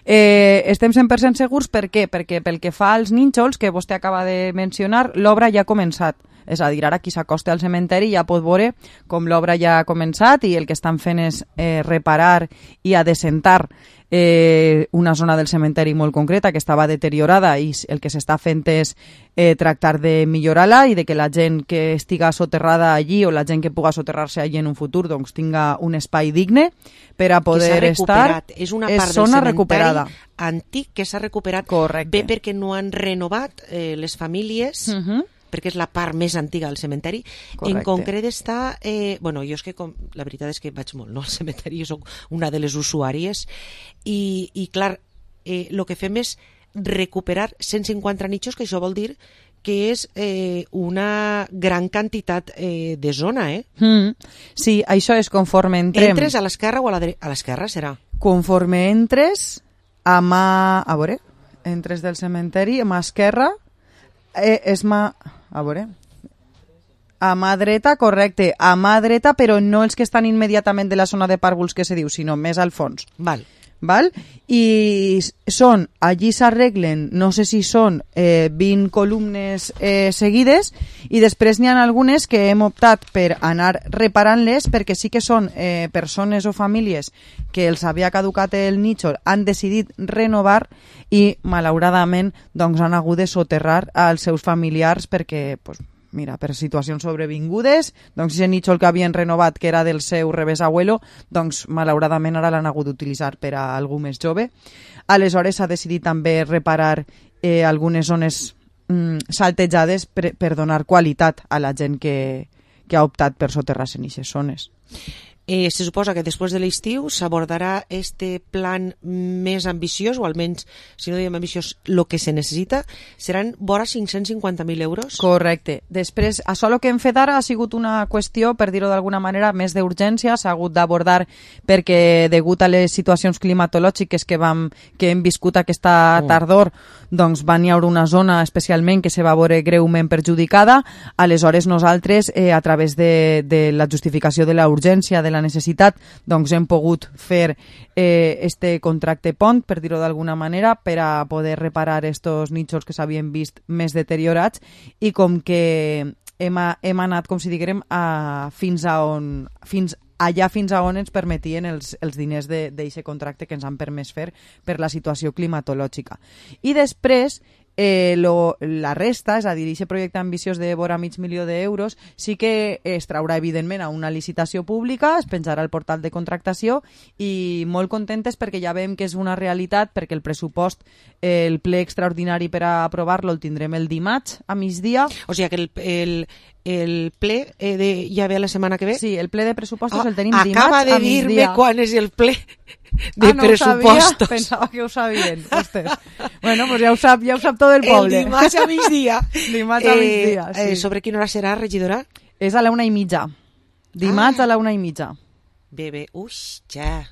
Eh, estem cent per cent segurs per què? Perquè pel que fa als nínxols, que vostè acaba de mencionar, l'obra ja ha començat. És a dir, ara qui s'acosta al cementeri ja pot veure com l'obra ja ha començat i el que estan fent és eh, reparar i adecentar eh, una zona del cementeri molt concreta que estava deteriorada, i el que s'està fent és eh, tractar de millorar-la i de que la gent que estiga soterrada allí o la gent que puga soterrar-se allí en un futur doncs tinga un espai digne per a poder estar. És una part és del cementeri recuperada. Antic que s'ha recuperat. Correcte. Bé perquè no han renovat eh, les famílies, uh-huh. perquè és la part més antiga del cementeri. Correcte. En concret està... Eh, bueno, jo és que, com, la veritat és que vaig molt no, al cementeri, jo soc una de les usuàries, i, i clar, eh, el que fem és recuperar cent cinquanta nitxos, que això vol dir que és eh, una gran quantitat eh, de zona, eh? Mm. Sí, això és conforme entrem... Entres a l'esquerra o a la dreta? A l'esquerra serà. Conforme entres a mà... A veure, entres del cementeri a mà esquerra, eh, és mà... A veure... A mà dreta, correcte. A mà dreta, però no els que estan immediatament de la zona de pàrvuls que se diu, sinó més al fons. Val. Val? I són, allí s'arreglen, no sé si són eh, vint columnes eh, seguides, i després n'hi ha algunes que hem optat per anar reparant-les, perquè sí que són eh, persones o famílies que els havia caducat el nítxol, han decidit renovar i malauradament doncs, han hagut de soterrar als seus familiars perquè pues, mira, per situacions sobrevingudes, doncs aquest nítxol que havien renovat, que era del seu rebesabuelo, doncs malauradament ara l'han hagut d'utilitzar per a algú més jove. Aleshores s'ha decidit també reparar eh, algunes zones mm, saltejades per, per donar qualitat a la gent que, que ha optat per soterrar-se en aquestes zones. Eh, se suposa que després de l'estiu s'abordarà este plan més ambiciós, o almenys, si no diem ambiciós, el que se necessita, seran vora cinc-cents cinquanta mil euros? Correcte. Després, això el que hem fet ara ha sigut una qüestió, per dir-ho d'alguna manera, més d'urgència, s'ha hagut d'abordar perquè, degut a les situacions climatològiques que, vam, que hem viscut aquesta tardor, doncs va n'hi haver una zona especialment que se va veure greument perjudicada. Aleshores, nosaltres, eh, a través de, de la justificació de la urgència, de la necessitat, doncs hem pogut fer eh, este contracte pont, per dir-ho d'alguna manera, per a poder reparar estos nichos que s'havien vist més deteriorats, i com que hem, hem anat, com si diguem, a, fins a on... fins allà fins a on ens permetien els, els diners d'aquest contracte que ens han permès fer per la situació climatològica. I després, eh, lo, la resta, és a dir, aquest projecte ambiciós de vora mig milió d'euros, sí que es traurà, evidentment, a una licitació pública, es penjarà al portal de contractació, i molt contentes perquè ja veiem que és una realitat, perquè el pressupost, eh, el ple extraordinari per a aprovar-lo el tindrem el dimarts a migdia. O sigui que el... el... el ple eh, de, ja ve la setmana que ve? Sí, el ple de pressupostos oh, el tenim dimarts acaba de a migdia. dir-me quan és el ple de ah, no pressupostos. Sabia? Pensava que ho sabien vostès. Bueno, pues ja ho sap, ja ho sap tot el poble. El dimarts a migdia. dimarts a migdia, eh, sí. Eh, sobre quina hora serà, regidora? És a la una i mitja. Dimarts ah. a la una i mitja. Bé, bé, uix, ja...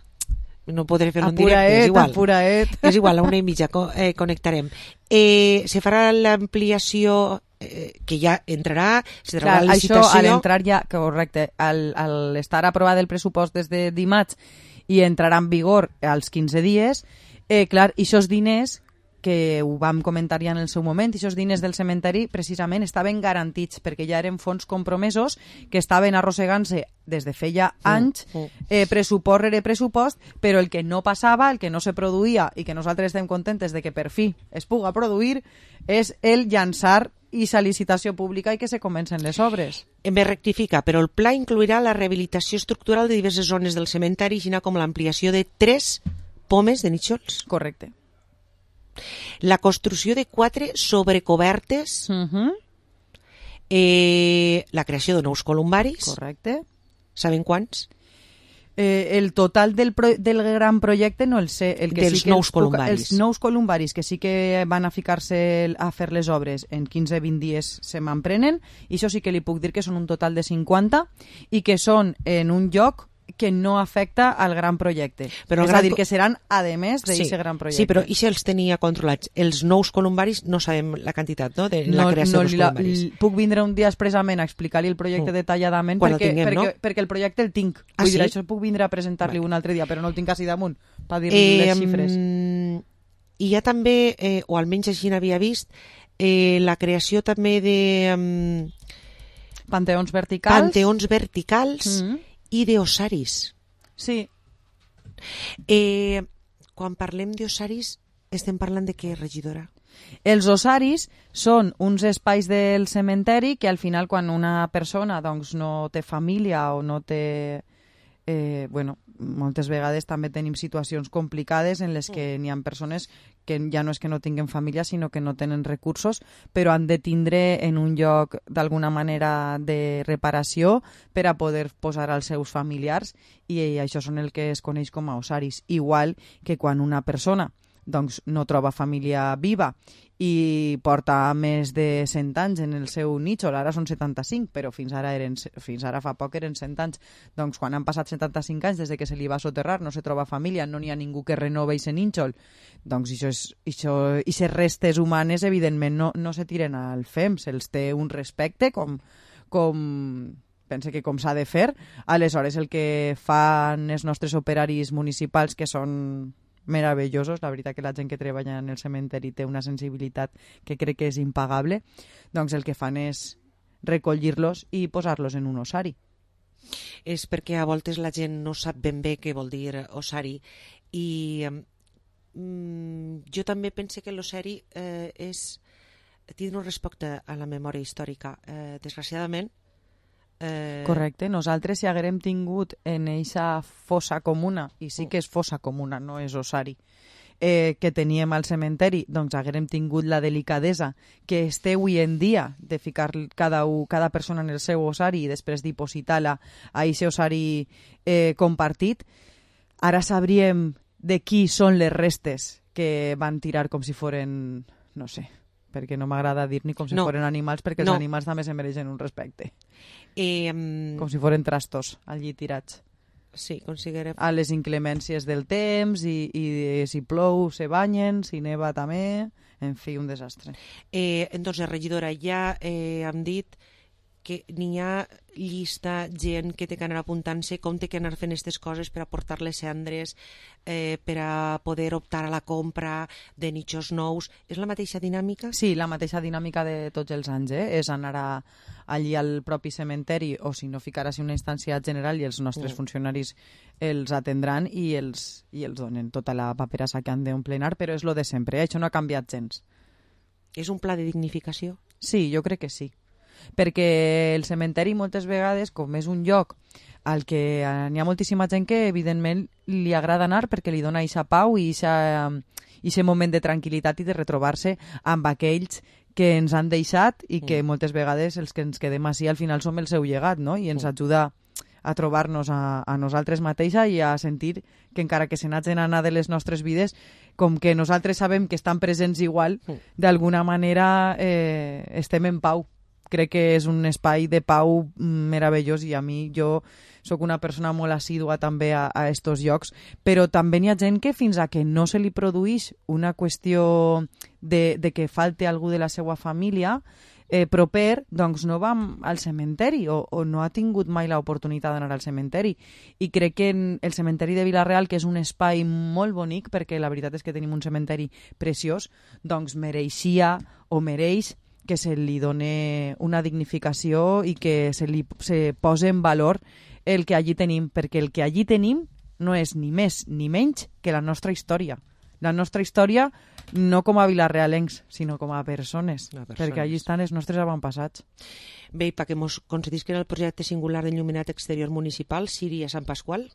No podré fer-lo en directe, és igual. Apuraet. És igual, a una i mitja eh, connectarem. Eh, se farà l'ampliació eh, que ja entrarà, se traurà la licitació... Això, a l'entrar ja, correcte, al, al estar aprovat el pressupost des de dimarts i entrarà en vigor als quinze dies, eh, clar, aquests diners, que ho vam comentar ja en el seu moment, i aquests diners del cementeri precisament estaven garantits perquè ja eren fons compromesos que estaven arrossegant-se des de feia anys, eh, pressupost rere pressupost, però el que no passava, el que no se produïa i que nosaltres estem contentes de que per fi es puga produir, és el llançar i la licitació pública i que se comencen les obres. Me rectifica, però el pla incluirà la rehabilitació estructural de diverses zones del cementeri, així com l'ampliació de tres pomes de nítxols. Correcte. La construcció de quatre sobrecobertes, uh-huh. eh, la creació de nous columbaris. Correcte. Saben quants? Eh, el total del, pro del gran projecte no el sé. El que Dels sí que nous els, columbaris. Els nous columbaris, que sí que van a ficar-se a fer les obres en quinze a vint dies se m'emprenen, i això sí que li puc dir que són un total de cinquanta i que són en un lloc que no afecta al gran projecte. Però és gran... a dir, que seran a més d'aquest sí, gran projecte. Sí, però i si els tenia controlats? Els nous columbaris no sabem la quantitat, no?, de no, la creació no, dels columbaris. La, puc vindre un dia expressament a explicar-li el projecte mm. detalladament Quan perquè, el tinguem, perquè, no? perquè el projecte el tinc. Ah, Vull sí? dir, això puc vindre a presentar-li un altre dia, però no el tinc així damunt per dir eh, les xifres. I hi ha també, eh, o almenys així n'havia vist, eh, la creació també de... Um, panteons verticals. Panteons verticals mm-hmm. i d'ossaris. Sí. Eh, quan parlem d'ossaris, estem parlant de què, regidora? Els ossaris són uns espais del cementeri que al final quan una persona doncs, no té família o no té... Eh, bueno, moltes vegades també tenim situacions complicades en les que n'hi ha persones que ja no és que no tinguin família, sinó que no tenen recursos, però han de tindre en un lloc d'alguna manera de reparació per a poder posar als seus familiars, i això són el que es coneix com a ossaris. Igual que quan una persona doncs, no troba família viva i porta més de cent anys en el seu nítxol, ara són setanta-cinc, però fins ara, eren, fins ara fa poc eren cent anys. Doncs quan han passat setanta-cinc anys des de que se li va soterrar, no se troba família, no n'hi ha ningú que renova aquest nítxol, doncs això és, això, aquestes restes humanes evidentment no, no se tiren al fem, se'ls té un respecte com... com pense que com s'ha de fer. Aleshores el que fan els nostres operaris municipals, que són meravellosos, la veritat que la gent que treballa en el cementeri té una sensibilitat que crec que és impagable, doncs el que fan és recollir-los i posar-los en un ossari. És perquè a voltes la gent no sap ben bé què vol dir ossari, i mm, jo també pense que l'ossari eh, és tindre un respecte a la memòria històrica. Eh, desgraciadament, Eh... Correcte, nosaltres si haguérem tingut en eixa fossa comuna, i sí que és fossa comuna, no és ossari, eh, que teníem al cementeri, doncs haguérem tingut la delicadesa que es té avui en dia de ficar cada, cada persona en el seu osari i després dipositar-la a aquest osari eh, compartit, ara sabríem de qui són les restes que van tirar com si foren, no sé, perquè no m'agrada dir ni com si no. foren animals, perquè no. els animals també se mereixen un respecte. Eh, um... Com si foren trastos allí tirats. Sí, considerem... A les inclemències del temps i, i si plou se banyen, si neva també, en fi, un desastre. Eh, entonces, regidora, ja eh, hem dit que n'hi ha llista, gent que té que anar apuntant-se, com té que anar fent aquestes coses per aportar les cendres, eh, per a poder optar a la compra de nichos nous. És la mateixa dinàmica? Sí, la mateixa dinàmica de tots els anys, eh? És anar a, allí al propi cementeri, o si no, ficar-se una instància general i els nostres mm. funcionaris els atendran i els, i els donen tota la paperassa que han d'omplenar, però és lo de sempre, eh? Això no ha canviat gens. És un pla de dignificació? Sí, jo crec que sí. Perquè el cementeri moltes vegades, com és un lloc al que n'hi ha moltíssima gent que evidentment li agrada anar perquè li dona eixa pau i eixe moment de tranquil·litat i de retrobar-se amb aquells que ens han deixat i que mm. moltes vegades els que ens quedem així al final som el seu llegat, no? I ens mm. ajuda a trobar-nos a, a nosaltres mateixa i a sentir que encara que se n'hagin anat de les nostres vides, com que nosaltres sabem que estan presents igual, mm. d'alguna manera eh, estem en pau. Crec que és un espai de pau meravellós i a mi, jo sóc una persona molt assídua també a, a estos llocs, però també n'hi ha gent que fins a que no se li produeix una qüestió de, de que falte algú de la seva família eh, proper, doncs no va al cementeri o, o no ha tingut mai l'oportunitat d'anar al cementeri. I crec que en el cementeri de Vila-real, que és un espai molt bonic, perquè la veritat és que tenim un cementeri preciós, doncs mereixia o mereix que se li doni una dignificació i que se li se posi en valor el que allí tenim, perquè el que allí tenim no és ni més ni menys que la nostra història. La nostra història no com a vilarrealencs, sinó com a persones, a persones. Perquè allí estan els nostres avantpassats. Bé, i perquè ens concedisquen el projecte singular d'enllumenat exterior municipal, Siri a Sant Pasqual?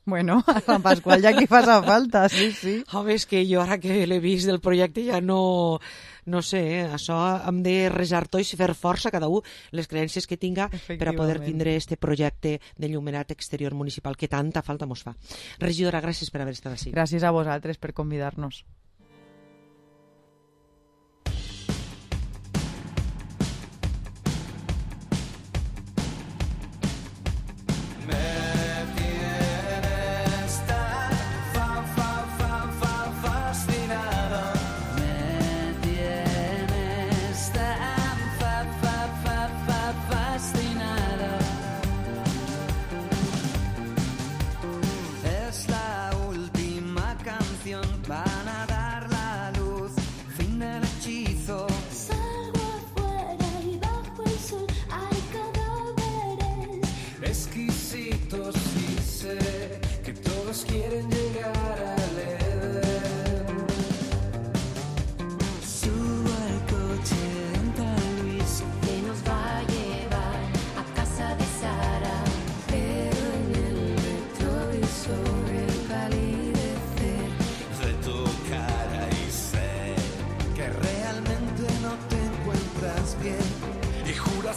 Bueno, a Sant Pasqual ja que fa falta, sí, sí. Home, és que jo ara que l'he vist del projecte ja no... No sé, eh? Això hem de resar tots i fer força cada un les creences que tinga per a poder tindre este projecte d'enllumenat exterior municipal que tanta falta mos fa. Regidora, gràcies per haver estat així. Gràcies a vosaltres per convidar-nos.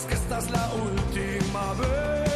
Que esta es la última vez.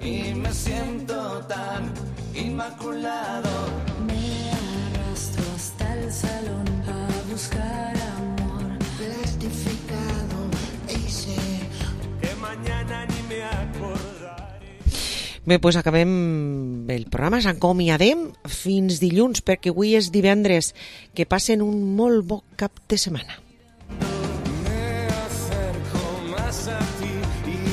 Y me siento tan inmaculado. Me arrastro hasta el salón a buscar amor plastificado. Y sé que mañana ni me acordaré. Bé, doncs acabem el programa, ens acomiadem fins dilluns, perquè avui és divendres. Que passen un molt bon cap de setmana.